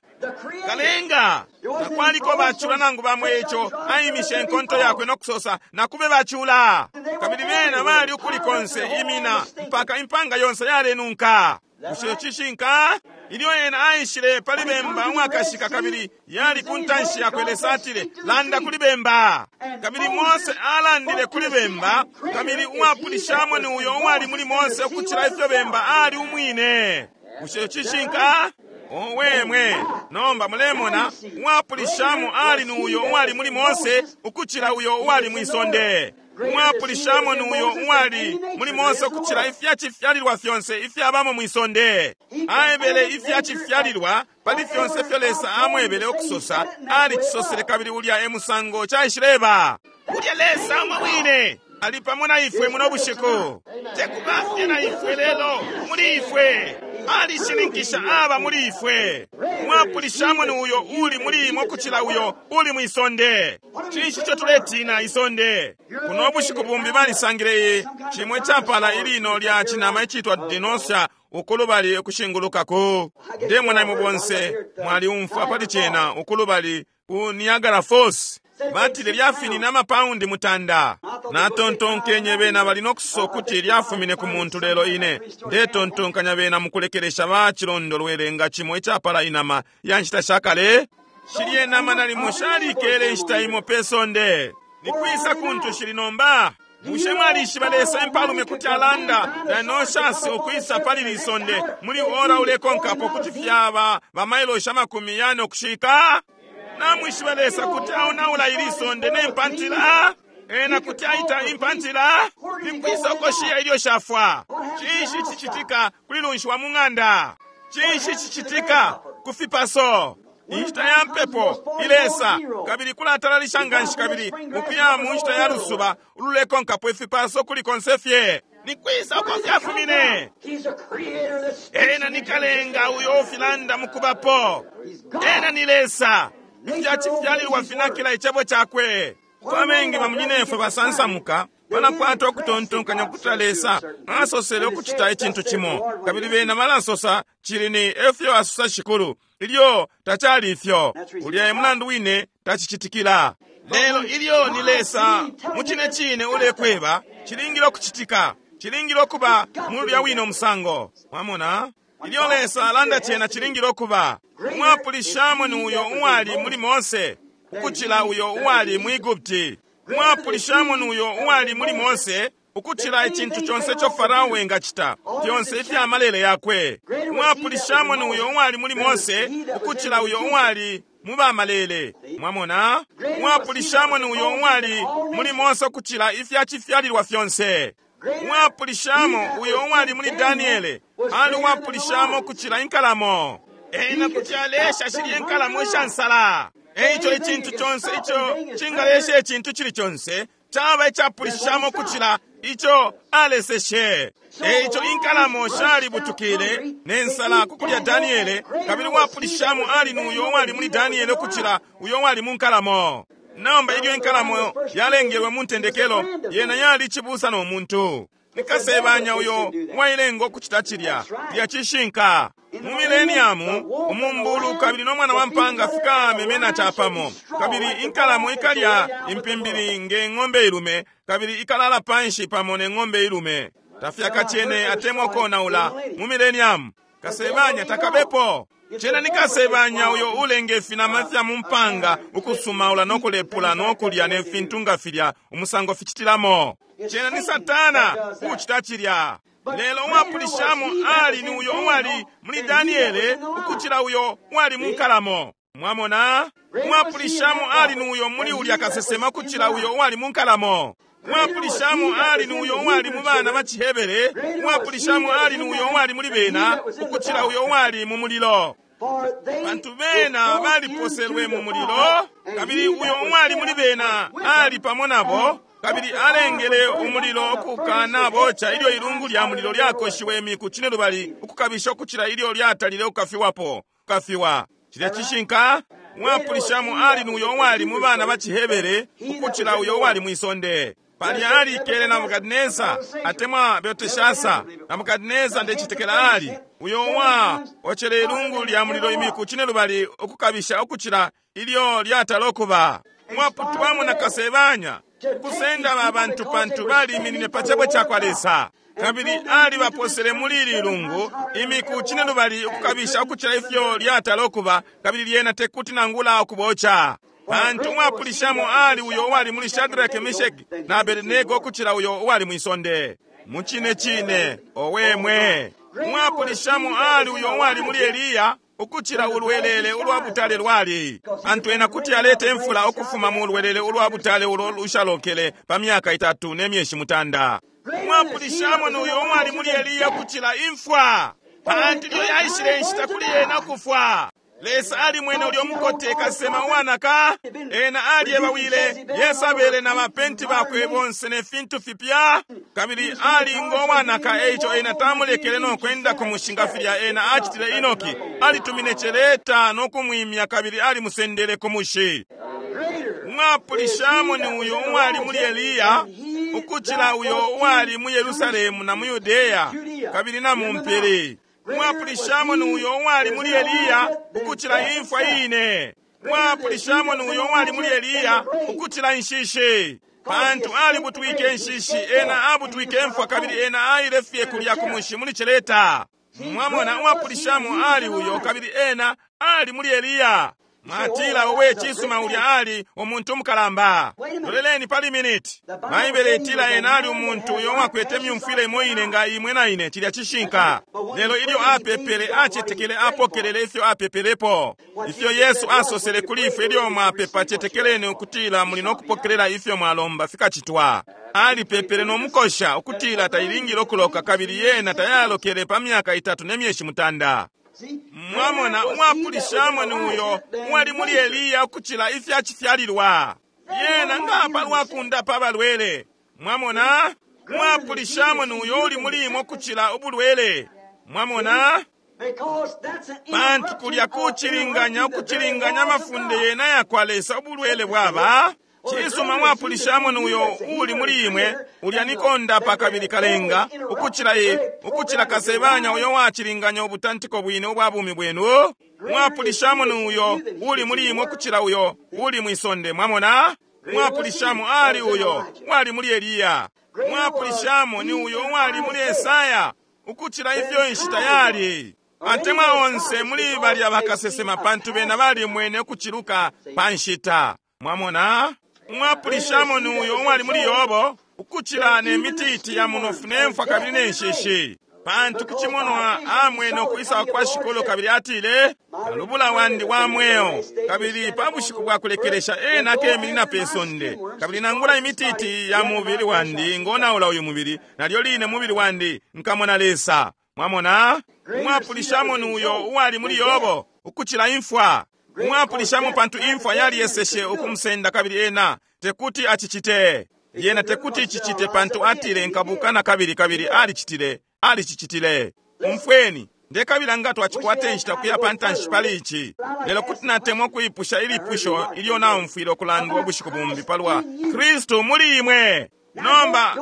Kalenga takwaliko bacula nangu bamwe ico aimishe enkonto yakwe no kusosa, nakube bacula. Kabili bena bali ukuli konse imina mpaka impanga yonse yalenunka. Bushe cishinka? Ilyo ena aishile pali bemba umwakashika, kabili yali ku ntanshi yakwe, Lesa atile, landa kuli bemba. Kabili Mose alandile kuli bemba, kabili uwapulishamo ni uyo uwali muli Mose ukucila ifyo bemba ali umwine. Bushe cishinka? Owemwe, nomba mulemona, uwapulishamo ali ni uyo uwali muli Mose ukucila uyo uwali mwisonde. Uwapulishamo ni uyo uwali muli Mose ukucila ifyacifyalilwa fyonse ifyabamo mwisonde. Aebele ifyacifyalilwa pali fyonse ifyo Lesa amwebele ukusosa, alicisosele, kabili ulya e musango caishileba. Ulya Lesa umwe wine ali pamo na ifwe muno bushiku, tekubafye na ifwe lelo muli ifwe. Alishininkisha aba muli ifwe. Mwapulishamo ni uyo uli muli imwe ukucila uyo uli mwisonde. Cinshi ico tuletina isonde? Kuno bushiku bumbi balisangile cimwe capala ilino lya cinama icitwa dinosa ukulubali ukushingulukako. Ndemona imwe bonse mwaliumfwa pali cena ukulubali ku Niagara Falls. Batile lyafinine amapaundi mutanda. Natontonkenye bena bali nokusosa ukuti lyafumine ku muntu, lelo ine ndetontonkanya bena mukulekelesha bacilondolwele nga cimo icapala inama ya nshita shakale. Shilye nama nalimo shalikele inshita imo pe sonde. Nikwisa kuntu shili nomba? Bushe mwalishiba Lesa impalume kuti alanda dinosaurs ukwisa pali lisonde muli ora ulekonkapo kuti fyaba bamailoshi amakumi yane ukushika? Namwishiba Lesa kuti aonaula ili sonde ne mpantila? Ena kuti aita impantila? Nikwisa uko shiya ilyo shafwa? Cinshi cicitika kuli lunshi wa mu ng'anda? Cinshi cicitika ku fipaso? Inshita ya mpepo ilesa kabili kulatalalisha nganshi, kabili ukuya mu nshita ya lusuba ululekonkapo ifipaso kuli konse fye. Nikwisa uko fyafumine? Ena ni kalenga uyo ufilanda mukubapo. Ena ni Lesa. Ifyacifyalilwa finakila icebo cakwe. Kwamengi bamunyinefwe basansamuka balakwata ukutontonkanya ukutila Lesa asosele ukucita icintu cimo, kabili bena balasosa cili ni efyo asosa Shikulu, ilyo tacali ifyo. Ulya e mulandu wine tacicitikila. Lelo ilyo ni Lesa mu cine cine ulekweba, cilingile ukucitika, cilingile ukuba mulya wine umusango. Mwamona? Ilyo Lesa alanda cena cilingile ukuba. Umwapulishamo ni uyo uwali muli Mose ukucila uyo uwali mu Egupti. Umwapulishamo ni uyo uwali muli Mose ukucila icintu conse ico Farao engacita, fyonse ifya malele yakwe. Umwapulishamo ni uyo uwali muli Mose ukucila uyo uwali mu bamalele. Mwamona? Umwapulishamo ni uyo uwali muli Mose ukucila ifya cifyalilwa fyonse. Umwapulishamo uyo uwali muli Daniele ali uwapulishamo ukucila inkalamo. Ena kuti alesha shilye inkalamo ishansala. Eico icintu conse ico cingalesha icintu cili conse caba icapulishamo ukucila ico aleseshe. Eico inkalamo shalibutukile ne nsala kukulya Daniele, kabili uwapulishamo ali ni uyo uwali muli Daniele ukucila uyo uwali mu nkalamo. Nomba ilyo inkalamo yalengelwe mu ntendekelo, yena yali cibusa no muntu. Nikasebanya uyo uwailenga ukucita cilya lya cishinka. Mu mileniamu umumbulu kabili no mwana wa mpanga fikamemena capamo, kabili inkalamo ikalya impimbili nge ng'ombe ilume, kabili ikalala panshi pamo ne ng'ombe ilume. Tafyakacene atemwa konaula mu mileniamu. Kasebanya takabepo. Cena ni kasebanya uyo ulenge finama fya mu mpanga ukusumaula no kulepula no kulya ne fintu nga filya umusango ficitilamo. Cena ni Satana uchita cilya. Lelo uwapulishamo ali ni uyo uwali muli Daniele ukucila uyo uwali mu nkalamo. Mwamona? Uwapulishamo ali ni uyo muli ulya kasesema ukucila uyo uwali mu nkalamo. Uwapulishamo ali ni uyo uwali mu bana ba Cihebere. Uwapulishamo ali ni uyo uwali muli bena ukucila uyo uwali mu mulilo. Bantu bena baliposelwe mu mulilo, kabili uyo uwali muli bena ali pamo nabo, kabili alengele umulilo ukukana boca ilyo ilungu lya mulilo lyakoshiwe imiku cine lubali ukukabisha ukucila ilyo lyatalile ukukafiwapo kukafiwa. Cilya cishinka. Uwapulishamo ali ni uyo uwali mu bana ba Cihebere ukucila uyo uwali mwisonde. Palya alikele Nabukadineza atemwa Belteshasa. Nabukadineza ndecitekela ali uyo uwa ocele ilungu lya mulilo imiku cine lubali ukukabisha ukucila ilyo lyatala okuba. Mwaputwamo na kasebanya ukusenda abantu pantu baliminine pa cebo cakwa Lesa, kabili ali baposele muli ili lungu imiku cine lubali ukukabisha ukucila ifyo lyatala okuba, kabili lyena tekuti nangula ukuboca. Pantu umwapulishamo ali uyo uwali muli Shadrach, Meshaki na Abednego ukucila uyo uwali mwisonde. Mucine cine owemwe. Umwapulishamo ali uyo uwali muli Eliya ukucila ulwelele ulwa butale lwali. Pantu ena kuti alete imfula ukufuma mu lwelele ulwa butale ulo lushalokele pa myaka itatu ne myeshi mutanda. Umwapulishamo ni uyo uwali muli Eliya ukucila imfwa, pantu ilyo yaishile inshita kuli ena kufwa. Lesa ali mwene ulyo mukote kasema uwanaka, ena alyebawile Yesabele na bapenti bakwe bonse ne fintu fipya, kabili ali ngo wanaka. Eico ena tamulekele no kwenda ku mushinga filya ena acitile Enoki. Alitumine celeta no kumwimya kabili alimusendele ku mushi. Umwapulishamo ni uyo uwali muli Eliya ukucila uyo uwali mu Yerusalemu na mu Yudeya kabili na mu mpili. Umwapulishamo ni uyo uwali muli Eliya ukucila imfwa ine. Umwapulishamo ni uyo uwali muli Eliya ukucila inshishi, pantu alibutwike inshishi, ena abutwike imfwa, kabili ena aile fye kulya ku mushi muli celeta. Mwamona, umwapulishamo ali uyo, kabili ena ali muli Eliya. Mwatila, owe cisuma ulya ali umuntu umukalamba. Loleleni pali miniti. Baibele itila ena ali umuntu uyo uwakwete myumfwile imo ine nga imwe na ine. Cilya cishinka. Lelo ilyo apepele, acetekele, apokelele ifyo apepelepo. Ifyo Yesu asosele kuli ifwe, ilyo mwapepa cetekeleni ukutila muli no kupokelela ifyo mwalomba fikacitwa. Alipepele no mukosha ukutila tailingile ukuloka, kabili yena tayalokele pa myaka itatu ne myeshi mutanda. Mwamona, umwapulishamo ni uyo uwali muli Eliya ukucila ifya cifyalilwa. Yena nga palwa kundapa abalwele. Mwamona, umwapulishamo ni uyo uli muli imwe ukucila ubulwele. Mwamona, pantu kulya kucilinganya ukucilinganya amafunde yena yakwa Lesa ubulwele bwaba. Cisuma, mwapulishamo ni uyo uli muli imwe ulya nikondapa kabili kalenga ukucila ye ukucila kasebanya uyo wacilinganya ubutantiko bwine ubwa bumi bwenu. Mwapulishamo ni uyo uli muli imwe ukucila uyo uli mwisonde. Mwamona, mwapulishamo ali uyo wali muli Eliya. Mwapulishamo ni uyo wali muli Esaya ukucila ifyo inshita yali. Atemwa onse muli balya bakasesema, pantu bena balimwene ukuciluka pa nshita. Mwamona? Umwapulishamo ni uyo uwali muli Yobo, ukucila ne mititi ya munofu nemfwa kabili ne nshishi. Pantu kucimonwa amwene ukwisa kwa Shikulu, kabili atile, kalubula wandi wa mweo, kabili pa bushiku bwa kulekelesha ena akeminina pe sonde, kabili nangula imititi ya mubili wandi ngonaula uyu mubili, nalyo line mubili wandi nkamona Lesa. Mwamona? Umwapulishamo ni uyo uwali muli Yobo, ukucila imfwa. Umwapulishamo pantu imfwa yaliyeseshe ukumusenda, kabili ena tekuti acicite. Yena tekuti icicite pantu atile nkabuka na kabili, kabili alicitile, alicicitile. Umfweni, ndekabila nga twacikwata inshita kuya pa ntanshi pali ici. Lelo kuti natemwa kuipusha ilipusho ilyo naumfwile ukulandwa ubushiku bumbi palwa Kristu muli imwe. Nomba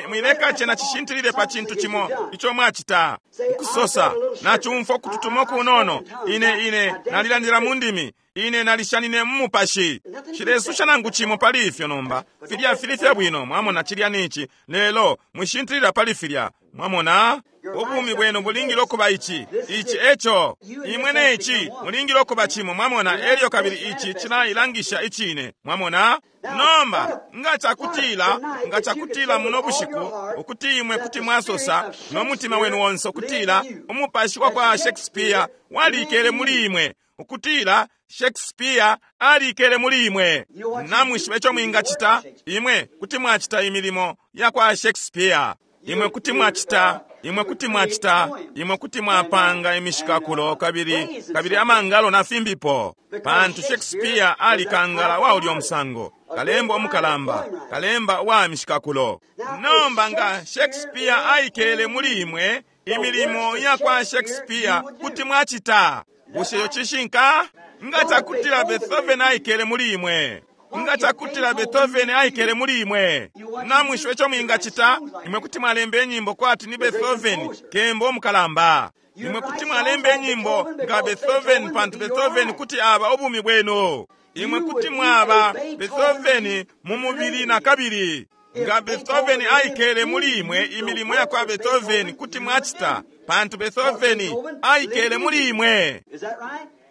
mwileka cena cishintilile pa cintu cimo ico mwacita. Ukusosa, nacumfwa ukututuma kunono, ine ine nalilandila mu ndimi, ine nalishanine mu mupashi. Shilesusha nangu cimo pali ifyo nomba. Filya fili fya bwino, mwamona, cilya nici. Lelo mwishintilila pali filya, mwamona? Ubumi bwenu bulingile okuba ici, ici eco. Imwe ne ici mulingile okuba cimo, mwamona, elyo kabili ici cilailangisha icine, mwamona? Nomba nga cakutila, nga cakutila muno bushiku ukuti imwe kuti mwasosa no mutima wenu wonse ukutila umupashi wa kwa Shakespeare walikele muli imwe, ukutila Shakespeare alikele muli imwe, namwishiba ico mwingacita? Imwe kuti mwacita imilimo ya kwa Shakespeare. Imwe kuti mwacita, imwe kuti mwacita, imwe kuti mwapanga imishikakulo kabili, kabili amangalo na fimbipo. Pantu Shakespeare alikangala wa ulyo musango, kalemba omukalamba, kalemba wa mishikakulo. Nomba nga Shakespeare aikele muli imwe, imilimo ya kwa Shakespeare kuti mwacita. Bushe yo cishinka? Nga cakutila Beethoven aikele muli imwe, nga cakutila Beethoven aikele muli imwe, namwishiba ico mwingacita? Imwe kuti mwalemba inyimbo kwati ni Beethoven, kemba omukalamba. Imwe kuti mwalemba inyimbo nga Beethoven, pantu Beethoven kuti aba ubumi bwenu. Imwe kuti mwaba Beethoven mu mubili na kabili. Nga Beethoven aikele muli imwe, imilimo ya kwa Beethoven kuti mwacita, pantu Beethoven aikele muli imwe.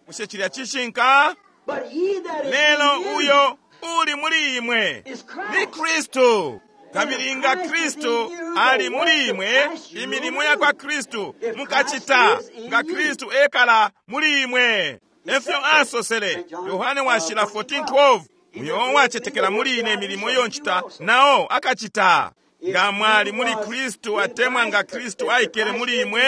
Bushe cilya cishinka? Lelo uyo uli muli imwe ni Kristu. Kabili nga Kristu ali muli imwe, imilimo ya kwa Kristu mukacita, nga Kristu ekala muli imwe. Efyo asosele Yohane washila fourteen twelve, uyo wacetekela muli ine imilimo iyo ncita nao akacita. Nga mwali muli Kristu, atemwa nga Kristu aikele muli imwe,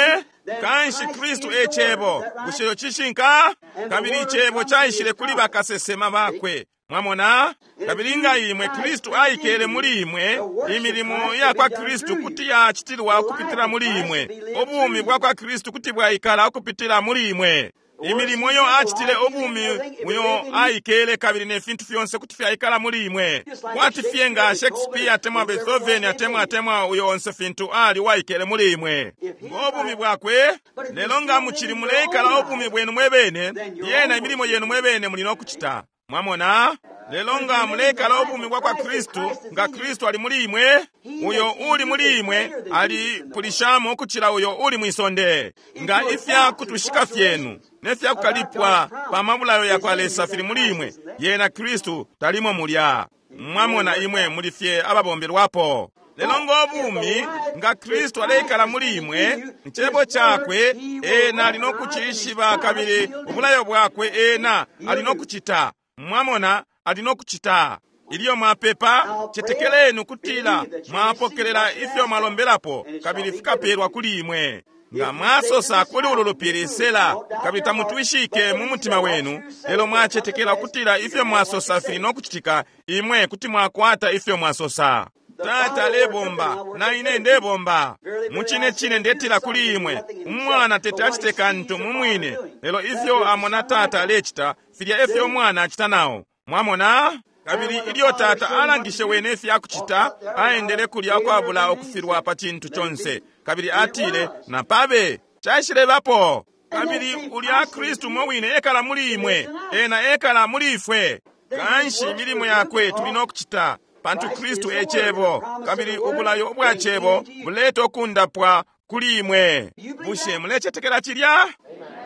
kanshi Kristu e cebo. Bushe yo cishinka? Kabili icebo caishile kuli bakasesema bakwe. Mwamona? Kabili nga imwe Kristu aikele muli imwe, imilimo ya kwa Kristu kuti yacitilwa ukupitila muli imwe. Ubumi bwa kwa Kristu kuti bwaikala ukupitila muli imwe. Imilimo yo acitile ubumi uyo aikele kabili ne fintu fyonse kuti fyaikala muli imwe. Kwati fye nga Shakespeare atemwa Beethoven atemwa atemwa uyo onse fintu ali waikele muli imwe. Ngo bumi bwakwe, lelo nga mucili muleikala ubumi bwenu mwebene, yena imilimo yenu mwebene muli nokucita. Mwamona? Lelo nga muleikala ubumi bwa kwa Kristu, nga Kristu ali muli imwe, uyo uli muli imwe ali pulishamo ukucila uyo uli mwisonde. Nga ifya kutushika fyenu ne fya kukalipwa pa mabulayo ya kwa Lesa fili muli imwe, yena Kristu talimo mulya. Mwamona, imwe muli fye ababombelwapo. Lelo ngo bumi nga Kristu aleikala muli imwe, icebo cakwe ena ali nokucishiba, kabili ubulayo bwakwe ena ali nokucita. Mwamona, ali nokucita. Ilyo mwapepa, cetekeleni ukutila mwapokelela ifyo mwalombelapo, kabili fikapelwa kuli imwe. Nga mwasosa kuli ulu lupili sela, kabili tamutwishike mu mutima wenu, lelo mwacetekela ukutila ifyo mwasosa fili nokucitika, imwe kuti mwakwata ifyo mwasosa. Tata alebomba, na ine ndebomba. Mucine cine ndetila kuli imwe, umwana tete acite kantu mu mwine, lelo ifyo amona tata alecita, filya efyo umwana acita nao. Mwamona? Kabili ilyo tata alangishe wene ifya kucita, aendele kulya kwabula ukufilwa pa cintu conse. Kabili atile, napabe, caishilebapo. Kabili ulya Kristu mwe wine ekala muli imwe, ena ekala muli ifwe. Kanshi imilimo yakwe tuli nokucita, pantu Kristu e cebo, kabili ubulayo ubwa cebo buleta ukundapwa kuli imwe. Bushe mulecetekela cilya?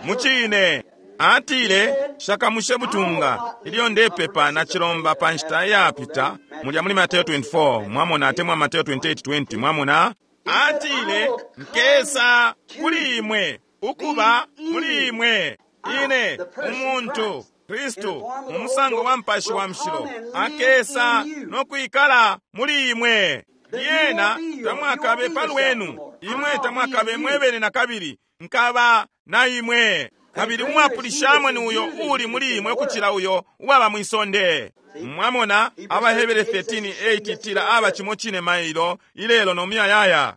Mucine. Atile, shakamushe butunga ilyo ndepepa na chilomba pa nshita yapita mulya muli Mateo twenty-four, mwamona, atemwa Mateo twenty-eight twenty, mwamona. Atile, nkesa kuli imwe, ukuba muli imwe, ine umuntu Kristu mu musango wa mpashi wa mshilo akesa no kwikala muli imwe. Yena tamwakabe palwenu, imwe tamwakabe mwebene na kabili, nkaba na imwe. Kabili umwapulishamwe ni uyo uli muli imwe ukucila uyo uwaba mwisonde. Mwamona, Abahebere thirteen eight itila aba chimo chine mailo ilelo no muyayaya.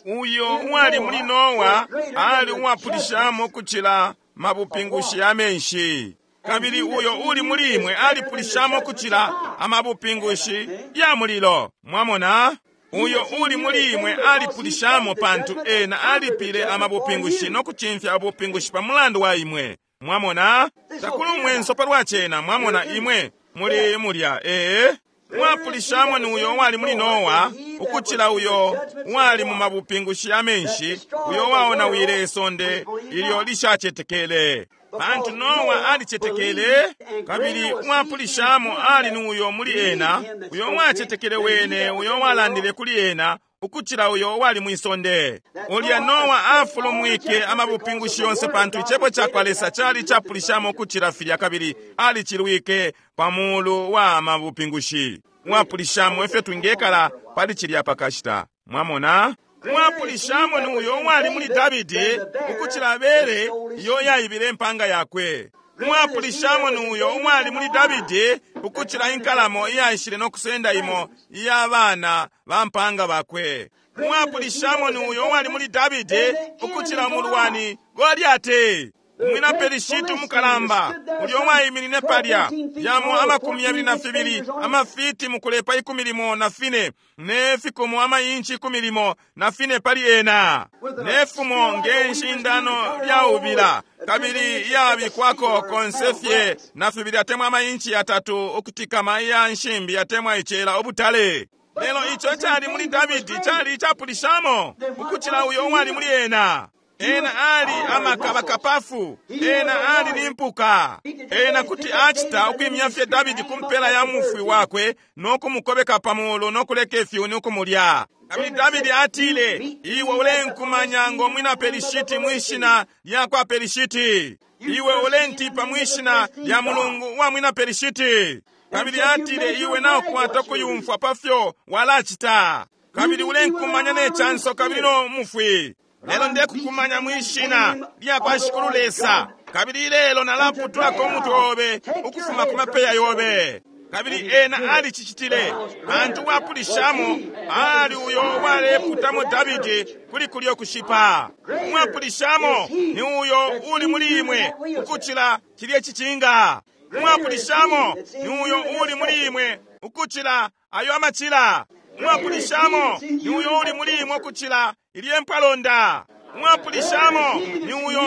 Uyo uwali muli Noa ali umwapulishamo ukucila mabupingushi ya menshi. Kabili uyo uli muli imwe alipulishamo ukucila amabupingushi ya mulilo. Mwamona, uyo uli muli imwe alipulishamo pantu ena alipile amabupingushi no kuchimfya abupingushi pa mulandu wa imwe. Mwamona, takuli umwenso palwa chena. Mwamona, imwe muli mulya ee mwapulishamo ni uyo wali muli Noa ukucila uyo wali mu mabupingushi ya menshi, uyo waonawile isonde ilyo lishachetekele. Pantu Noa alichetekele, kabili mwapulishamo ali ni uyo muli ena, uyo wachetekele wene, uyo walandile kuli ena, ukucila uyo wali mwisonde. Ulya Noa afulumwike amabupingushi yonse pantu ichebo chakwa Lesa chali chapulishamo ukucila filya, kabili alichilwike pamulu wa mabupingushi. Mwapulishamo efyo twingekala pali chilya pakashita. Mwamona, mwapulishamo ni uyo wali muli Davidi ukucila bere iyo yaibile empanga yakwe. Mwapulishamo ni uyo wali muli Davidi ukucila inkalamo iyaishile no kusenda imo iyabana ba mpanga bakwe. Mwapulishamo ni uyo wali muli Davidi ukucila mulwani Goliati, umwina Pelishiti umukalamba, ulyo waiminine palya yamo amakumi yabili na fibili amafiti mukulepa ikumi limo na fine ne fikomo amayinchi ikumi limo na fine pali ena nefumo ngenshindano lyaubila kabili yabikwako konsefye na fibili atemwa amayinchi atatu ukutikama iya nshimbi atemwa ichela ubutale. Lelo icho chali muli Davidi chali chapulishamo ukuchila uyo wali muli ena. Ena ali amakabakapafu, ena ali limpuka, ena kuti achita ukwimya fye Davidi kumpela ya mufwi wakwe no kumukobeka pamulo no kuleka ifyuni ukumulya. Kabili Davidi atile, iwe ulenkumanya ngo mwina Pelishiti mwishina lya kwa Pelishiti, iwe ulentipa mwishina lya mulungu wa mwina Pelishiti. Kabili atile, iwe naokwata kuyumfwa pafyo walachita, kabili ulenkumanya ne chanso kabili no mufwi. Lelo ndekukumanya mwishina lya kwa Shikulu Lesa, kabili lelo nalaputulako umutwe obe ukufuma ku mapeya yobe. Kabili ena alichichitile pantu wapulishamo ali uyo waleputamo Davidi kuli kulyo kushipa. Mwapulishamo ni uyo uli muli imwe ukuchila chilye chichinga. Mwapulishamo ni uyo uli muli imwe ukuchila ayo amachila. Mwapulishamo ni uyo uli muli imwe ukuchila ilye mpalonda. Mwapulishamo ni uyo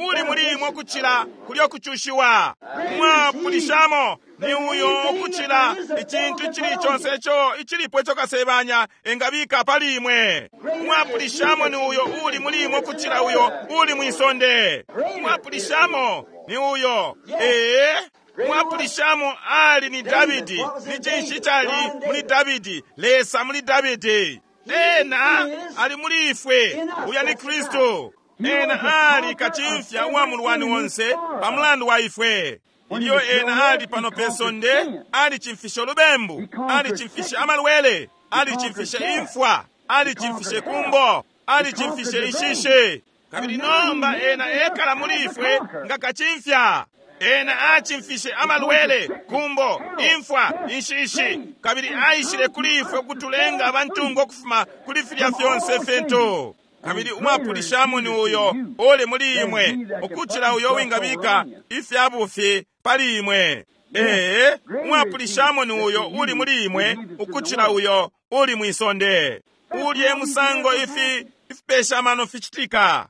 uli muli imwe ukuchila kulyo kuchushiwa. Mwapulishamo ni uyo ukuchila ichintu chili chonse icho ichilipo icho kasebanya engabika pali imwe. Mwapulishamo ni uyo uli muli imwe ukuchila uyo uli mwisonde. Mwapulishamo ni uyo ee mwapulishamo ali ni Davidi, ni chinshi chali muli Davidi, Lesa muli Davidi. Ena ali muli ifwe, uya ni Kristu. Ena ali kachimfya wa mulwani wonse pamulandu wa ifwe. Ilyo ena ali pano pesonde, ali chimfisha lubembu, ali chimfisha amalwele, ali chimfisha imfwa, ali chimfisha kumbo, ali chimfisha inshishe. Kabili nomba ena ekala muli ifwe nga kachimfya. Ena achimfishe amalwele, kumbo, imfwa, inshishi. Kabili aishile kuli ifwe kutulenga abantungo kufuma kuli filya fyonse fintu. Kabili umwapulishamo ni uyo ole muli imwe ukuchila uyo wingabika ifyabufi pali imwe. Ee, umwapulishamo ni uyo uli muli imwe ukuchila uyo uli mwisonde. Ulye musango ifi ifipesha mano fichitika.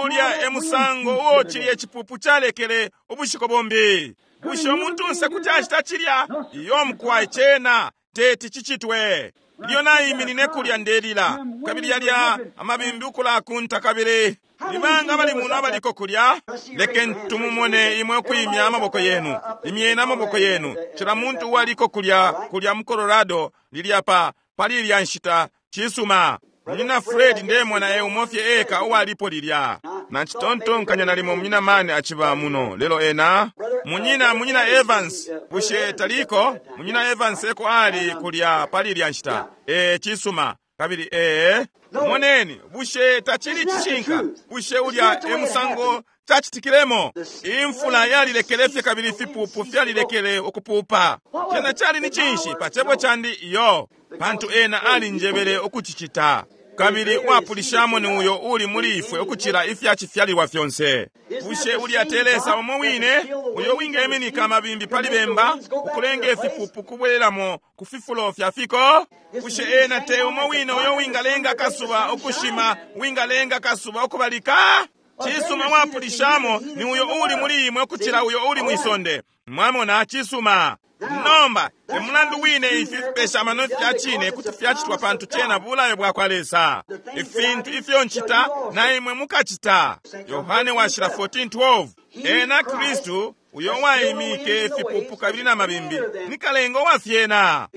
Ulya emusango uo chilye chipupu chalekele ubushiko bombi. Bushe omuntu nse kuti achita chilya iyo mukwa ichena teti chichitwe. Ilyo naiminine kulya ndelila, kabili yalya amabimbi ukulakunta kabili nibanga bali muno abaliko kulya. Lekeni tumumone imwe ukwimya amaboko yenu, imyeni amaboko yenu. Cila muntu uwaliko kulya kulya mu Colorado lilya pa pali ilya nshita. Cisuma. Munyina Fred ndemona e umofye eka uwalipo lilya. Nacitontonkanya nalimo munyina mani aciba muno lelo ena munyina munyina Evans bushe taliko? Munyina Evans eko ali kulya pali ilya nshita. E cisuma. Kabili ee moneni, bushe tacili cishinka? Bushe ulya e musango cacitikilemo? Imfula yalilekele fye kabili ifipupu fyalilekele ukupupa. Cena cali ni cinshi pa cebo candi? Iyo, pantu ena alinjebele ukucicita. Kabili uwapulishamo ni uyo uli muli ifwe ukucila ifyacifyalilwa fyonse. Bushe ulya te Lesa umo wine uyo wingeminika amabimbi pali bemba ukulenga ifipupu kubwelelamo ku fifulo fya fiko? Bushe ena te umo wine uyo wingalenga akasuba ukushima, wingalenga akasuba ukubalika? Cisuma, wapulishamo ni uyo uli muli imwe ukucila uyo uli mwisonde. Mwamona? Cisuma. Nomba emulandu wine ifi fipesha amano fya cine kuti fyacitwa, pantu cena bulayo bwa kwa Lesa. Ifintu ifyo ncita na imwe mukacita. Yohane washila fourteen twelve. Ena Kristu uyo waimike ifipupu kabili na mabimbi ni kalenga wa fyena.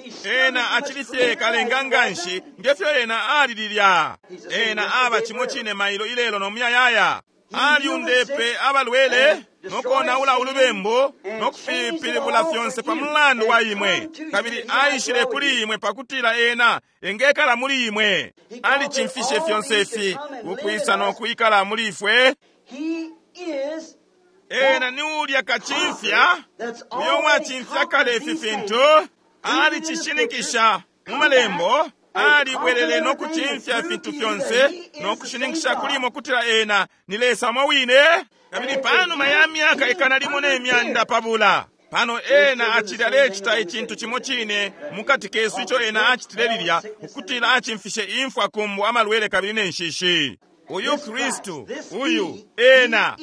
Ena acili fye kalenga nganshi ngefyo ena ali lilya. Ena aba cimo cine mailo ilelo no muyayaya. Aliundepe abalwele nokonaula ulubembu nokufipilibula fyonse pa mulandu wa imwe, kabili aishile kuli imwe pakutila ena engekala muli imwe. Alicimfishe fyonse ifi ukwisa nokwikala muli ifwe. Ena ni ulya kacimfya uyo wacimfya kale ifi fintu. Alicishininkisha mu malembo. Alibwelele nokucimfya ifintu fyonse nokushininkisha kuli imwe kutila ena ni Lesa umo wine. Kabili panuma ya myaka ikana limo ne myanda pabula, pano ena acili alecita icintu cimo cine mukati kesu ico ena acitile lilya, ukutila acimfishe imfwa, kumbu, amalwele kabili ne nshishi. Uyu Kristu, uyu ena,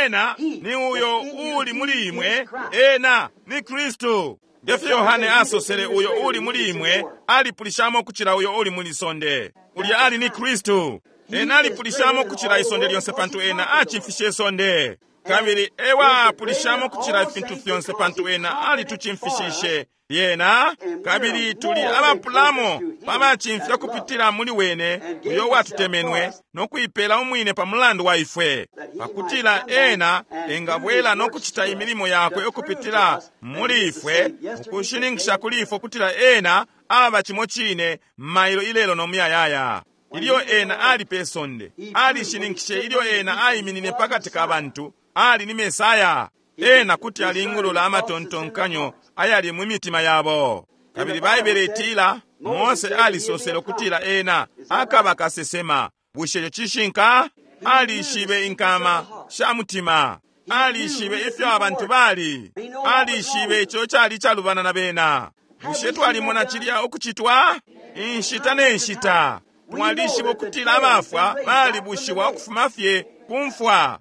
ena ni uyo uli muli imwe, ena ni Kristu. Ngefyo Yohane asosele, uyo uli muli imwe alipulishamo kucila uyo uli muli sonde. Ulya ali ni Kristu. Ena alipulishamo kucila isonde lyonse pantu ena acimfishe isonde. Kabili ewa apulishamo kucila ifintu fyonse pantu ena alitucimfishishe lyena. Kabili tuli abapulamo pabacimfya kupitila muli wene uyo watutemenwe nokuipela umwine pa mulandu wa ifwe, pakutila ena engabwela nokucita imilimo yakwe ukupitila muli ifwe, ukushininkisha kuli ifwe ukutila ena aba cimo cine mailo ilelo no muyayaya. Ilyo ena ali pe sonde, alishininkishe ilyo ena aiminine pakati ka bantu, ali ni Mesaya. Ena kuti alingulula amatontonkanyo ayali mu mitima yabo. Kabili Baibele itila Mose alisosele ukutila ena akaba kasesema. Bushe ico cishinka? Alishibe inkama sha mutima. Alishibe ifyo abantu bali. Alishibe ico cali calubana na bena. Bushe twalimona cilya ukucitwa? Inshita ne nshita twalishiba ukutila abafwa balibushiwa ukufuma fye ku mfwa.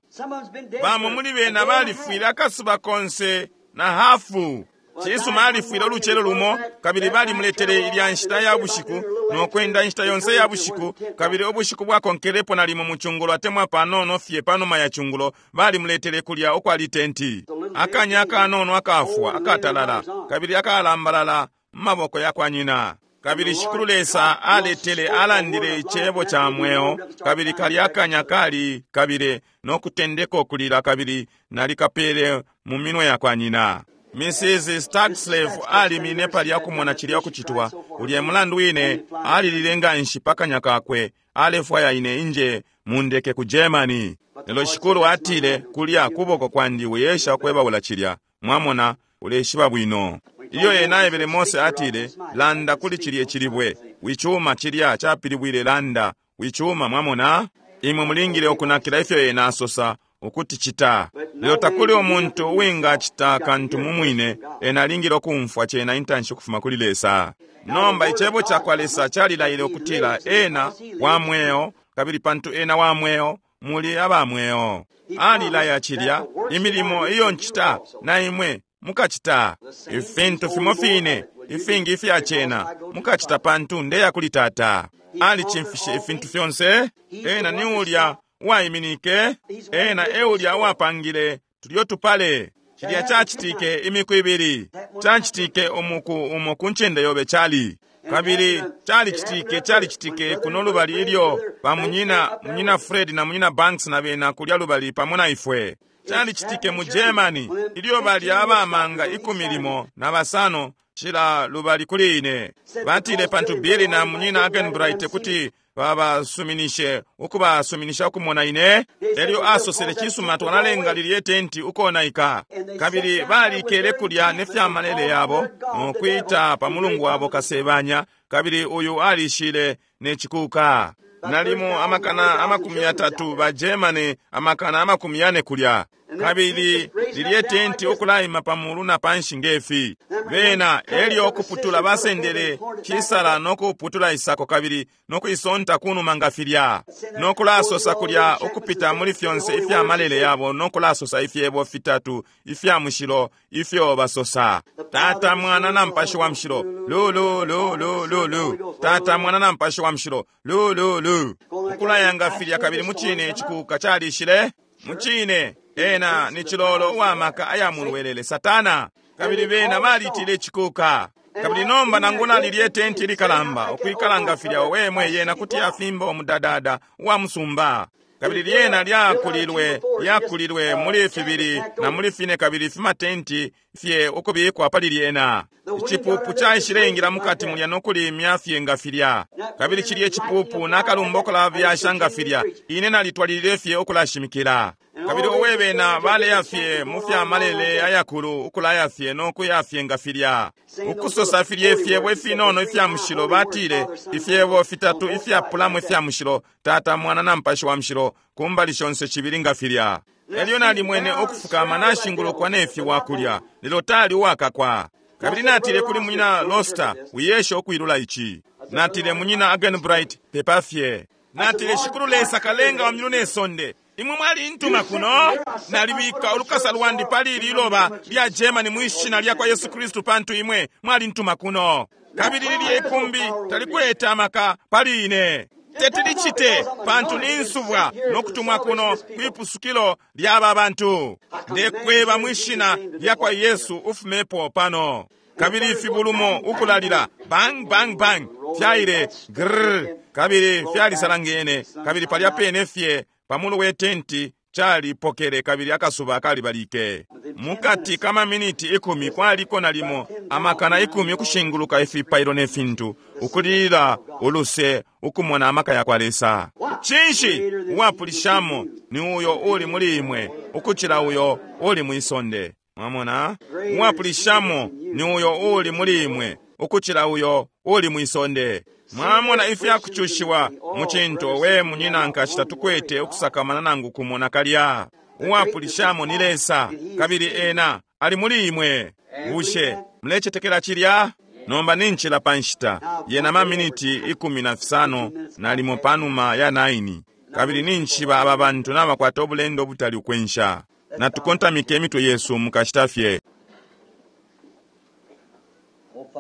Bamo muli bena balifwile akasuba konse na hafu. Cisuma, alifwile ulucelo lumo, kabili balimuletele ilya nshita ya bushiku nokwenda inshita yonse ya bushiku, kabili ubushiku bwakonkelepo nalimo mu cungulo atemwa panono fye panuma ya cungulo balimuletele kulya ukwali tenti. Akanya akanono akafwa akatalala kabili akalambalala mu maboko ya kwa nyina. Kabili Shikulu Lesa aletele alandile icebo ca mweo, kabili kalya akanya kali kabile nokutendeka okulila, kabili nalikapele mu minwe ya kwa nyina. Missus Stagslave alimine palya kumona cilya ukucitwa. Ulya mulandu wine alilile nganshi pakanya kakwe, alefwaya ine inje mundeke ku Germany. Lelo Shikulu atile, kulya kuboko kwandi wiyesha kwebaula cilya. Mwamona, uleshiba bwino. Ilyo ena aebele Mose atile, landa kuli cilye cilibwe. Wicuma cilya capilibwile landa. Wicuma, mwamona? Imwe mulingile ukunakila ifyo ena asosa ukuti cita. Lelo takuli umuntu uwingacita kantu mumwine, ena alingile ukumfwa cena intanshi ukufuma kuli Lesa. Nomba icebo ca kwa Lesa calilaile ukutila ena wa mweo, kabili pantu ena wa mweo, muli aba mweo. Alilaya cilya, imilimo iyo ncita na imwe mukacita. Ifintu fimo fine ifingi ifya cena mukacita pantu ndeya kuli Tata. Alicimfishe ifintu fyonse. Ena ni ulya uwaiminike, ena e ulya uwapangile tulyo tupale. Cilya cacitike imiku ibili, cacitike umuku umo ku ncende yobe cali. Kabili calicitike calicitike kuno lubali ilyo ba munyina munyina Fred na munyina Banks na bena kulya lubali pamo na ifwe. Calicitike mu Germany ilyo bali abamanga ikumi limo na basano cila lubali kuli ine. Batile pantu Billy na munyina Agenbright kuti babasuminishe ukubasuminisha ukumona ine. Elyo asosele cisuma twalalenga lilye tenti ukonaika. Kabili balikele kulya ne fyamalele yabo nokwita pa mulungu wabo kasebanya. Kabili uyu alishile ne chikuka. Nalimo amakana amakumi yatatu ba Germany amakana amakumi yane kulya. Kabili lilye tenti ukulaima pamulu na panshi ngefi. Bena elyo okuputula basendele chisala nokuputula isako kabili nokuisonta kunuma nga filya. Nokulasosa kulya ukupita muli fyonse ifya malele yabo nokulasosa ifyebo fitatu ifya mushilo ifyo basosa. Tata mwana na mpashi wa mushilo. Lu lu lu lu lu lu. Tata mwana na mpashi wa mushilo. Lu lu lu. Ukulayanga filya kabili muchine chikuka chalishile. Muchine ena ni chilolo uwamaka aya mulwelele Satana. Kabili bena balitile chikuka. Kabili nomba nangula lilye tenti likalamba okwikalanga filya wemwe yena kuti afimba omudadada uwa musumba. Kabili lyena lyakulilwe lyakulilwe muli fibili na muli fine kabili fimatenti fye ukubikwa pali lyena. Ichipupu chaishileingira mukati mulya nokulimya fye nga filya. Kabili chilye chipupu nakalumba okulabyasha nga filya. Ine nalitwalilile fye okulashimikila. Kabili owebena baleya fye mu fyamalele ayakulu ukulaya fye nokuya fye nga filya. Ukusosa filye ifyebo ifinono ifya mushilo batile ifyebo fitatu ifyapulamo ifya mushilo Tata mwana na mpashi wa mushilo kumbali shonse chibili nga filya. Elyo nalimwene okufukama nashingulukwa nefi wakulya lelo tali uwakakwa. Kabili natile kuli munyina Loster wiyeshe okwilula ichi. Natile munyina Agenbright pepa fye. Natile shikulu Lesa kalenga wa myulu ne sonde. Imwe mwali ntuma kuno nalibika olukasa lwandi pali liloba lya Germany mwishina lya kwa Yesu Kristu pantu imwe mwali ntuma kuno. Kabili lilye ikumbi talikwete amaka pali ine. Tetilichite pantu ninsubwa nokutumwa kuno kwipusukilo lyaba bantu. Ndekweba mwishina lya kwa Yesu ufumepo pano. Kabili ifibulumo ukulalila bang bang bang fyaile grrr kabili fyalisalangene kabili palya pene fye pamulu we tenti chalipokele kabili akasuba kalibalike. Mukati kama miniti ikumi kwaliko nalimo amakana ikumi ukushinguluka ifipailo ne fintu ukulila uluse ukumona amaka ya kwa Lesa. Chinshi uwapulishamo ni uyo uli muli imwe ukuchila uyo uli mwisonde. Mwamona uwapulishamo ni uyo uli muli imwe ukuchila uyo uli mwisonde. Mwamona ifya kuchushiwa muchinto we munyina nkashita tukwete okusakamana nangu kumona kalya. Uwapulishamo ni Lesa kabili ena ali muli imwe. Bushe mlechetekela chilya? Nomba ninchila panshita yena maminiti ikumi na fisano nalimo panuma ya naini. Kabili ninchiba aba bantu nabakwata obulendo obutali ukwensha. Natukontamike emitwe yesu mukashita fye.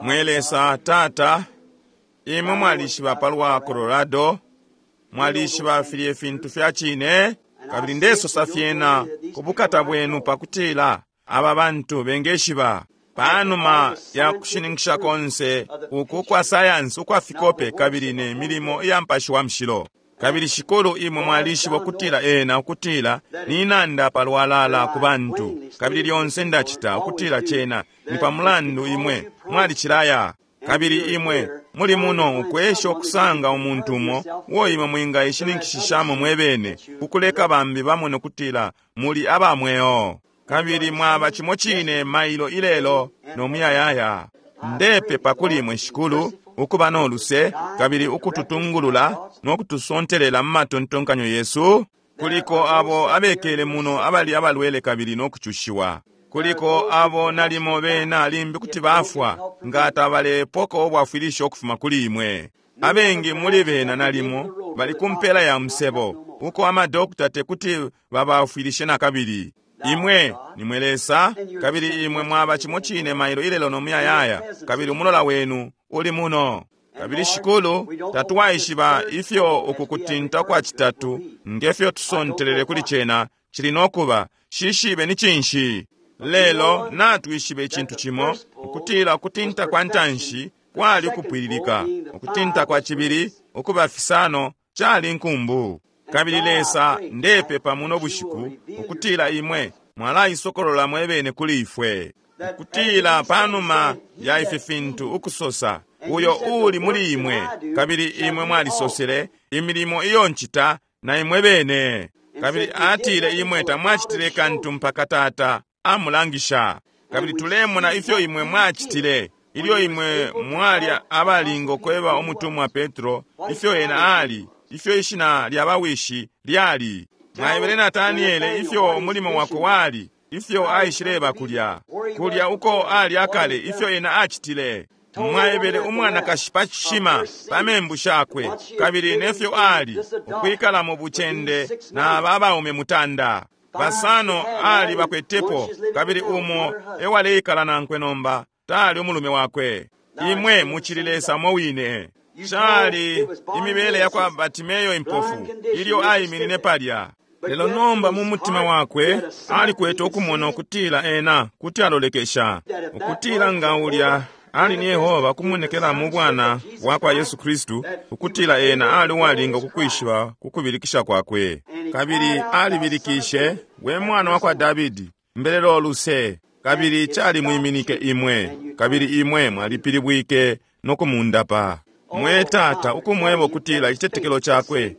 Mwe Lesa Tata, imwe mwalishiba palwa Colorado, mwalishiba filye fintu fya chine, kabili ndesosa fyena kubukata bwenu pakutila aba bantu bengeshiba. Panuma ya kushininkisha konse uku kwa sayansi ukwa fikope kabili ne milimo iya mpashi wa mushilo. Kabili shikulu imwe mwalishiba ukutila ena ukutila ninanda palwalala ku bantu. Kabili lyonse ndachita ukutila chena ni pamulandu imwe mwalichilaya. Kabili imwe muli muno ukwesha okusanga umuntu umo uo imwe mwingayishininkishishamo mwebene kukuleka bambi bamone ukutila muli abamweo. Kabili mwaba chimo chine mailo ilelo nomuyayaya. Ndepepa kuli imwe shikulu ukuba noluse kabili ukututungulula nokutusontelela mu matontonkanyo yesu. Kuliko abo abekele muno abali abalwele kabili nokuchushiwa. Kuliko abo nalimo bena limbi kuti bafwa nga tabalepoko obwafwilisho okufuma kuli imwe. Abengi muli bena nalimo bali kumpela ya musebo uko amadokita tekuti babafwilishe nakabili. Imwe nimwe Lesa, kabili imwe mwaba cimo cine mailo ilelo no muyayaya, kabili umulola wenu uli muno. Kabili Shikulu, tatwaishiba ifyo uku kutinta kwa citatu ngefyo tusontelele kuli cena cili nokuba, shishibe ni cinshi. Lelo natwishibe icintu cimo, ukutila ukutinta kwa ntanshi kwali ukupwililika, ukutinta kwa cibili ukuba fisano cali nkumbu. Kabili Lesa, ndepepa muno bushiku ukutila imwe mwalaisokolola mwebene kuli ifwe, ukutila panuma ya ifi fintu ukusosa uyo uli muli imwe, kabili imwe mwalisosele imilimo iyo ncita na imwe bene. Kabili atile imwe tamwacitile kantu mpaka Tata amulangisha. Kabili tulemona ifyo imwe mwacitile ilyo imwe mwali abalingo kweba umutumwa Petro ifyo ena ali, ifyo ishina lya bawishi lyali. Mwaebele Nataniele ifyo umulimo wakwe wali, ifyo aishileba kulya kulya uko ali akale, ifyo ena acitile. Mwaebele umwanakashi pa cishima pa membu shakwe, kabili nefyo ali ukwikala mu bucende na aba abaume mutanda basano ali bakwetepo, kabili umo ewaleikala nankwe nomba tali umulume wakwe. Imwe mucili Lesa mo wine. Cali imibele ya kwa Batimeyo impofu ilyo aiminine palya. Lelo nomba mu mutima wakwe alikwete ukumona ukutila ena kuti alolekesha, ukutila nga ulya ali ni Yehova kumonekela mu bwana bwa kwa Yesu Kristu, ukutila ena ali uwalinga kukwishiba kukubilikisha kwakwe. Kabili alibilikishe, we mwana wa kwa Davidi, mbelelo luse. Kabili cali mwiminike imwe, kabili imwe mwalipilibwike no kumundapa. Mwe Tata, ukumweba ukutila icitetekelo cakwe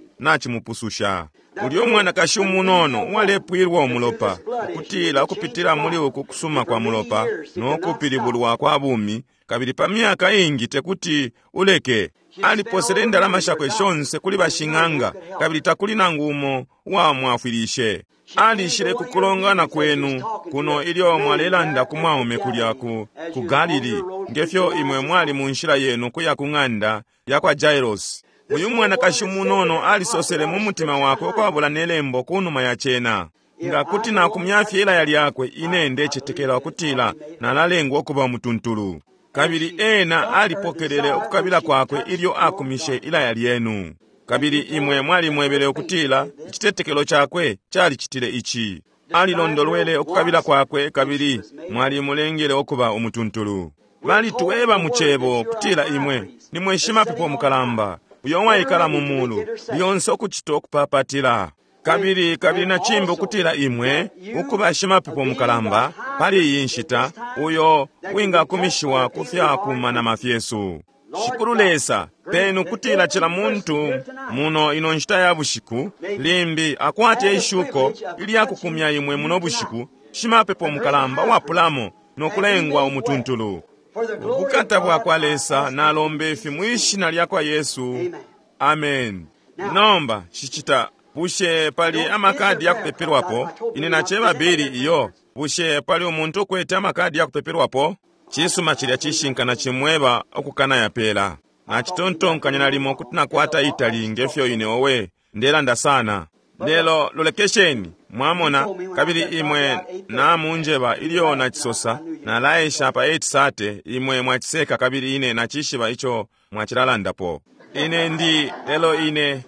nacimupususha. Ulyo umwanakashi umunono uwalepwilwa umulopa, ukutila ukupitila muli uku kusuma kwa mulopa no kupilibulwa kwa bumi, kabili pa myaka ingi tekuti uleke. Aliposele indalama shakwe shonse kuli bashing'anga, kabili takuli nangu umo uwamwafwilishe. Alishile kukulongana kwenu kuno ilyo mwalelanda ku mwaume kulya ku, ku Galili, ngefyo imwe mwali mu nshila yenu kuya ku ng'anda ya kwa Jairos. Uyu mwanakashi umunono alisosele mu mutima wakwe ukwabula nelembo kunuma ya cena. Nga kuti nakumyafye ilaya lyakwe, ine ndecetekela ukutila nalalengwa ukuba umutuntulu. Kabili ena alipokelele ukukabila kwakwe ilyo akumishe ilaya lyenu. Kabili imwe mwalimwebele ukutila icitetekelo cakwe calicitile ici. Alilondolwele ukukabila kwakwe, kabili mwalimulengele ukuba umutuntulu. Balitweba mu cebo kutila imwe nimwe shimapepo mukalamba uyo waikala mu mulu lyonse ukucita ukupapatila. Kabili kabili na cimbi ukutila imwe ukuba shimapepo mukalamba pali iyi nshita uyo wingakumishiwa ku fyakumanama fyesu. Shikulu Lesa, penu kutila cila muntu muno ino nshita ya bushiku limbi akwate ishuko ilyakukumya imwe muno bushiku, shimapepo mukalamba wapulamo no kulengwa umutuntulu. Ubukata bwa kwa Lesa, nalomba ifi mwishina lya kwa Yesu, amen. Nomba shicita, bushe pali amakadi ya kupepelwapo? Ine nacheba bili iyo. Bushe pali umuntu ukwete amakadi ya kupepelwapo? Cisuma cilya cishinka na cimweba okukana yapela. Nacitontonkanya nalimo kuti nakwata itali ngefyo ine owe ndelanda sana. Lelo lolekesheni, mwamona, kabili imwe namunjeba ilyo nacisosa nalaesha pa eight sate, imwe mwaciseka kabili ine nacishiba ico mwacilalandapo. Ine ndi lelo ine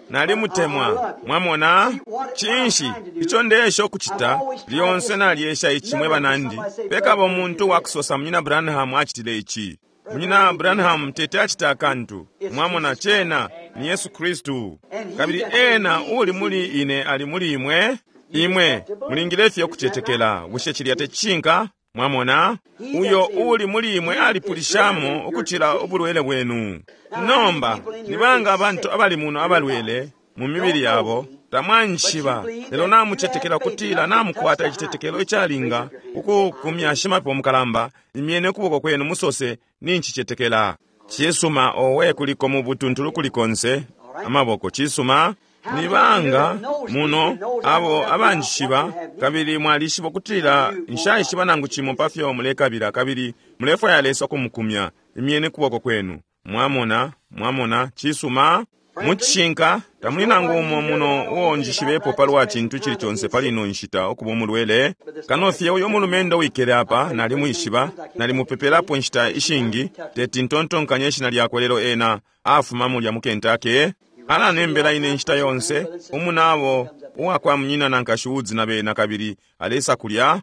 nalimutemwa, mwamona. Cinshi ico ndeesha ukucita lyonse nalyesha ici mwe banandi, pekaba umuntu wakusosa Munyina Branham acitile ici. Munyina Branham tete acita akantu, mwamona, cena ni Yesu Kristu. Kabili ena uli muli ine ali muli imwe. Imwe mulingile fye ukucetekela. Bushe cilya tecishinka? Mwamona, uyo uli muli imwe alipulishamo ukucila ubulwele bwenu. Nomba nibanga abantu abali muno abalwele mu mibili yabo, tamwanshiba, lelo namucetekela kutila namukwata icitetekelo icalinga ukukumya shimapepo mukalamba, imyene ukuboko kwenu musose ninchicetekela. Cisuma, owe kuliko mu butuntulu kulikonse amaboko. Cisuma, nibanga muno abo abanjishiba, kabili mwalishiba ukutila nshaishiba nangu cimo pafyo mulekabila, kabili mulefwaya Lesa ukumukumya, imyene kuboko kwenu. Mwamona, mwamona, cisuma. Mucishinka tamuli nangu umo muno uo njishibepo palwa cintu cili conse pali ino nshita ukuba umulwele kano fye uyo mulumendo wikele apa nalimwishiba, nalimupepelapo nshita ishingi, teti ntontonkanye ishina lyakwe lelo ena afuma mulya mu Kentucky. Alanembela ine nshita yonse umunabo uwakwa munyina na nkashi Woods na bena kabili alesa kulya,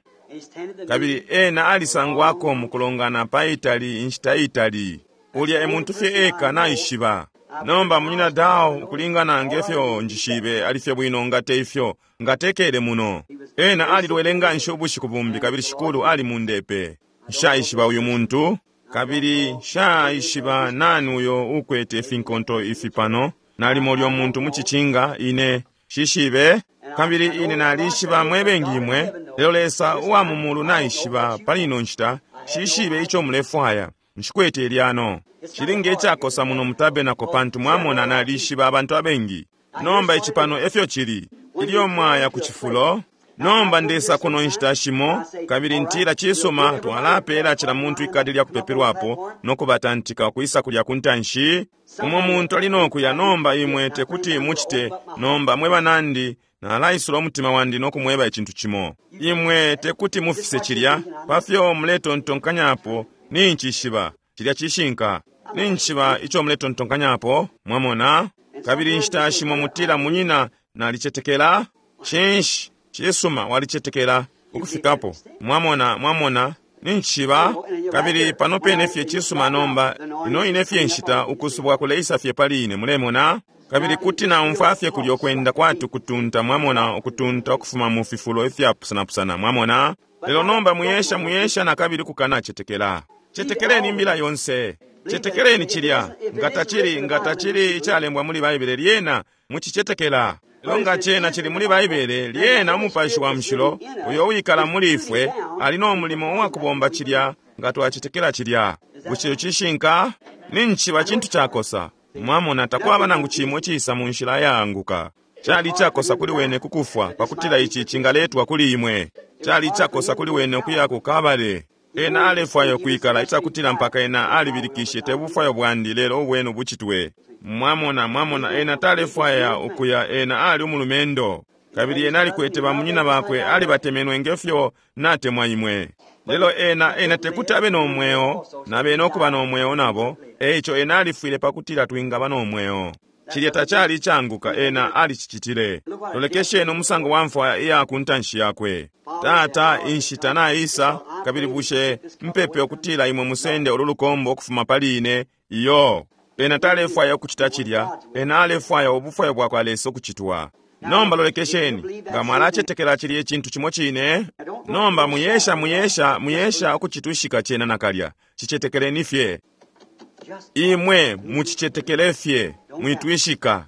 kabili ena alisangwako mukulongana pa itali inshita itali. Ulya e muntu fye eka naishiba. Nomba munyina Dao ukulingana ngefyo njishibe alifye bwino nga te ifyo nga tekele muno. Ena alilwele nganshi ubushiku bumbi kabili shikulu ali mundepe. Nshaishiba uyu muntu kabili nshaishiba nani uyo ukwete ifinkonto ifi pano. Nalimo ulyo muntu mucicinga ine shishibe kabili ine nalishiba mwebengi imwe, lelo Lesa uwa mu mulu naishiba pali ino nshita shishibe ico mulefwaya. Nshikwete ilyano. Chilinge icakosa muno mutabenako pantu mwamona nalishiba abantu abengi. Nomba ici pano efyo chili ilyo mwaya ku cifulo. Nomba ndesa kuno nshita shimo kabili ntila cisuma twalapela cila muntu ikadi lya kupepelwapo nokubatantika kwisa kulya kuntanshi. Umo muntu ali nokuya nomba imwe tekuti mucite. Nomba mwe banandi nalaisula umutima wandi nokumweba icintu cimo. Imwe tekuti mufise cilya pafyo muletontonkanyapo nincishiba cilya cishinka. Nincishiba ico muletontonkanyapo mwamona. Kabili nshita shimo mutila munyina nalicetekela. Cinshi cisuma walicetekela ukufikapo mwamona mwamona nincishiba. Kabili pano pene fye cisuma nomba ino ine fye nshita ukusubwa kuleisa fye pali ine mulemona. Kabili kuti naumfwa fye kulyo kwenda kwati kutunta mwamona ukutunta ukufuma mu fifulo ifyapusanapusana mwamona. Lelo nomba muyesha muyesha na kabili kukanacetekela. Cetekeleni imbila yonse. Cetekeleni cilya. Nga tacili nga tacili icalembwa muli Baibele lyena mucicetekela. Lelo nga cena cili muli Baibele lyena umupashi wa mushilo uyo wikala muli ifwe ali no mulimo uwakubomba cilya nga twacetekela cilya. Bushe cishinka? Nincishiba cintu cakosa. Mwamona takwaba nangu cimo cisa mu nshila yaanguka. Cali icakosa kuli wene kukufwa pakutila ici cingaletwa kuli imwe. Cali icakosa kuli wene ukuya ku Kabale. Ena alefwaya ukwikala icakutila mpaka ena alibilikishe te bufwayo bwandi lelo ubwenu bucitwe. Mwamona mwamona ena talefwaya ukuya, ena ali umulumendo. Kabili ena alikwete bamunyina bakwe alibatemenwe ngefyo natemwa imwe. Lelo ena ena tekuti abe nomweo nabe nokuba nomweo nabo, eico ena alifwile pakutila twingaba nomweo. Cilya tacali icanguka ena alicicitile. Lolekesheni umusango wa mfwa iya ku ntanshi yakwe. Tata inshita naisa kabili bushe mpepe ukutila imwe musende ulu lukombo ukufuma pali ine iyo. Ena talefwaya ukucita cilya, ena alefwaya ubufwayo bwakwa Lesa ukucitwa. Nomba lolekesheni nga mwalacetekela cilya icintu cimo cine. Nomba muyesha muyesha muyesha ukucitushika cena nakalya. Cicetekeleni fye. Imwe mucicetekele fye, mwitwishika.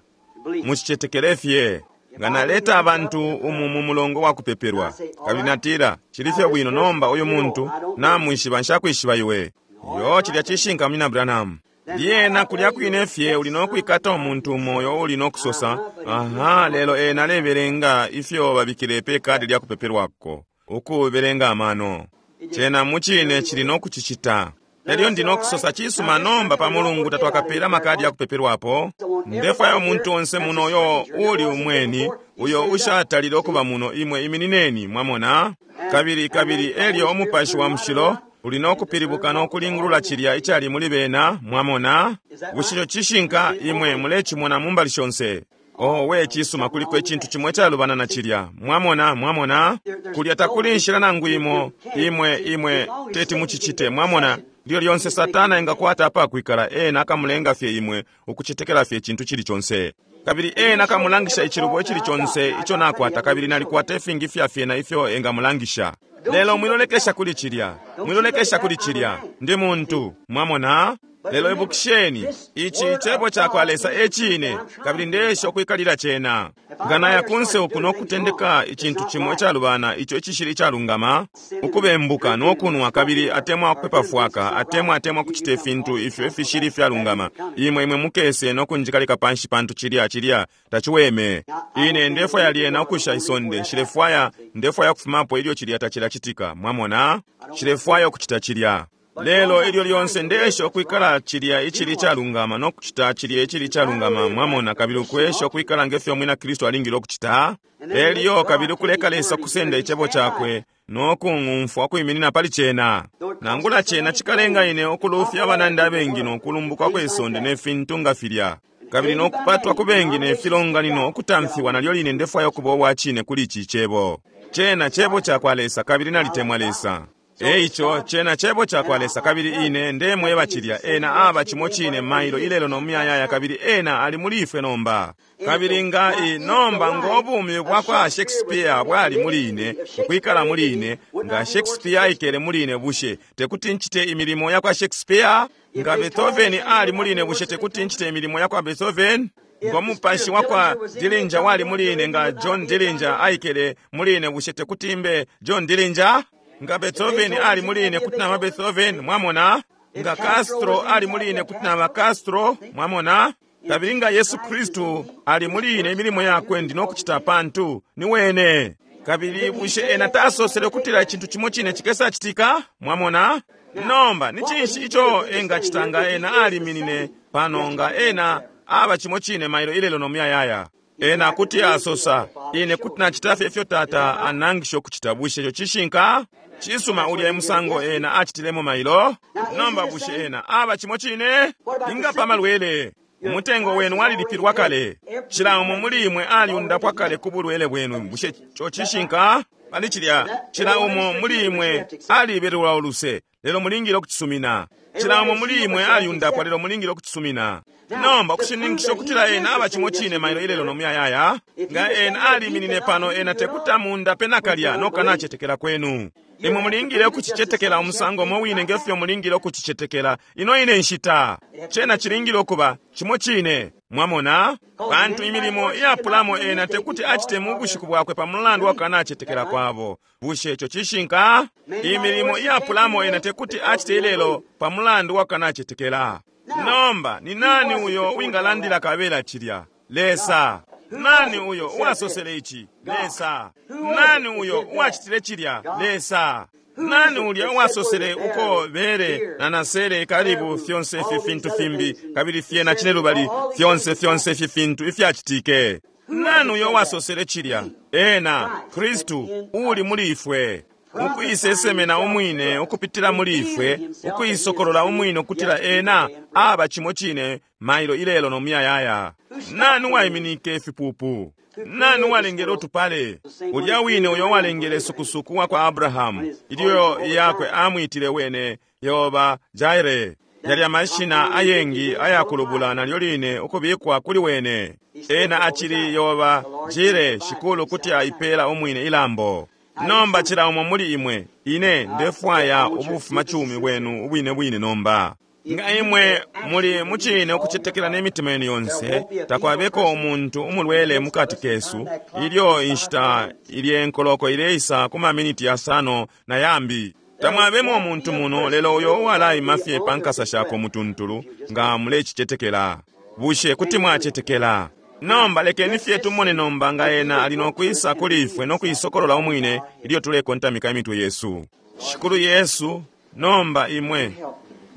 Mucicetekele fye. Nga naleta abantu umu mu mulongo wa kupepelwa kabili natila cili fye bwino nomba uyu muntu namwishiba nshakwishiba iwe. Yo cilya cishinka munyina Branham. Lyena kulya kwine fye uli nokwikata umuntu umo uli nokusosa aha lelo ena alebelenga ifyo babikile pe kadi lya kupepelwako ukubelenga amano. Cena mucine cili nokucicita. Elyo ndi nokusosa cisuma nomba pa mulungu tatwakapela makadi ya kupepelwapo. Ndefwaya umuntu onse muno uyo uli umweni uyo ushatalile okuba muno imwe iminineni mwamona. Kabili kabili elyo umupashi wa mushilo uli nokupilibuka nokulingulula cilya icali muli bena mwamona. Bushe cishinka imwe mulecimona mu mbali shonse. Oh we cisuma kuliko icintu cimwe calubana na cilya mwamona mwamona. Kulya takuli nshila nangu imo imwe imwe teti mucicite mwamona. Lyo lyonse Satana engakwata apakwikala ena akamulenga fye imwe ukucetekela fye icintu cili conse. Kabili ena akamulangisha icilubo icili conse ico nakwata kabili nalikwata ifingi fya fyena ifyo engamulangisha. Lelo mwilolekesha kuli cilya, mwilolekesha kuli cilya, ndi muntu mwamona. Lelo ibukisheni ici cebo cakwa Lesa ecine kabili ndesha ukwikalila cena. Nga naya kunse uku nokutendeka icintu cimo icalubana ico icishili icalungama, ukubembuka nokunwa kabili atemwa ukupepa fwaka atemwa atemwa kucita ifintu ifyo ifishili ifyalungama, imwe imwe mukese nokunjikalika panshi pantu cilya cilya taciweme. Ine ndefwaya lyena ukusha isonde, nshilefwaya ndefwaya kufumapo ilyo cilya tacilacitika mwamona. Nshilefwaya ukucita cilya. Lelo ilyo lyonse ndeesha ukwikala cilya icili icalungama no kucita cilya icili icalungama, mwamona, kabili ukwesha ukwikala ngefyo mwina Kristu alingile ukucita. Elyo kabili ukuleka Lesa kusenda icebo cakwe no kung'umfwa kwiminina pali cena. Nangula cena cikalenga ine ukulufya abanandi abengi no kulumbuka kwe sonde ne fintu nga filya, kabili no kupatwa ku bengi ne filonganino ukutamfiwa, nalyo line ndefwaya ukuba uwa cine kuli ici cebo. Cena cebo cakwa Lesa, kabili nalitemwa Lesa. Eico cena cebo cakwa Lesa, kabili ine ndemweba cilya. Ena aba cimo cine mailo ilelo no muyayaya, kabili ena ali muli ifwe nomba. Kabili nga i nomba ngo bumi bwa kwa Shakespeare bwali muli ine, ukwikala muli ine, nga Shakespeare aikele muli ine, bushe tekuti ncite imilimo ya kwa Shakespeare? Nga Beethoven ali muli ine, bushe tekuti ncite imilimo ya kwa Beethoven? Ngo mupashi wa kwa Dillinger wali muli ine, nga John Dillinger aikele muli ine, bushe tekuti mbe John Dillinger? Nga Beethoven ali muli ine, kuti naba Beethoven, mwamona? Nga Castro ali muli ine, kuti naba Castro, mwamona? Kabili nga Yesu Kristu ali muli ine, imilimo yakwe ndi nokucita pantu ni wene. Kabili bushe ena tasosele ukutila icintu cimo cine chikesacitika, mwamona? Nomba ni cinshi ico engacita nga ena aliminine pano, nga ena aba cimo cine mailo ilelo no muyayaya? Ena kuti asosa, ine kuti nacita fye ifyo Tata anangisha ukucita. Bushe ico cishinka? Cisuma, ulya musango ena acitilemo mailo. Nomba bushe ena aba cimo cine? Inga pa malwele, umutengo wenu walilipilwa kale. Cila umo muli imwe aliundapwa kale ku bulwele bwenu. Bushe ico cishinka? Pali cilya, cila umo muli imwe alibelelwa uluse, lelo mulingile ukucisumina. Cila umo muli imwe aliundapwa, lelo mulingile ukucisumina. Nomba ukushininkisha ukutila ena aba cimo cine mailo ilelo no muyayaya, nga ena aliminine pano, ena tekuti amundape nakalya nokanacetekela kwenu. Imwe mulingile ukucicetekela umusango umo wine ngefyo mulingile ukucicetekela ino ine nshita. Cena cilingile ukuba cimo cine, mwamona? Pantu imilimo iyapulamo ena tekuti acite mu bushiku bwakwe pa mulandu wa kukanacetekela kwabo. Bushe ico cishinka? Imilimo iyapulamo ena tekuti acite ilelo pa mulandu wa kukanacetekela. Nomba ni nani uyo wingalandila kabela cilya? Lesa. Nani uyo uwasosele ici? Lesa. Nani uyo uwacitile cilya? Lesa. Nani ulya uwasosele uko bere na nasele karibu fyonse ifi fintu fimbi, kabili fyena cine lubali fyonse fyonse ifi fintu ifyacitike? Nani uyo uwasosele cilya? Ena Kristu uli muli ifwe, ukuisesemena umwine ukupitila muli ifwe, ukuisokolola umwine ukutila ena aba cimo cine mailo ilelo no muyayaya. Nani uwaiminike ifipupu? Nani uwalengele utupale? Ulya wine uyo uwalengele sukusuku wa kwa Abrahamu, ilyo yakwe amwitile wene Yehova Jireh. Yalya mashina ayengi ayakulubula nalyo line ukubikwa kuli wene. Ena acili Yehova Jireh, Shikulu kuti aipela umwine ilambo. Nomba cila umo muli imwe, ine ndefwaya ubufumacumi bwenu ubwine bwine nomba. Nga imwe muli mucine ukucetekela n'emitima yenu yonse, takwabeko umuntu umulwele mukati kesu ilyo inshita ilye nkoloko ileisa ku maminiti yasano na yambi. Tamwabemo umuntu muno lelo uyo uwalaima fye pa nkasa shako mutuntulu, nga mulecicetekela. Bushe kuti mwacetekela? Nomba lekeni fye tumone nomba nga ena ali nokwisa kuli ifwe no kuisokolola umwine ilyo tulekontamika imitwe yesu. Shikulu Yesu, nomba imwe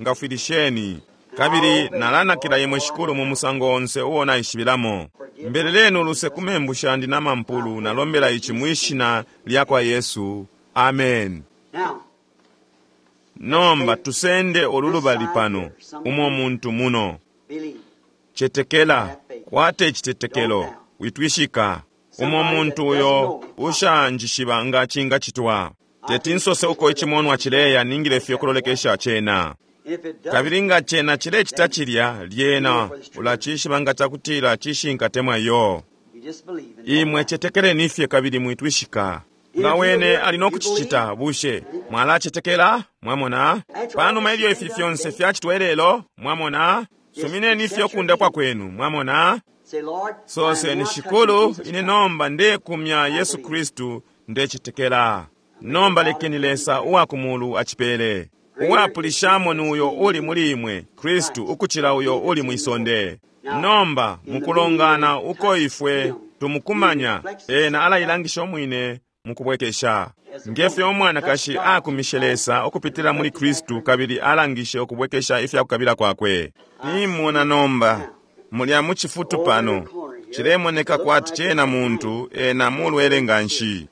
ngafwilisheni, kabili nalanakila imwe Shikulu mu musango onse uo naishibilamo. Mbeleleni uluse ku membu shandi na mampulu, nalombela ici mwishina lya kwa Yesu. Amen. Nomba tusende olulubali pano, umo muntu muno. Cetekela, kwate icitetekelo, witwishika. Umo muntu uyo ushanjishiba nga cingacitwa. Teti nsose uko icimonwa cileya, ningile fye kulolekesha cena. Kabili nga cena cilecita cilya, lyena ulacishiba nga cakutila cishinka temwa iyo. Imwe cetekeleni fye kabili mwitwishika. Nga wene ali nokucicita, bushe mwalacetekela? Mwamona? Panuma ilyo ifi fyonse fyacitwa ilelo, mwamona? Sumineni fye ukundapwa kwenu, mwamona? Soseni, Shikulu, ine nomba ndekumya Yesu Kristu, ndecetekela. Nomba lekeni Lesa uwa kumulu acipele. Uwapulishamo ni uyo uli muli imwe, Kristu, ukucila uyo uli mwisonde. Nomba mukulongana uko ifwe tumukumanya, ena alailangisha umwine mukubwekesha. Ngefyo umwanakashi akumishe Lesa ukupitila muli Kristu kabili alangishe ukubwekesha ifyakukabila kwakwe. Nimona nomba mulya mu chifutu pano chilemoneka kwati chena muntu ena mulwele nganshi.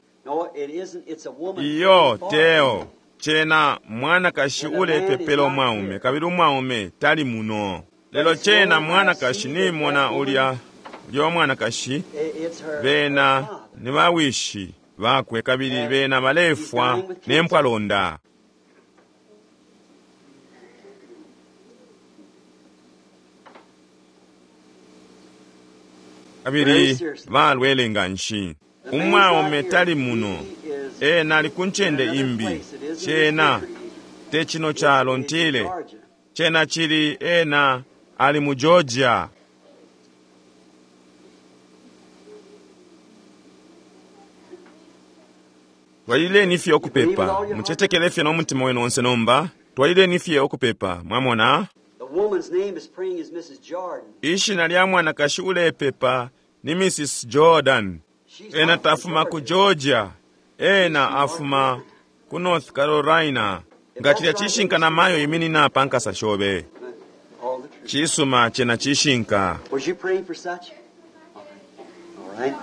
Iyo teo chena mwanakashi ulepepela umwaume kabili umwaume tali muno. Lelo chena mwanakashi nimona ulya ulya mwanakashi bena ni bawishi bakwe kabili bena balefwa nempwalonda. Kabili balwele nganshi. Umwaume tali muno, ena ali ku ncende imbi. Chena te chino chalo ntile, chena chili ena ali mu Georgia. Twalileni fye ukupepa, muchetekele fye n'omutima wenu onse nomba. Twalileni fye ukupepa, mwamona. Ishina lya mwanakashi ulepepa ni Missus Jordan. Ena tafuma ku Georgia, ena afuma ku North Carolina. Nga chilya chishinka na mayo iminina pa nkasa shobe. Chisuma chena chishinka. Was you praying for such? All right.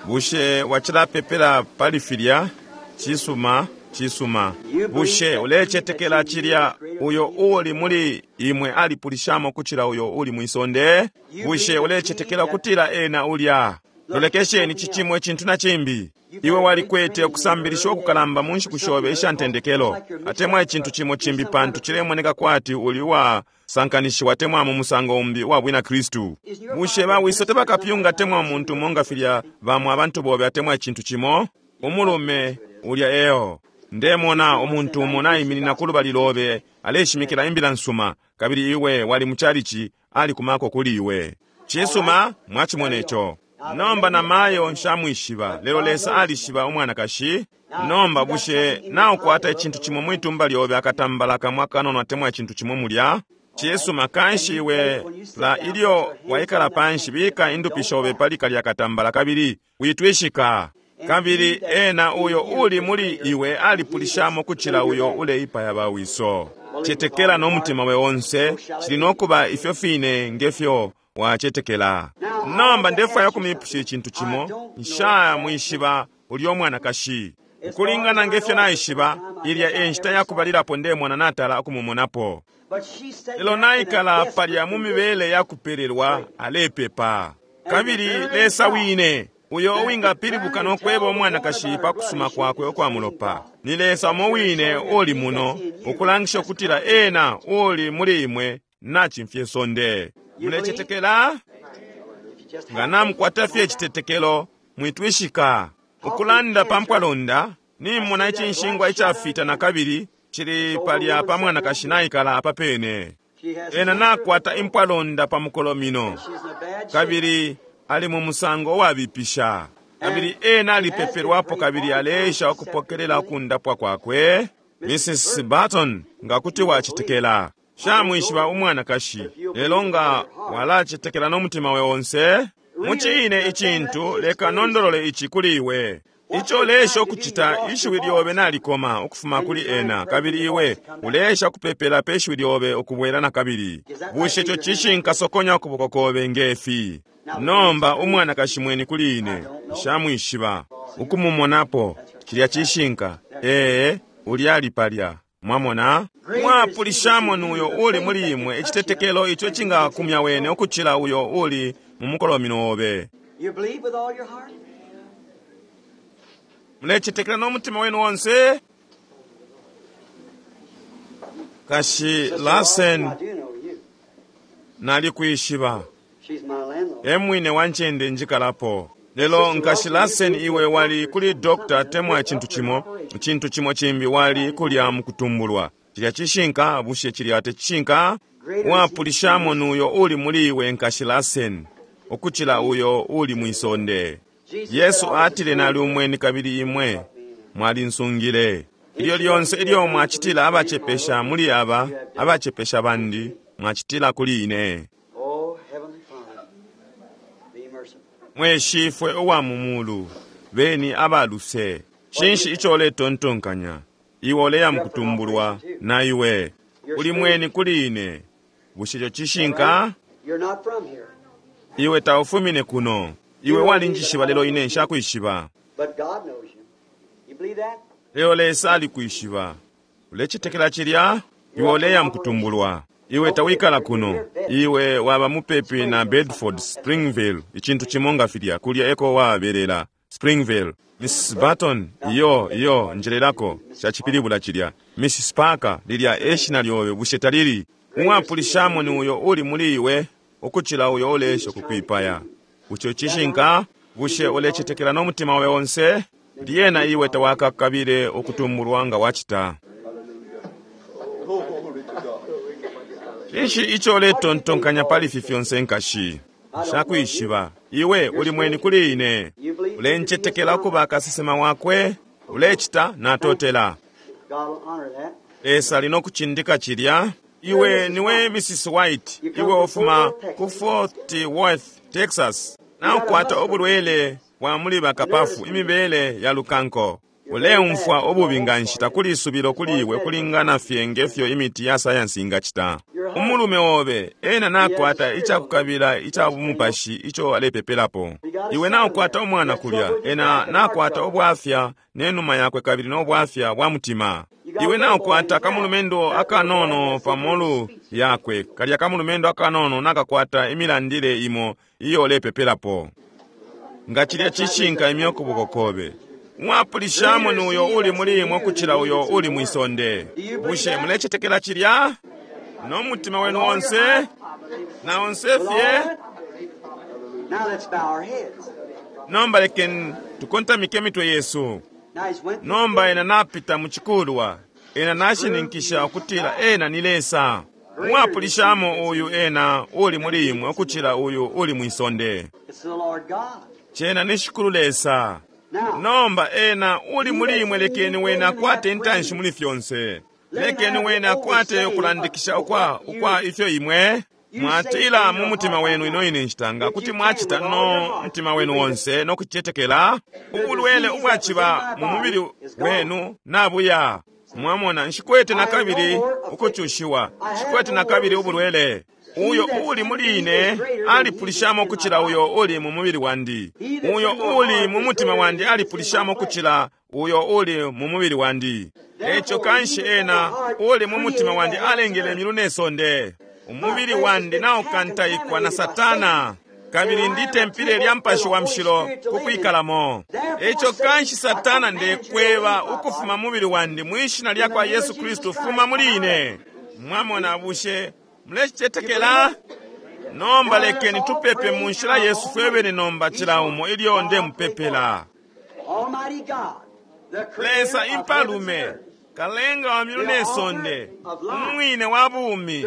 Bushe wachilapepela pali filya? Chisuma, chisuma. Bushe ulechetekela chilya uyo uli muli imwe alipulishamo kuchila uyo uli mwisonde? Bushe ulechetekela kutila ena ulya? Lolekesheni chichimwe chintu na chimbi. Iwe walikwete okusambilisha okukalamba mu nshiku shobe isha ntendekelo. Atemwa ichintu chimo chimbi pantu chilemoneka kwati uli wa sankanishiwa temwa mu musango umbi wa bwina Kristu. Bushe bawiso tebakapyunga temwa muntu monga filya bamwe abantu bobe atemwa ichintu chimo? Umulume ulya eo. Ndemona umuntu umo nayiminina ku lubali lobe aleshimikila imbila nsuma kabili iwe wali muchalichi ali kumako kuli iwe. Chisuma mwachimona icho. Nomba na mayo nshamwishiba, lelo Lesa alishiba umwanakashi. Nomba bushe naukwata ichintu chimwe mwitumba lyobe akatambala kamwe akanono atemwa ichintu chimwe mulya? Chisuma kanshi iwe la ilyo waikala panshi bika indupi shobe pali kalya katambala kabili witwishika. Kabili ena uyo uli muli iwe alipulishamo kuchila uyo uleipaya bawiso. Chetekela n'omutima we onse, chili nokuba ifyo fine ngefyo wachetekela. Nomba ndefwaya kumipusha ichintu chimo, nshamwishiba ulya omwanakashi. Ukulingana ngefyo naishiba, ilya enshita yakubalilapo ndemona natala okumumonapo. Lelo naikala palya mu mibele yakupelelwa alepepa. Kabili Lesa wine, uyo uwingapilibuka n'okweba omwanakashi pa kusuma kwakwe okwa mulopa. Ni Lesa umo wine uli muno, okulangisha okutila ena uli muli imwe nachimfye sonde. Mulechetekela? Nga namukwata fye echitetekelo, mwitwishika. Ukulanda pa mpwalonda, nimona ichinshingwa ichafita na kabili chili palya pa mwanakashi naikala apa pene. Ena nakwata impwalonda pa mukolomino, kabili ali mu musango wabipisha. Kabili ena alipepelwapo kabili aleesha okupokelela okundapwa kwakwe. Missus Barton, nga kuti wachitekela. Shamwishiba umwanakashi, lelo nga walachetekela n'omutima we onse. Muchiine ichintu leka nondolole ichi kuli iwe. Icho ulesha okuchita ishiwi lyobe nalikoma ukufuma kuli ena, kabili iwe ulesha kupepela pe ishiwi lyobe okubwera na kabili. Bushe icho chishinka sokonya okuboko kobe ngefi? Nomba umwanakashi mweni kuli ine, nshamwishiba. Ukumumonapo, chilya chishinka, ee, ulya ali palya. Mwamona? Mwapulishamo nuyo uli muli imwe echitetekelo icho chingakumya wene okuchila uyo uli mu mukolomino obe. Mulechetekela n'omutima wenu onse? Kashi Larsen nalikwishiba. Emwine wanchende njikalapo. Lelo nkashi Larsen iwe wali kuli doctor temwa chintu chimo, chintu chimo chimbi wali kulya mukutumbulwa. Chilya chishinka, bushe chilya techishinka? Wapulishamo nuyo uli muli iwe nkashi Larsen, okuchila uyo uli mwisonde. Yesu atile nali umweni kabili imwe, Mwalinsungile. Ilyo lyonse ilyo mwacitila abacepesha muli aba, abacepesha bandi, mwacitila kuli ine. Oh, Heavenly Father, be merciful. Mwe Shifwe uwa mu mulu, beni abaluse. Cinshi ico uletontonkanya? Iwe uleya mukutumbulwa, na iwe. Uli mweni kuli ine. Bushe ico cishinka? You're not from here, Iwe taufumine kuno. Iwe walinjishiba lelo ine nshakwishiba. but God knows you. You believe that? Lelo Lesa alikwishiba. Ulecetekela cilya? Iwe uleya mukutumbulwa. Iwe tawikala kuno. Iwe waba mupepi na Bedford, Springville, icintu cimo nga filya, kulya eko wabelela. Springville. Missus Barton, iyo, iyo, njelelako, cacipilibula cilya. Missus Parker, lilya eshina lyobe, bushe talili? Umwapulishamo ni uyo uli muli iwe, ukucila uyo ulesha kukwipaya. Bushe cishinka? Bushe ulecetekela n'omutima wawe onse? Lyena iwe tawakakabile ukutumbulwa nga wacita. Cinshi ico uletontonkanya pali ifi fyonse nkashi? Nshakwishiba. Iwe uli mweni kuli ine. Ulencetekela ukuba kasesema wakwe? Ulecita natotela. God will honor that. Lesa ali nokucindika cilya. Iwe niwe Missus White. Iwe ufuma ku Fort Worth, Texas. Naukwata ubulwele bwa muli bakapafu, imibele ya lukanko. Uleumfwa ububi nganshi, takuli isubilo kuli iwe kulingana fye ngefyo imiti ya sayansi ingacita. Umulume obe ena nakwata icakukabila ica bumupashi ico alepepelapo. Iwe naukwata umwana kulya, ena nakwata ubwafya nenuma yakwe kabili n'obwafya bwa mutima. Iwe naukwata kamulumendo akanono pamolu yakwe, kalya kamulumendo akanono nakakwata imilandile imo iyo ulepepelapo. Nga cilya cishinka imyo kuboko kobe. Mwapulishamo ni uyo uli muli imwe kucila uyo uli mwisonde. Bushe mulecetekela cilya? N'omutima wenu onse? Na onse fye? Now let's bow our heads. Nomba lekeni tukontamike emitwe yesu. Now he's went Nomba ena napita mu cikulwa. Ena nashininkisha ukutila ena ni Lesa. Mwapulishamo uyu ena uli muli imwe ukucila uyu uli mwisonde. It's the Lord God. Cena ni Shikulu Lesa. Now, Nomba ena uli muli imwe lekeni wene akwate intanshi muli fyonse. Lekeni wene akwate ukulandikisha ukwa, ukwa ifyo imwe mwatila mu mutima wenu ino ine nshita nga kuti mwacita no mutima wenu wonse no kucetekela ubulwele ubwaciba mu mubili wenu nabuya. Mwamona, nshikwete na kabili ukucushiwa, nshikwete na kabili ubulwele. Uyo uli muli ine alipulishamo kucila uyo uli mu mubili wandi. Uyo uli mu mutima wandi alipulishamo kucila uyo uli mu mubili wandi. Eco kanshi ena uli mu mutima wandi alengele emilu nesonde. Umubili wandi naukantaikwa na Satana, kabili ndi tempile lya mpashi wa mshilo kukwikalamo. Eco kanshi Satana ndekweba ukufuma mubili wandi mwishina lya kwa Yesu Kristu, fuma muli ine. Mwamona, bushe mulecetekela? Nomba lekeni tupepe mu nshila yesu fwebene nomba cila umo ilyo ndemupepela. Almighty God, the creator Lesa of heavens and impalume, earth, kalenga wa milu nesonde, umwine wa bumi,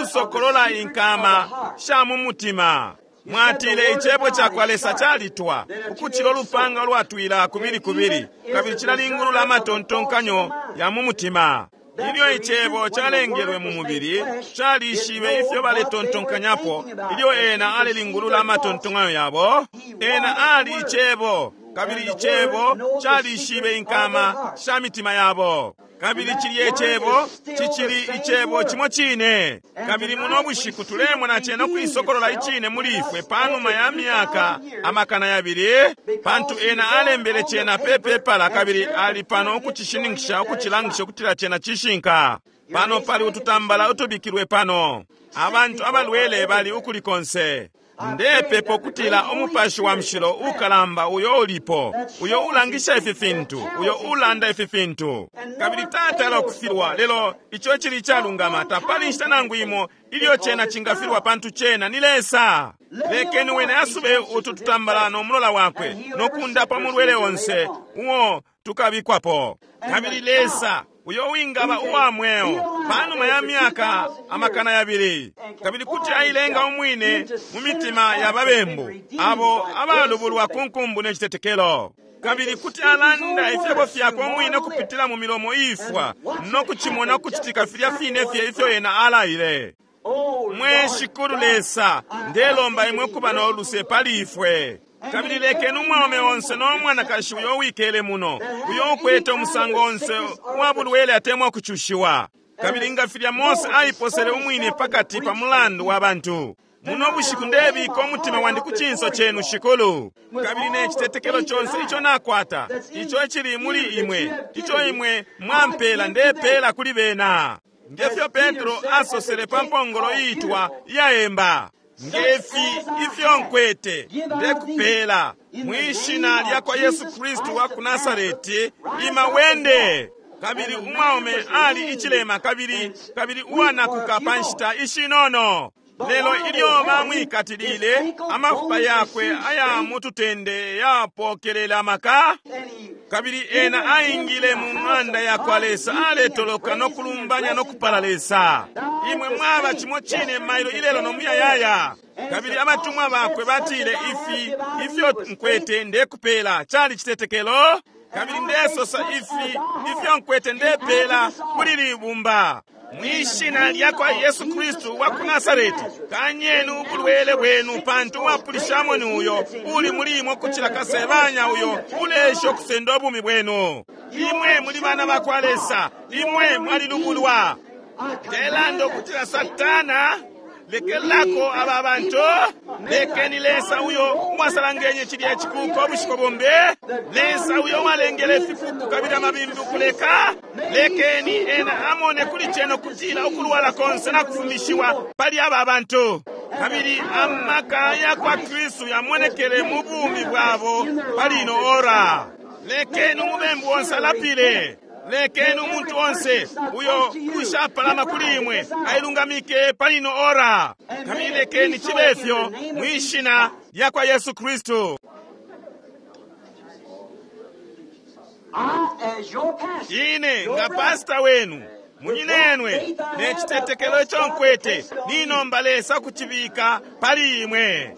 usokolola inkama sha mu mutima. Mwatile icebo ca kwa Lesa calitwa, ukucila ulupanga lwatwila kubili kubili, kabili cilalingulula amatontonkanyo ya mu mutima. Ilyo icebo calengelwe mu mubili, calishibe ifyo baletontonkanyapo. Ilyo ena alelingulula amatontonkanyo yabo, ena ali icebo, kabili icebo calishibe inkama sha mitima yabo. Kabili cilya icebo cicili icebo cimo cine. Kabili muno bushiku tulemona cena ukwisokolola icine muli ifwe panuma ya myaka amakana yabili, pantu ena alembele cena pe pepala kabili ali pano ukucishininkisha, ukucilangisha ukutila cena cishinka. Pano pali ututambala utubikilwe pano. Abantu abalwele bali ukuli konse. Ndepepa ukutila umupashi wa mshilo ukalamba uyo ulipo, uyo ulangisha ifi fintu, uyo ulanda ifi fintu. Kabili tatala ukufilwa, lelo ico cili icalungama, tapali nshita nangu imo ilyo cena cingafilwa, pantu cena ni Lesa. Lekeni wene asube utu tutambala no mulola wakwe no kundapa mulwele onse uo tukabikwapo. Kabili Lesa uyo wingaba uwa mweo panuma ya myaka amakana yabili, kabili kuti ailenga umwine mu mitima ya babembu abo abalubulwa ku nkumbu ne citetekelo. Kabili kuti alanda ifyebo fyakwe umwine kupitila mu milomo iifwa, no kucimona ukucitika filya fine fye ifyo ena alaile. Mwe Shikulu Lesa, ndelomba imwe kuba no luse pali ifwe. Kabili lekeni umwaume onse no mwanakashi uyo wikele muno, uyo ukwete umusango onse wa bulwele atemwa kucushiwa. Kabili nga filya Mose aiposele umwine pakati pa mulandu wa bantu. Muno bushiku ndebika umutima wandi ku cinso chenu Shikulu. Kabili ne citetekelo chonse ico nakwata, ico icili muli imwe, ico imwe mwampela ndepela kuli bena. Ngefyo Petro asosele pa mpongolo iitwa iyaemba, ngefi ifyo nkwete ndekupela mwishina lya kwa Yesu Kristu wa ku Nasareti, ima wende. Kabili umwaume ali icilema kabili kabili uwanakuka pa nshita ishinono. Lelo ilyo bamwikatilile, amafupa yakwe aya mututende yapokelela amaka. Kabili ena aingile mu ng'anda ya kwa Lesa, aletoloka no kulumbanya no kupala Lesa. Imwe mwaba cimo cine mailo ilelo no muyayaya. Kabili abatumwa bakwe batile, ifi ifyo nkwete ndekupela cali citetekelo. Kabili ndesosa ifi ifyo nkwete ndepela kuli libumba. Mwishina lya kwa Yesu Kristu wa ku Nasareti, kanyeni ubulwele bwenu, pantu wapulishamo ni uyo uli muli imwe kucila kasebanya uyo ulesha okusenda obumi bwenu. Imwe muli bana ba kwa Lesa, imwe mwalilubulwa. Ndelanda okutila Satana, lekelako aba bantu, lekeni Lesa uyo mwasalangenye chilya chikuko obushiko bombe, Lesa uyo walengele fikuku kabili amabimbi ukuleka, lekeni ena amone kuli cheno kutila ukulwala konse na kufumishiwa pali aba bantu. Kabili amaka ya kwa Kristu yamonekele mu bumi bwabo pali ino ora. Lekeni umubembu onse alapile. Lekeni umuntu onse uyo ushapalama kuli imwe ailungamike pali ino ora. Kabili lekeni chibe ifyo mwishina lya kwa Yesu Kristu. Ine nga pasta wenu, munyinenwe, ne chitetekelo icho nkwete, ninomba Lesa kuchibika pali imwe.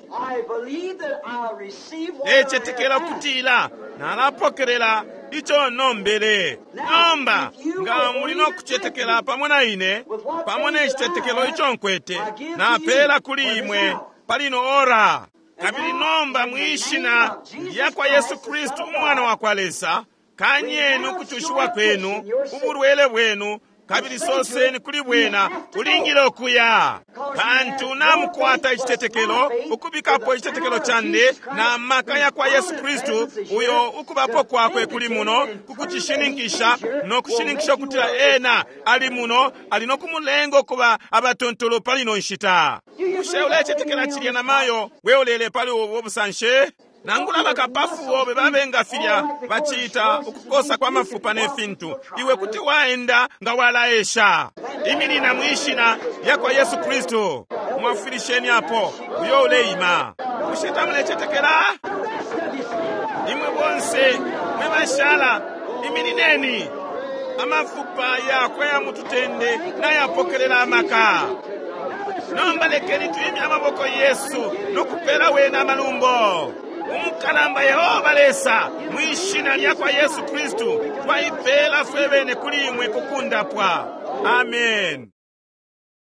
Necetekela kutila nalapokelela icho nombele. Nomba nga muli no kuchetekela pamo na ine, pamo ne chitetekelo icho nkwete, napela kuli imwe pali ino ora. Kabili nomba mwishina lya kwa Yesu Kristu umwana wa kwa Lesa, kanyeni ukuchushiwa kwenu, ubulwele bwenu, kabili soseni kuli bwena ulingile okuya. Pantu namukwata icitetekelo, ukubikapo icitetekelo chande na maka ya kwa Yesu Kristu, uyo ukubapo kwakwe kuli muno kukuchishininkisha no kushininkisha ukutila ena ali muno, ali no kumulenga okuba abatontolo pali ino nshita. Bushe ulecetekela chilya na mayo we ulele pali ubo busanshe? Nangula bakapafu bobe babenga filya bachita ukukosa kwa mafupa ne fintu, iwe kuti waenda nga walaesha. Iminina mwishina lya kwa Yesu Kristu. Mwafwilisheni apo uyo uleima. Bushe tamulecetekela? Imwe bonse mwe bashala, iminineni. Amafupa yakwe ya mututende nayapokelela amaka. Nomba lekeni tuimye amaboko Yesu nokupela wena amalumbo. Umukalamba Yehova Lesa, mwishina lya kwa Yesu Kristu, twaipela fwe bene kuli imwe kukundapwa. Amen.